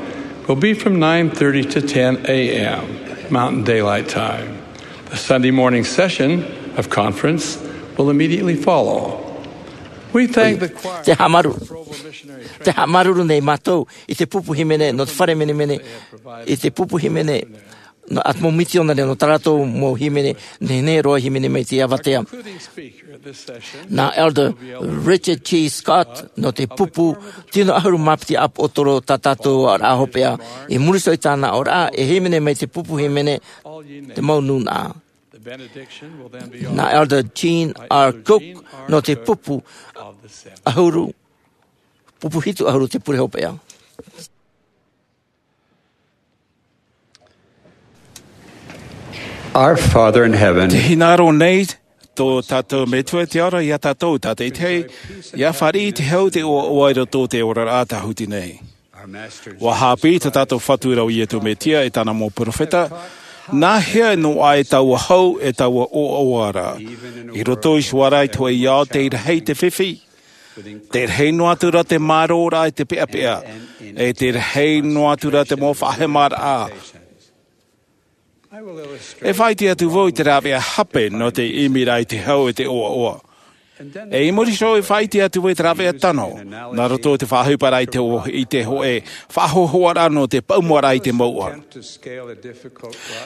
will be from nine thirty to ten a.m. Mountain Daylight Time. The Sunday morning session of conference will immediately follow. We thank the choir. Te haʻamāuruuru, te haʻamāuruuru nei mātou i te pupu hīmene nō te fare menemene, i te pupu hīmene nō ʻAtamo Mitionare nō tā rātou mau hīmene, nehenehe roa hīmene mai te avatea. Nā Elder Richard G. Scott nō te pupu tino ʻahuru mā piti ʻāpoʻotoro tā tātou oraraʻa hopeʻa, i muri iho i tāna oraraʻa, e hīmene mai te pupu hīmene te mau nūnaʻa. Nā Elder Jean R. Cook nō te pupu ʻahuru, pupu hitu ʻahuru te pure hopeʻa. Our Father in heaven, te hinaʻaro nei tō tātou Metua i te ao ra iā tātou tātaʻitahi, ʻia fāriʻi i te hau te ʻoaʻoa i roto i te oraraʻa tāhuti nei. ʻUa haʻapiʻi tā tātou Fatu ra ʻo Iesu Mesia e tāna mau perofeta, nā hea noa ai taua hau e taua ʻoaʻoa ra. I roto iho ā ra i te hōʻē ao tei rahi te fifi, tei rahi noa atu ra te mārōraʻa i te peʻapeʻa, e tei rahi noa atu ra te mau faʻahemaraʻa. E faʻaʻite atu vau i te rāveʻa hape nō te ʻimiraʻa i te hau e te ʻoaʻoa. E i muri iho e faʻaʻite atu vau i te rāveʻa tano, nā roto i te faʻaʻohiparaʻa i te ʻo-, i te hōʻē faʻahōhoʻaraʻa nō te paʻumaraʻa i te mouʻa.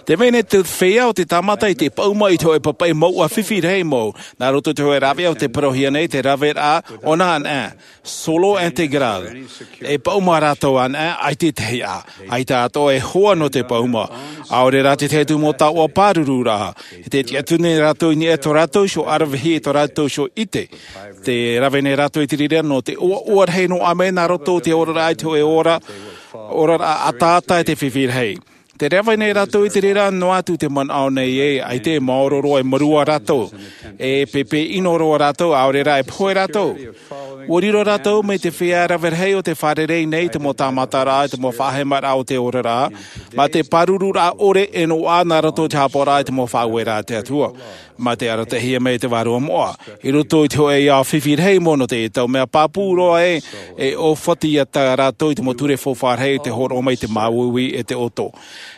Tē vai nei te feiā o te tāmata i te paʻuma i te hōʻē papaʻi mouʻa fifi rahi mau, nā roto i te hōʻē rāveʻa o tē parauhia nei te rāveʻa o nā anaʻe, solo integral. E paʻuma rātou anaʻe, ʻaita i te hiʻa, ʻaita atoʻa e hoa nō te paʻuma. ʻAore rā te tahi atu mau taoʻa pāruru ra, e tē tiʻaturi nei rātou i niʻa i tō rātou iho ʻaravihi, tō rātou iho ʻite. Tē rave nei rātou i te reira nō te ʻoaʻoa rahi noa mai nā roto i te oraraʻa i te hōʻē ora, oraraʻa ataata e te fifi rahi. Tē rave nei rātou i te reira noa atu te manaʻo nei ē, ʻaita e maoro roa, e mārua rātou, e pēpē ʻino roa rātou, ʻaore rā e pohe rātou. Ua riro rātou mai te feiā rave rahi o te fārerei nei i te mau tāmataraʻa, i te mau faʻahemaraʻa o te oraraʻa, mā te pāruruaraʻa ʻore e noaʻa nā roto i te haʻapaʻoraʻa i te mau faʻaueraʻa a te Atua. Mā te arataʻihia mai te Vārua Moʻa, i roto i te hōʻē ao fifi rahi mau nō teie tau, mea pāpū roa ē, e ʻōfati atu rātou i te mau ture faufaʻa rahi i te hōroʻa mai i te māuiui e te ʻoto.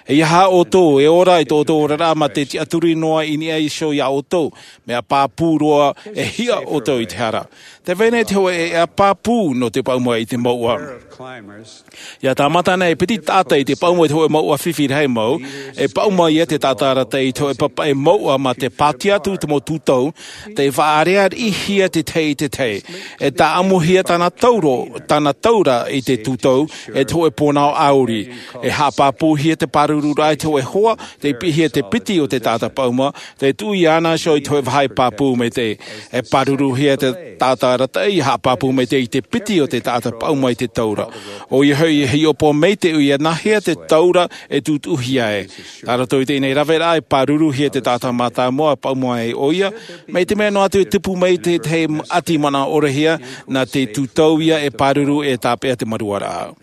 E ʻia ʻoutou e ora i tō ʻoutou oraraʻa mā te tiʻaturi noa i niʻa iho iā ʻoutou, mea pāpū roa e hiʻa ʻoutou i te hara. Tē vai nei te hōʻē ʻēʻa pāpū nō te paʻuma i te mouʻa. ʻIa tāmata ana e piti taʻata i te paʻuma i te hōʻē mouʻa fifi rahi mau, e paʻuma ia te taʻata arataʻi i te hōʻē papaʻi mouʻa mā te pātia atu i te mau tūtau, tē faʻaʻareʻareʻihia te tahi i te tahi. E tāʻamuhia tāna tauro, tāna taura i te tūtau, e te hōʻē pōnao ʻauri. E haʻapāpūhia te pāruruaraʻa i te hōʻē hoa, tē piʻihia te piti o te taʻata paʻuma, tē tuʻu iāna iho i te hōʻē vāhi pāpū maitaʻi. E pāruruhia te taʻata arataʻi, ʻia haʻapāpū maitaʻi i te piti o te taʻata paʻuma i te taura. ʻOia hoʻi e hiʻopoʻa maitaʻi ʻoia nāhea te taura e tutuʻuhia ai. Nā roto i teie nei raveraʻa e pāruruhia te taʻata mātāmua e paʻuma ai ʻoia, mai te mea noa atu e tupu mai te tahi ʻati manaʻo ʻorehia, nā te tūtau ia e pāruru e tāpeʻa te maruaraʻa.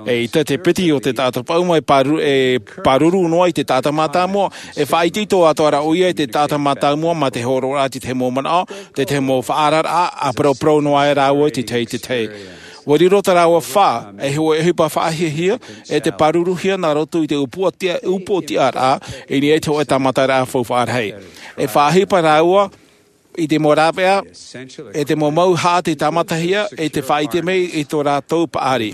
E ʻita te piti o te taʻata paʻuma e pāruru, e pāruru noa i te taʻata mātāmua, e faʻaitoito atoʻa ra ʻoia i te taʻata mātāmua mā te hōroʻaraʻa i te tahi mau manaʻo, te tahi mau faʻaararaʻa, ʻa paraparau noa ai rāua i te tahi i te tahi. Ua riro tā rāua fā, e hōʻē ʻohipa faʻahiahia, e te pāruruhia nā roto i te upoʻotiʻa, upoʻotiʻaraʻa, i niʻa i te hōʻē tāmataraʻa faufaʻa rahi. E faʻaʻohipa rāua, i te mau rāveʻa, e te mau mauhaʻa tei tāmatahia, e te faʻaʻite mai i tō rātou paʻari.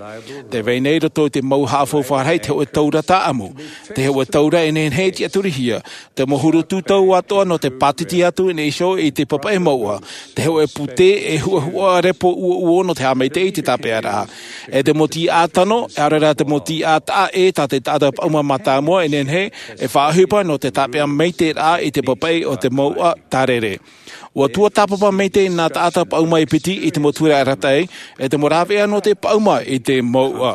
Tē vai nei roto i te mauhaʻa faufaʻa rahi te hōʻē taura tāʻamu, te hōʻē taura e nehenehe e tiʻaturihia, te mau huru tūtau atoʻa nō te pātiti atu i niʻa iho i te papaʻi mouʻa, te hōʻē pūtē e huʻahuʻa repo uouo nō te haʻamaitaʻi i te tāpeʻaraʻa. E te mau tīaʻa tano, ʻaore rā te mau tīaʻa taʻa ʻē tā te taʻata paʻuma mātāmua e nehenehe, e faʻaʻohipa nō te tāpeʻa maitaʻiraʻa i te papaʻi o te mouʻa tārere. Ua tuatāpapa maitaʻi nā taʻata paʻuma e piti i te mau ture arataʻi, e te mau rāveʻa nō te paʻuma i te mouʻa.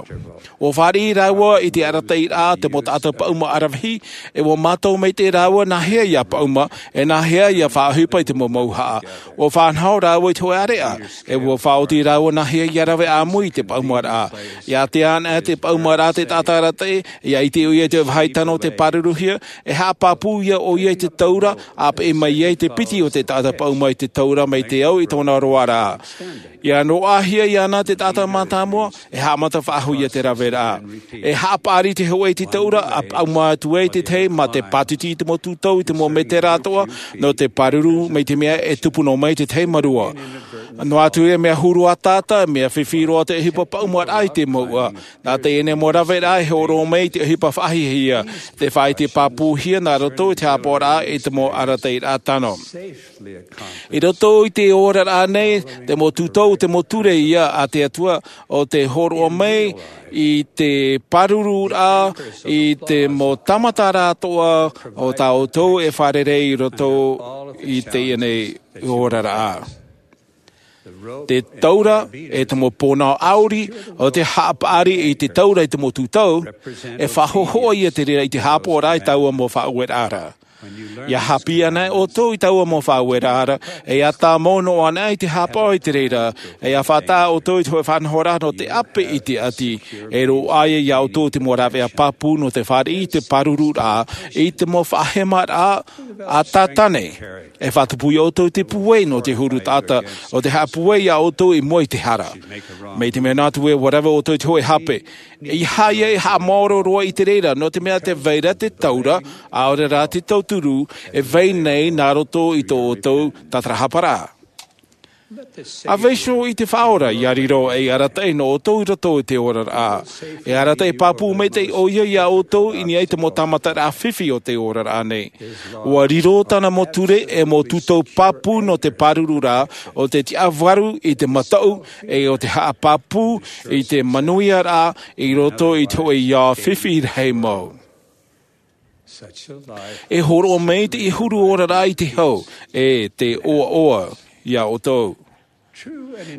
Ua fāriʻi rāua i te arataʻiraʻa te mau taʻata paʻuma aravihi, e ua mātau maitaʻi rāua nāhea ʻia paʻuma, e nāhea ʻia faʻaʻohipa i te mau mauhaʻa. Ua faʻanaho rāua i te hōʻē ʻāreʻa, e ua faʻaoti rāua nāhea ʻia rave ʻāmui i te paʻumaraʻa. ʻIa ātea ana te paʻumaraʻa te taʻata arataʻi, ʻia ʻite ʻoia i te vāhi tano o te pāruruhia, e haʻapāpū ia ʻoia i te taura, ʻa peʻe mai ai te piti o te taʻata paʻuma i te taura mai te au i tōna roaraʻa. ʻIa noaʻahia iāna te taʻata mātāmua, e haʻamata faʻahou ia te raveraʻa. E haʻapaʻari te hōʻē i te taura, ʻa paʻuma atu ai te tahi mā te pātiti i te mau tūtau i te mau mētera atoʻa, nō te pāruru mai te mea e tupu noa mai te tahi mārua. Noa atu e mea huru ʻātaʻata, mea fifi roa te ʻohipa paʻumaraʻa i te mouʻa. Nā teie nei mau raveraʻa e hōroʻa mai i te ʻohipa faʻahiahia, te faʻaʻite pāpūhia nā roto i te haʻapaʻoraʻa i te mau arataʻiraʻa tano. I roto i te oraraʻa nei, te mau tūtau, te mau ture ia a te Atua, ʻo tē hōroʻa mai i te pāruruaraʻa, i te mau tāmataraʻa atoʻa o tā ʻoutou e fārerei i roto i teie nei oraraʻa. Te taura, e te mau pōnao ʻauri, ʻo te haʻapaʻari i te taura i te mau tūtau, e faʻahohoʻa ia te reira i te haʻapaʻoraʻa i taua mau faʻaueraʻa ra. ʻIa haʻapiʻi ana ʻoutou i taua mau faʻaueraʻa ra, e ʻia tāmau noa ana i te haʻapaʻo i te reira, e ʻia faʻataʻa ʻoutou i te hōʻē faʻanahoraʻa nō te ʻape i te ʻati, e roaʻa ia iā ʻoutou te mau rāveʻa pāpū nō te fāriʻi i te pāruruaraʻa, i te mau faʻahemaraʻa a Tātane. E faʻatupu ia ʻoutou i te pūai nō te huru taʻata, ʻo te haʻapūai iā ʻoutou i mua i te hara. Mai te mea noa atu ē ʻua rave ʻoutou i te hōʻē hape, ʻeiaha ia e haʻamaoro roa i te reira, nō te mea tē vai ra te taura, ʻaore rā te tauturu, e vai nei nā roto i tō ʻoutou tātarahaparaʻa. ʻA vaiiho i te Faʻaora, ʻia riro ei arataʻi nō ʻoutou i roto i te oraraʻa. E arataʻi pāpū maitaʻi ʻoia iā ʻoutou i niʻa i te mau tāmataraʻa fifi o te oraraʻa nei. ʻUa riro tāna mau ture e mau tūtau pāpū nō te pāruru ra, ʻo te tiʻavaru i te mataʻu, e ʻo te haʻapāpū i te manuiaraʻa i roto i te hōʻē ao fifi rahi mau. E hōroʻa mai te huru oraraʻa i te hau, e te ʻoaʻoa iā ʻoutou.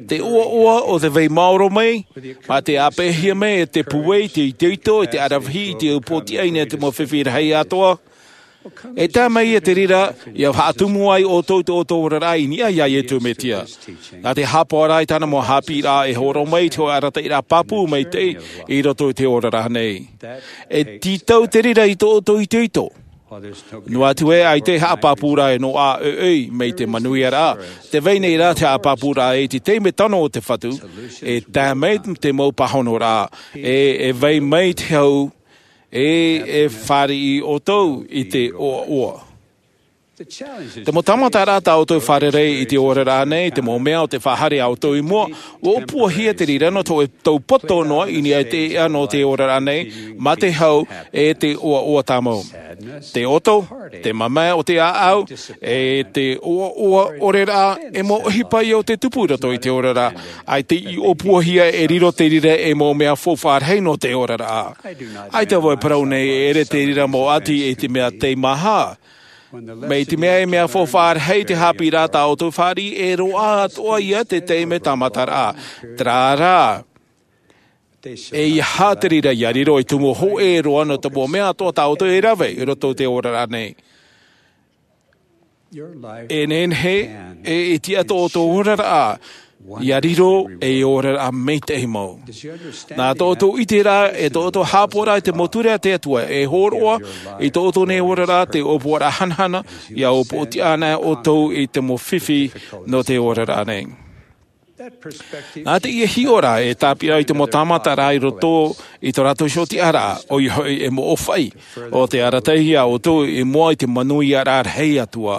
Te ʻoaʻoa ʻo te vai maoro mai, mā te ʻāpeʻahia mai e te pūai, te itoito, e te aravihi, i te upoʻotiʻa i niʻa i te mau fifi rahi atoʻa. E tae mai ia te reira, ia faʻatumu ai ʻoutou i tō ʻoutou oraraʻa i niʻa iā Iesu Mesia. Nā te haʻapaʻoraʻa i tāna mau haʻapiʻiraʻa e hōroʻa mai i te hōʻē arataʻiraʻa pāpū maitaʻi i roto i te oraraʻa nei. E tītau te reira i tō ʻoutou itoito. Noa atu ē, ʻaita e haʻapāpū rā e noaʻa ʻoiʻoi mai te manuiaraʻa, tē vai nei rā te haʻapāpūraʻa i te taime tano o te Fatu, e tae mai te mau pāhonoraʻa, e, e vai mai te hau, e, e fāriʻi ʻoutou i te ʻoaʻoa. Te mau tāmataraʻa tā ʻoutou e fārerei i te oraraʻa nei, te mau mea o tē faʻahaere iā ʻoutou i mua, ʻua ʻōpuahia te reira nō te hōʻē tau poto noa i niʻa i te eʻa nō te oraraʻa nei, mā te hau, e te ʻoaʻoa tāmau. Te ʻoto, te mamae o te ʻāʻau, e te ʻoaʻoa ʻore rā, e mau ʻohipa ia o te tupu i roto i te oraraʻa, ʻaita i ʻōpuahia e riro te reira ei mau mea faufaʻa rahi nō te oraraʻa. ʻAita vau e parau nei e ʻere te reira mau ʻati i te mea teimaha. Mai te mea e mea faufaʻa rahi te haʻapiʻiraʻa tā ʻoutou e fāriʻi, e roaʻa atoʻa ia te taime tāmataraʻa. Terā rā, e ʻeiaha te reira ia riro ei tumu hōʻē roa nō te mau mea atoʻa tā ʻoutou e rave i roto i te oraraʻa nei. E nehenehe, e, e tiʻa tō ʻoutou oraraʻa, ia riro ei oraraʻa maitaʻi mau. Nā tō ʻoutou ʻite rā, e tō ʻoutou haʻapaʻoraʻa i te mau ture a te Atua, e hōroʻa i tō ʻoutou nei oraraʻa te ʻōpuaraʻa hanahana, ia ʻōpuatia ana ʻoutou i te mau fifi nō te oraraʻa nei. Nā teie hiʻoraʻa e tāpeʻa i te mau tāmataraʻa i roto i tō rātou iho tiʻaraʻa, ʻoia hoʻi e mau ʻōfaʻi, ʻo tē arataʻi iā ʻoutou i mua i te manuiaraʻa rahi Atua.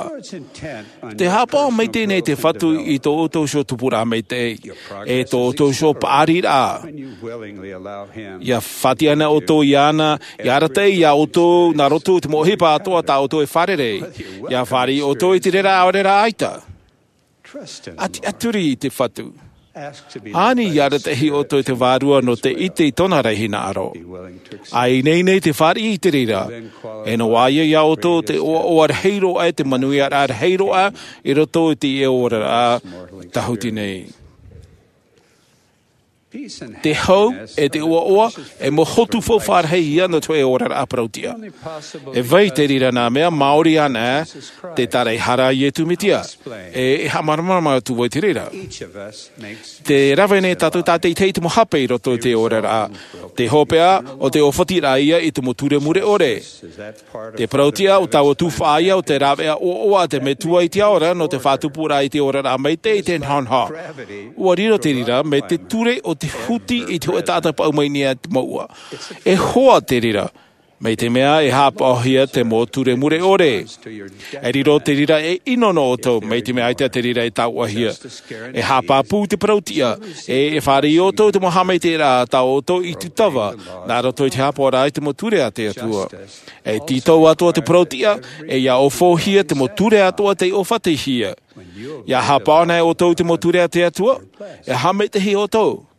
Tē haʻapaʻo maitaʻi nei te Fatu i tō ʻoutou iho tupuraʻa maitaʻi, e tō ʻoutou iho paʻariraʻa. Ia faʻatiʻa ana ʻoutou iāna, ia arataʻi iā ʻoutou, nā roto i te mau ʻohipa atoʻa tā ʻoutou e fārerei, ia fāriʻi ʻoutou i te reira ʻaore rā ʻaita. ʻAtiʻaturi i te Fatu. Ani ia arataʻi ʻoutou i te Vārua nō te ʻite i tōna rahi hinaʻaro. ʻA ineine i te fāriʻi i te reira, e noaʻa ia iā ʻoutou te ʻoaʻoa rahi roa, te manuiaraʻa rahi roa, i roto i teie oraraʻa tāhuti nei. Te hau, e te ʻoaʻoa, e mau hotu faufaʻa rahi ia nō te hōʻē oraraʻa parautiʻa. E vai te reira nā mea, maori ana, te taraehara a Iesu Mesia. E, e haʻamāramarama atu vau i te reira. Tē rave nei tātou tātaʻitahi i te mau hape i roto i te oraraʻa. Te hopeʻa, ʻo te ʻōfatiraʻa ia i te mau ture mure ʻore. Te parautiʻa, ʻo taua tuhaʻa ia, ʻo te rāveʻa ʻoaʻoa a te Metua i te ao ra, nō te faʻatupuraʻa i te oraraʻa maitaʻi i te nahonaho. ʻUa riro te reira, mai te ture o te huti i te hōʻē taʻata paʻu mai nei i te mouʻa. E hoa te reira, mai te mea e haʻapaʻohia te mau ture mure ʻore. E riro te reira ei ʻino nō ʻoutou, mai te mea ʻaita te reira e tauʻahia. E haʻapāpū te parautiʻa, e, e fāriʻi ʻoutou i te mau haʻamaitaʻiraʻa tā ʻoutou i tūtava, nā roto i te haʻapaʻoraʻa i te mau ture a te Atua. E tītau atoʻa te parautiʻa, e ia ʻōfaʻahia te mau ture atoʻa tei ʻōfatihia. Ia haʻapaʻo ana ʻoutou i te mau ture a te Atua, e haʻamaitaʻi ʻoutou.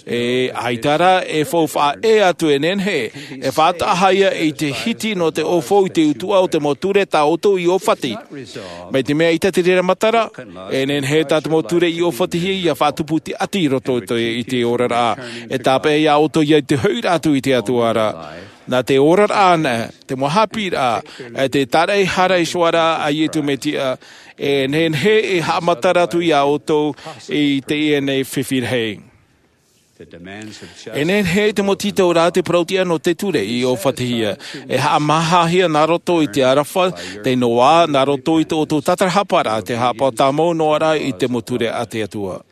E, ʻaita rā, e faufaʻa ʻē atu e nehenehe, e faʻataʻahaʻa ia i te hiti nō te ʻōfaʻa i te utuʻa o te mau ture tā ʻoutou i ʻōfati. Mai te mea ʻaita te reira matara, e nehenehe tā te mau ture i ʻōfatihia ia faʻatupu i te ʻati i roto i te, i te oraraʻa. E tāpeʻa iā ʻoutou ia i te hoʻiraʻa atu i te Atua ra. Nā te oraraʻa ana, te mau haʻapiʻiraʻa, e te taraehara i te iʻoa ra a Iesu Mesia, e nehenehe e haʻamatara atu iā ʻoutou i teie nei fifi rahi. E nehenehe te mau tītauraʻa a te parautiʻa nō te ture i ʻōfatihia, e haʻamāhāhia nā roto i te aroha, te noaʻa, nā roto i tō ʻoutou tātarahaparaʻa, te haʻapaʻo tāmau noa ra i te mau ture a te Atua.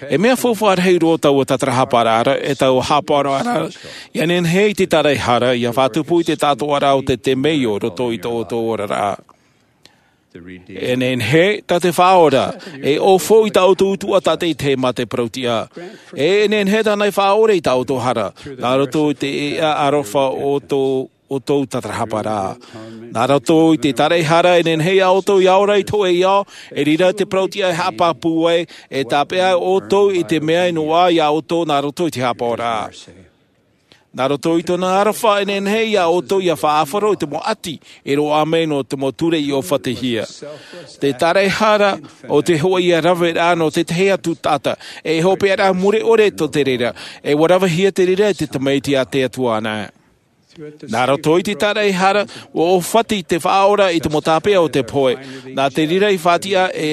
E mea faufaʻa rahi roa taua tātarahaparaʻa ra, e taua haʻapaʻoraʻa ra, ia nehenehe i te taraehara, ia faʻatupu i te tātōʻaraʻa o te temeio i roto i tō ʻoutou oraraʻa. E nehenehe, tā te Faʻaora, e ʻōfaʻa i tā ʻoutou utuʻa tātaʻitahi mā te parautiʻa. E nehenehe tāna e faʻaʻore i tā ʻoutou hara, nā roto i te eʻa aroha o tō ʻoutou tātarahaparaʻa. Nā roto i te taraehara e nehenehe iā ʻoutou ia ora i te hōʻē ao, e reira te parautiʻa e haʻapāpū ai, e tāpeʻa ʻoutou i te mea e noaʻa iā ʻoutou nā roto i te haʻapaʻoraʻa. Nā roto i tōna aroha e nehenehe iā ʻoutou ia faʻaʻāfaro i te mau ʻati, e roaʻa mai nō te mau ture i ʻōfatihia. Te taraehara, ʻo te hōʻē ia raveraʻa nō te tahi atu taʻata, e hopeʻaraʻa mure ʻore tō te reira, e ʻua ravehia te reira e te Tamaiti a te Atua ana. Nā roto i te tāraʻehara, ua ʻōfati te Faʻaora i te mau tāpeʻa o te pohe. Nā te reira i faʻatiʻa ē,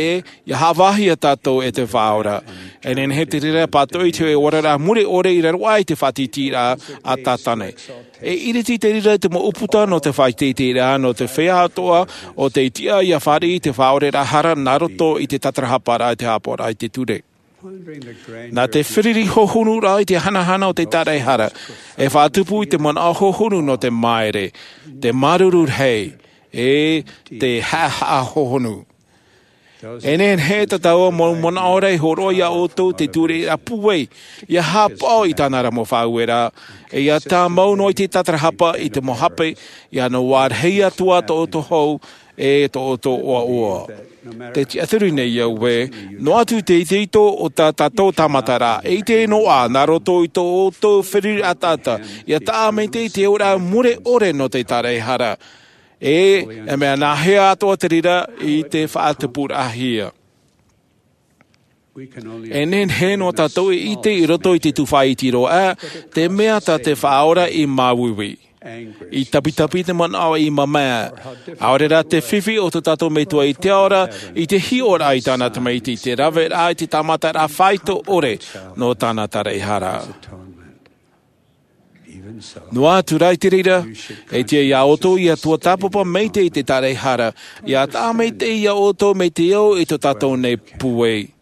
ʻia haʻavāhia tātou e te Faʻaora. E nehenehe te reira e pātoʻi i te oraraʻa mure ʻore i raro aʻe i te faʻatītīraʻa a Tātane. E ʻiriti te reira i te mau ʻūputa nō te faʻatītīraʻa, nō te feiā atoʻa o tei tiʻa ʻia fāriʻi i te faʻaoraraʻa hara nā roto i te tātarahaparaʻa i te haʻapaʻoraʻa i te ture. Nā te feruri hohonuraʻa i te hanahana o te tāraʻehara, e faʻatupu i te manaʻo hohonu nō te māere, te māuruuru rahi, e te haʻahaʻa hohonu. E nehenehe tā tāua mau manaʻo ra e hōroʻa iā ʻoutou te ture ra pūai, ʻia haʻapaʻo i tāna ra mau faʻaueraʻa, e ʻia tāmau noa i te tātarahapa i te mau hape, ʻia noaʻa rahi atu ā tō ʻoutou hau, e tō ʻoutou ʻoaʻoa. Te tiʻaturi nei au ē, noa atu te itoito o tā tātou tāmataraʻa, e ʻite noa nā roto i tō ʻoutou feruri ʻataʻata, ʻia taʻa maitaʻi te oraraʻa mure ʻore nō te tāraʻehara. E, e mea nāhea atoʻa te reira i te faʻatupuraʻahia. E nehenehe noa tātou e ʻite i roto i te tufaʻa iti roa, te mea tā te Faʻaora i māuiui. I tapitapi te manaʻo i mamae. ʻAore rā te fifi o tō tātou Metua i te ao ra, i te hiʻoraʻa i tāna tamaiti, te raveraʻa i te tāmataraʻa faito ʻore nō tāna tāraʻehara. Noa atu rā i te reira, e tiʻa iā ʻoutou ʻia tuatāpapa maitaʻi i te tāraʻehara, ʻia taʻa maitaʻi iā ʻoutou mai te ao i tō tātou nei pūai.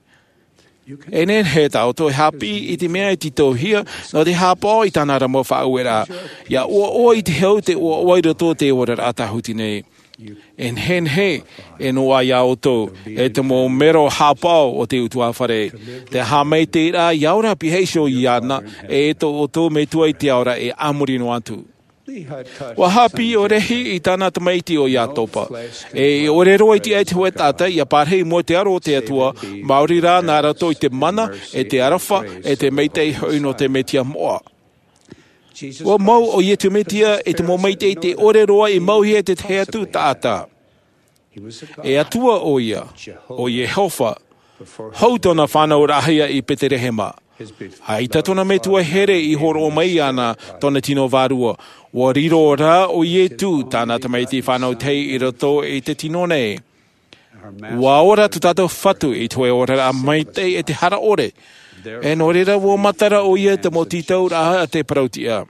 E nehenehe tā ʻoutou e haʻapiʻi i te mea e tītauhia, nō te haʻapaʻo i tāna ra mau faʻaueraʻa. ʻIa ʻoaʻoa i te hau te ʻoaʻoa i roto i te oraraʻa tāhuti nei. E nehenehe, e noaʻa iā ʻoutou, e te mau mero haʻapaʻo o te ʻutuāfare. Te haʻamaitaʻiraʻa ʻia ora pihaʻi iho iāna, e tō ʻoutou Metua i te ao ra e a muri noa atu. Ua haʻapiʻi ʻo Lehi i tāna tamaiti ʻo Iatopa. E ʻore roa i tiʻa i te hōʻē taʻata, ʻia parahi i mua i te aro o te Atua, maori rā nā roto i te mana, e te aroha, e te maitaʻi hoʻi nō te Mesia moʻa. Ua mau ʻo Iesu Mesia i te mau maitaʻi tē ʻore roa i mauhia e te tahi atu taʻata. E Atua ʻoia, ʻo Iehova, hou tōna fānauraʻahia i Betelehema. ʻAita tōna metua here i hōroʻa mai iāna tōna tino vārua. Ua riro rā ʻo Iesu tāna tamaiti fānau tahi i roto i te tino nei. Ua ora tō tātou Fatu i te hōʻē oraraʻa maitaʻi e te hara ʻore. E nō reira ua matara ʻoia i te mau tītauraʻa a te parautiʻa.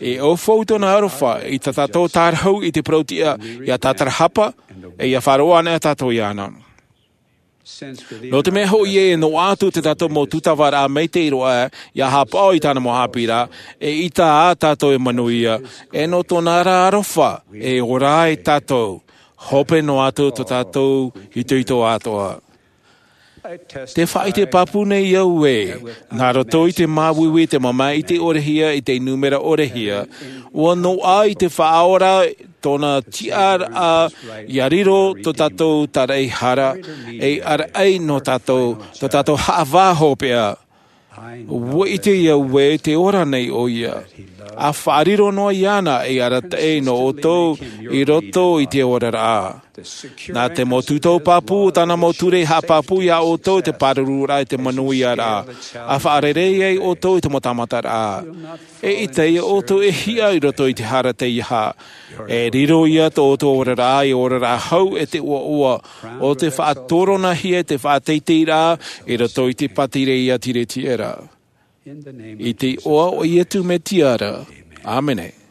E ʻaufau tōna aroha i tā tātou tārahu i te parautiʻa, ʻia tātarahapa, e ʻia faʻaroʻo anaʻe tātou iāna. Nō te mea hoʻi e noaʻa atu tā tātou mau tūtavaraʻa maitaʻi roa, ʻia haʻapaʻo i tāna mau haʻapiʻiraʻa, e ʻita ā tātou e manuia, e nō tōna ra aroha, e ora ai tātou, hope noa atu tō tātou itoito atoʻa. Te faʻaʻite pāpū nei au ē, nā roto i te māuiui, te mamae ʻite ʻorehia, i te nūmera ʻorehia, ua noaʻa i te Faʻaora tōna tiʻaraʻa, ʻia riro tō tātou tāraʻehara, e ʻaraʻai nō tātou, tō tātou haʻavā hopeʻa. Ua ʻite au ē, tē ora nei ʻoia. ʻA faʻariro noa iāna ei arataʻi nō ʻoutou i roto i te oraraʻa. Nā te mau tūtau pāpū o tāna mau ture haʻapāpū iā ʻoutou te pārururaʻa i te manuiaraʻa. ʻA faʻarerei ai ʻoutou i te mau tāmataraʻa. E ʻita iā ʻoutou e hiʻa i roto i te hara teiaha. E riro ïa tō ʻoutou oraraʻa ei oraraʻa hau e te ʻoaʻoa, ʻo tei faʻatoronahia te faʻateiteiraʻa i roto i te pātireia tiretiera. I te iʻoa o Iesu Mesia ra. ʻĀmene.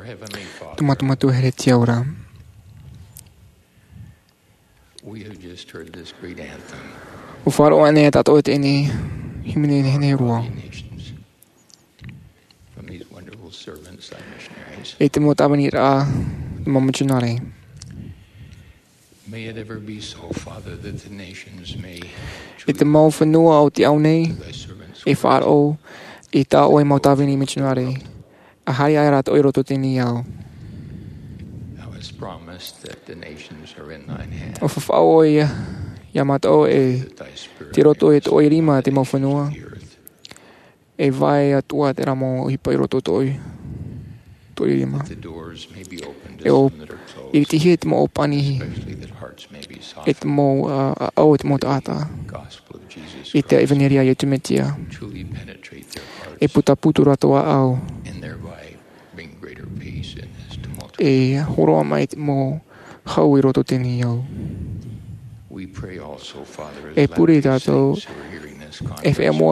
Tō mātou Metua here tīaʻi ra. ʻUa faʻaroʻo ānei tātou i teie hīmene nehenehe roa? I te mau tāviniraʻa, te mau mitionare. I te mau fenua o te ao nei, e faʻaroʻo i tā ʻoe mau tāvini mitionare. ʻA haere aʻe rātou i roto i teie ao. ʻUa faʻaʻite ʻoe iā mātou e tei roto i tō ʻoe rima te mau fenua. E vai atu ā terā mau ʻohipa i roto i tō ʻoe rima. E ʻo, i te hia te mau ʻōpani, e te mau, ā, ʻāʻau, e te mau taʻata. I te ʻevaneria a Iesu Mesia. E putapū tō rātou ʻāʻau. E hōroʻa mai te mau hau i roto i teie ao. E pure tātou, e feiā mau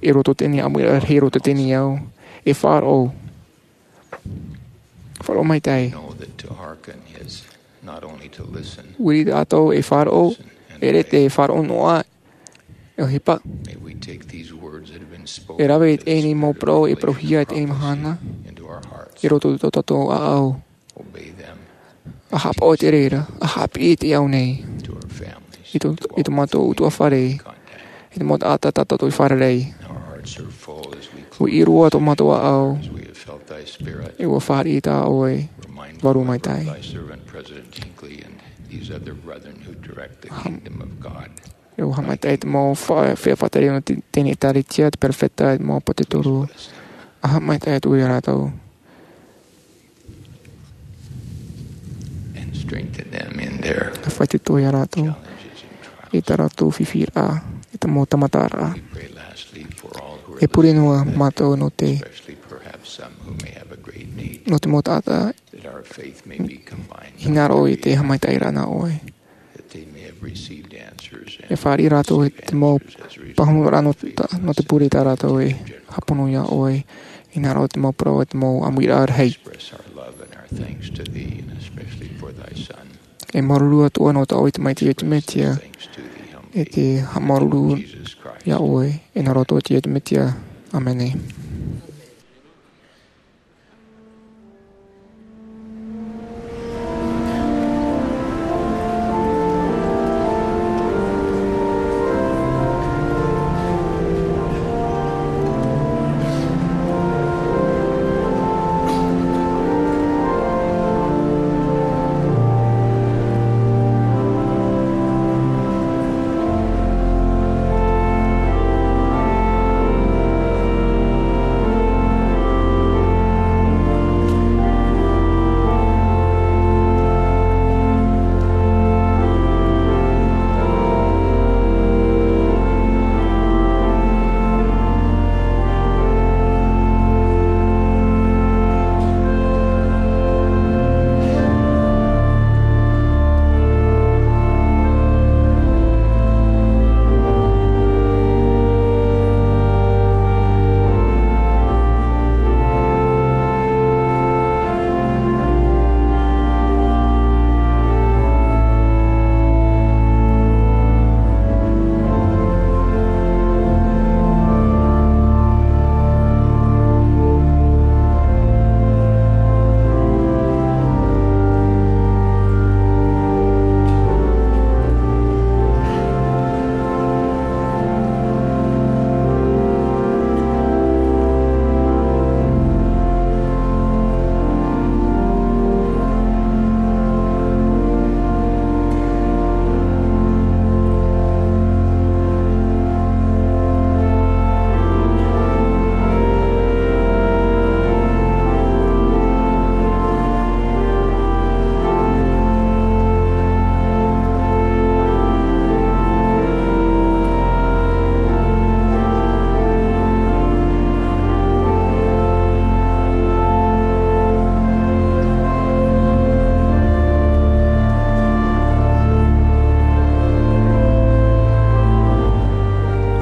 i roto i teie ao, ʻamuiraʻa rahi i roto i teie ao, e faʻaroʻo. Faʻaroʻo maitaʻi. Viri tātou e faʻaroʻo, e rave te faʻaroʻo noa, e ʻohipa. E rave i teie mau parau e parauhia i teie mahana, i roto i tō tātou ʻāʻau. ʻA haʻapaʻo i te reira, ʻa haʻapiʻi i te ao nei. I tō, i tō mātou ʻutuāfare, i te mau taʻata tā tātou i fārerei. ʻUa ʻī roa tō mātou ʻāʻau, e ʻua fāriʻi tā ʻoe vārua maitaʻi. E ʻua haʻamaitaʻi te mau fa-, feiā faʻatere nō te, teie ʻēkālesia, te perofeta, te mau ʻāpōsetolo. ʻA haʻamaitaʻi atu iā rātou. ʻA faʻaitoito iā rātou i tā rātou fifi ra, i te mau tāmataraʻa. E pure noa mātou nō te, nō te mau taʻata, hinaʻaro i te haʻamaitaʻiraʻa nā ʻoe. E fāriʻi rātou i te mau pāhonoraʻa nō te, nō te pure tā rātou e hāpono iā ʻoe, hinaʻaro i te mau parau, i te mau ʻamuiraʻa rahi. E māuruuru atu ā nō tō ʻoe Tamaiti Iesu Mesia, e te haʻamāuruuru iā ʻoe, e nā roto i Iesu Mesia. ʻĀmene.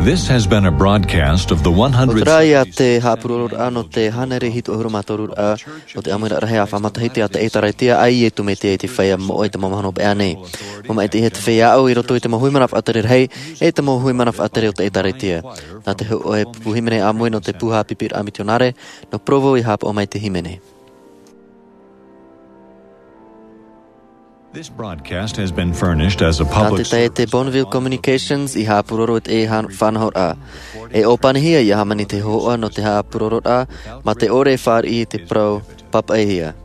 This has been a broadcast of the ʻO te rā ia te haʻapurororaʻa nō te hānere hitu ʻahuru mā toru raʻa o te ʻāmuiraʻa rahi ʻāfaʻi matahiti a te ʻĒtārētia a Iesu Mesia i te feiā moʻa i te mau mahana hopeʻa nei. Ua maʻitihia te feiā aʻo i roto i te mau hui mana faʻatere rahi, e te mau hui mana faʻatere o te ʻĒtārētia. Nā te hōʻē pupu hīmene ʻāmui nō te pū haʻapiʻiraʻa mitionare, nō Provo i haʻapaʻo mai te hīmene. This broadcast has been furnished as a public service. Nā te taʻata Bonneville Communications i haʻapuroro i te faʻanahoraʻa. E ʻōpanihia ia hāmani te hōhoʻa nō te haʻapurororaʻa, mā te ʻore e fāriʻi i te parau pāpaʻihia.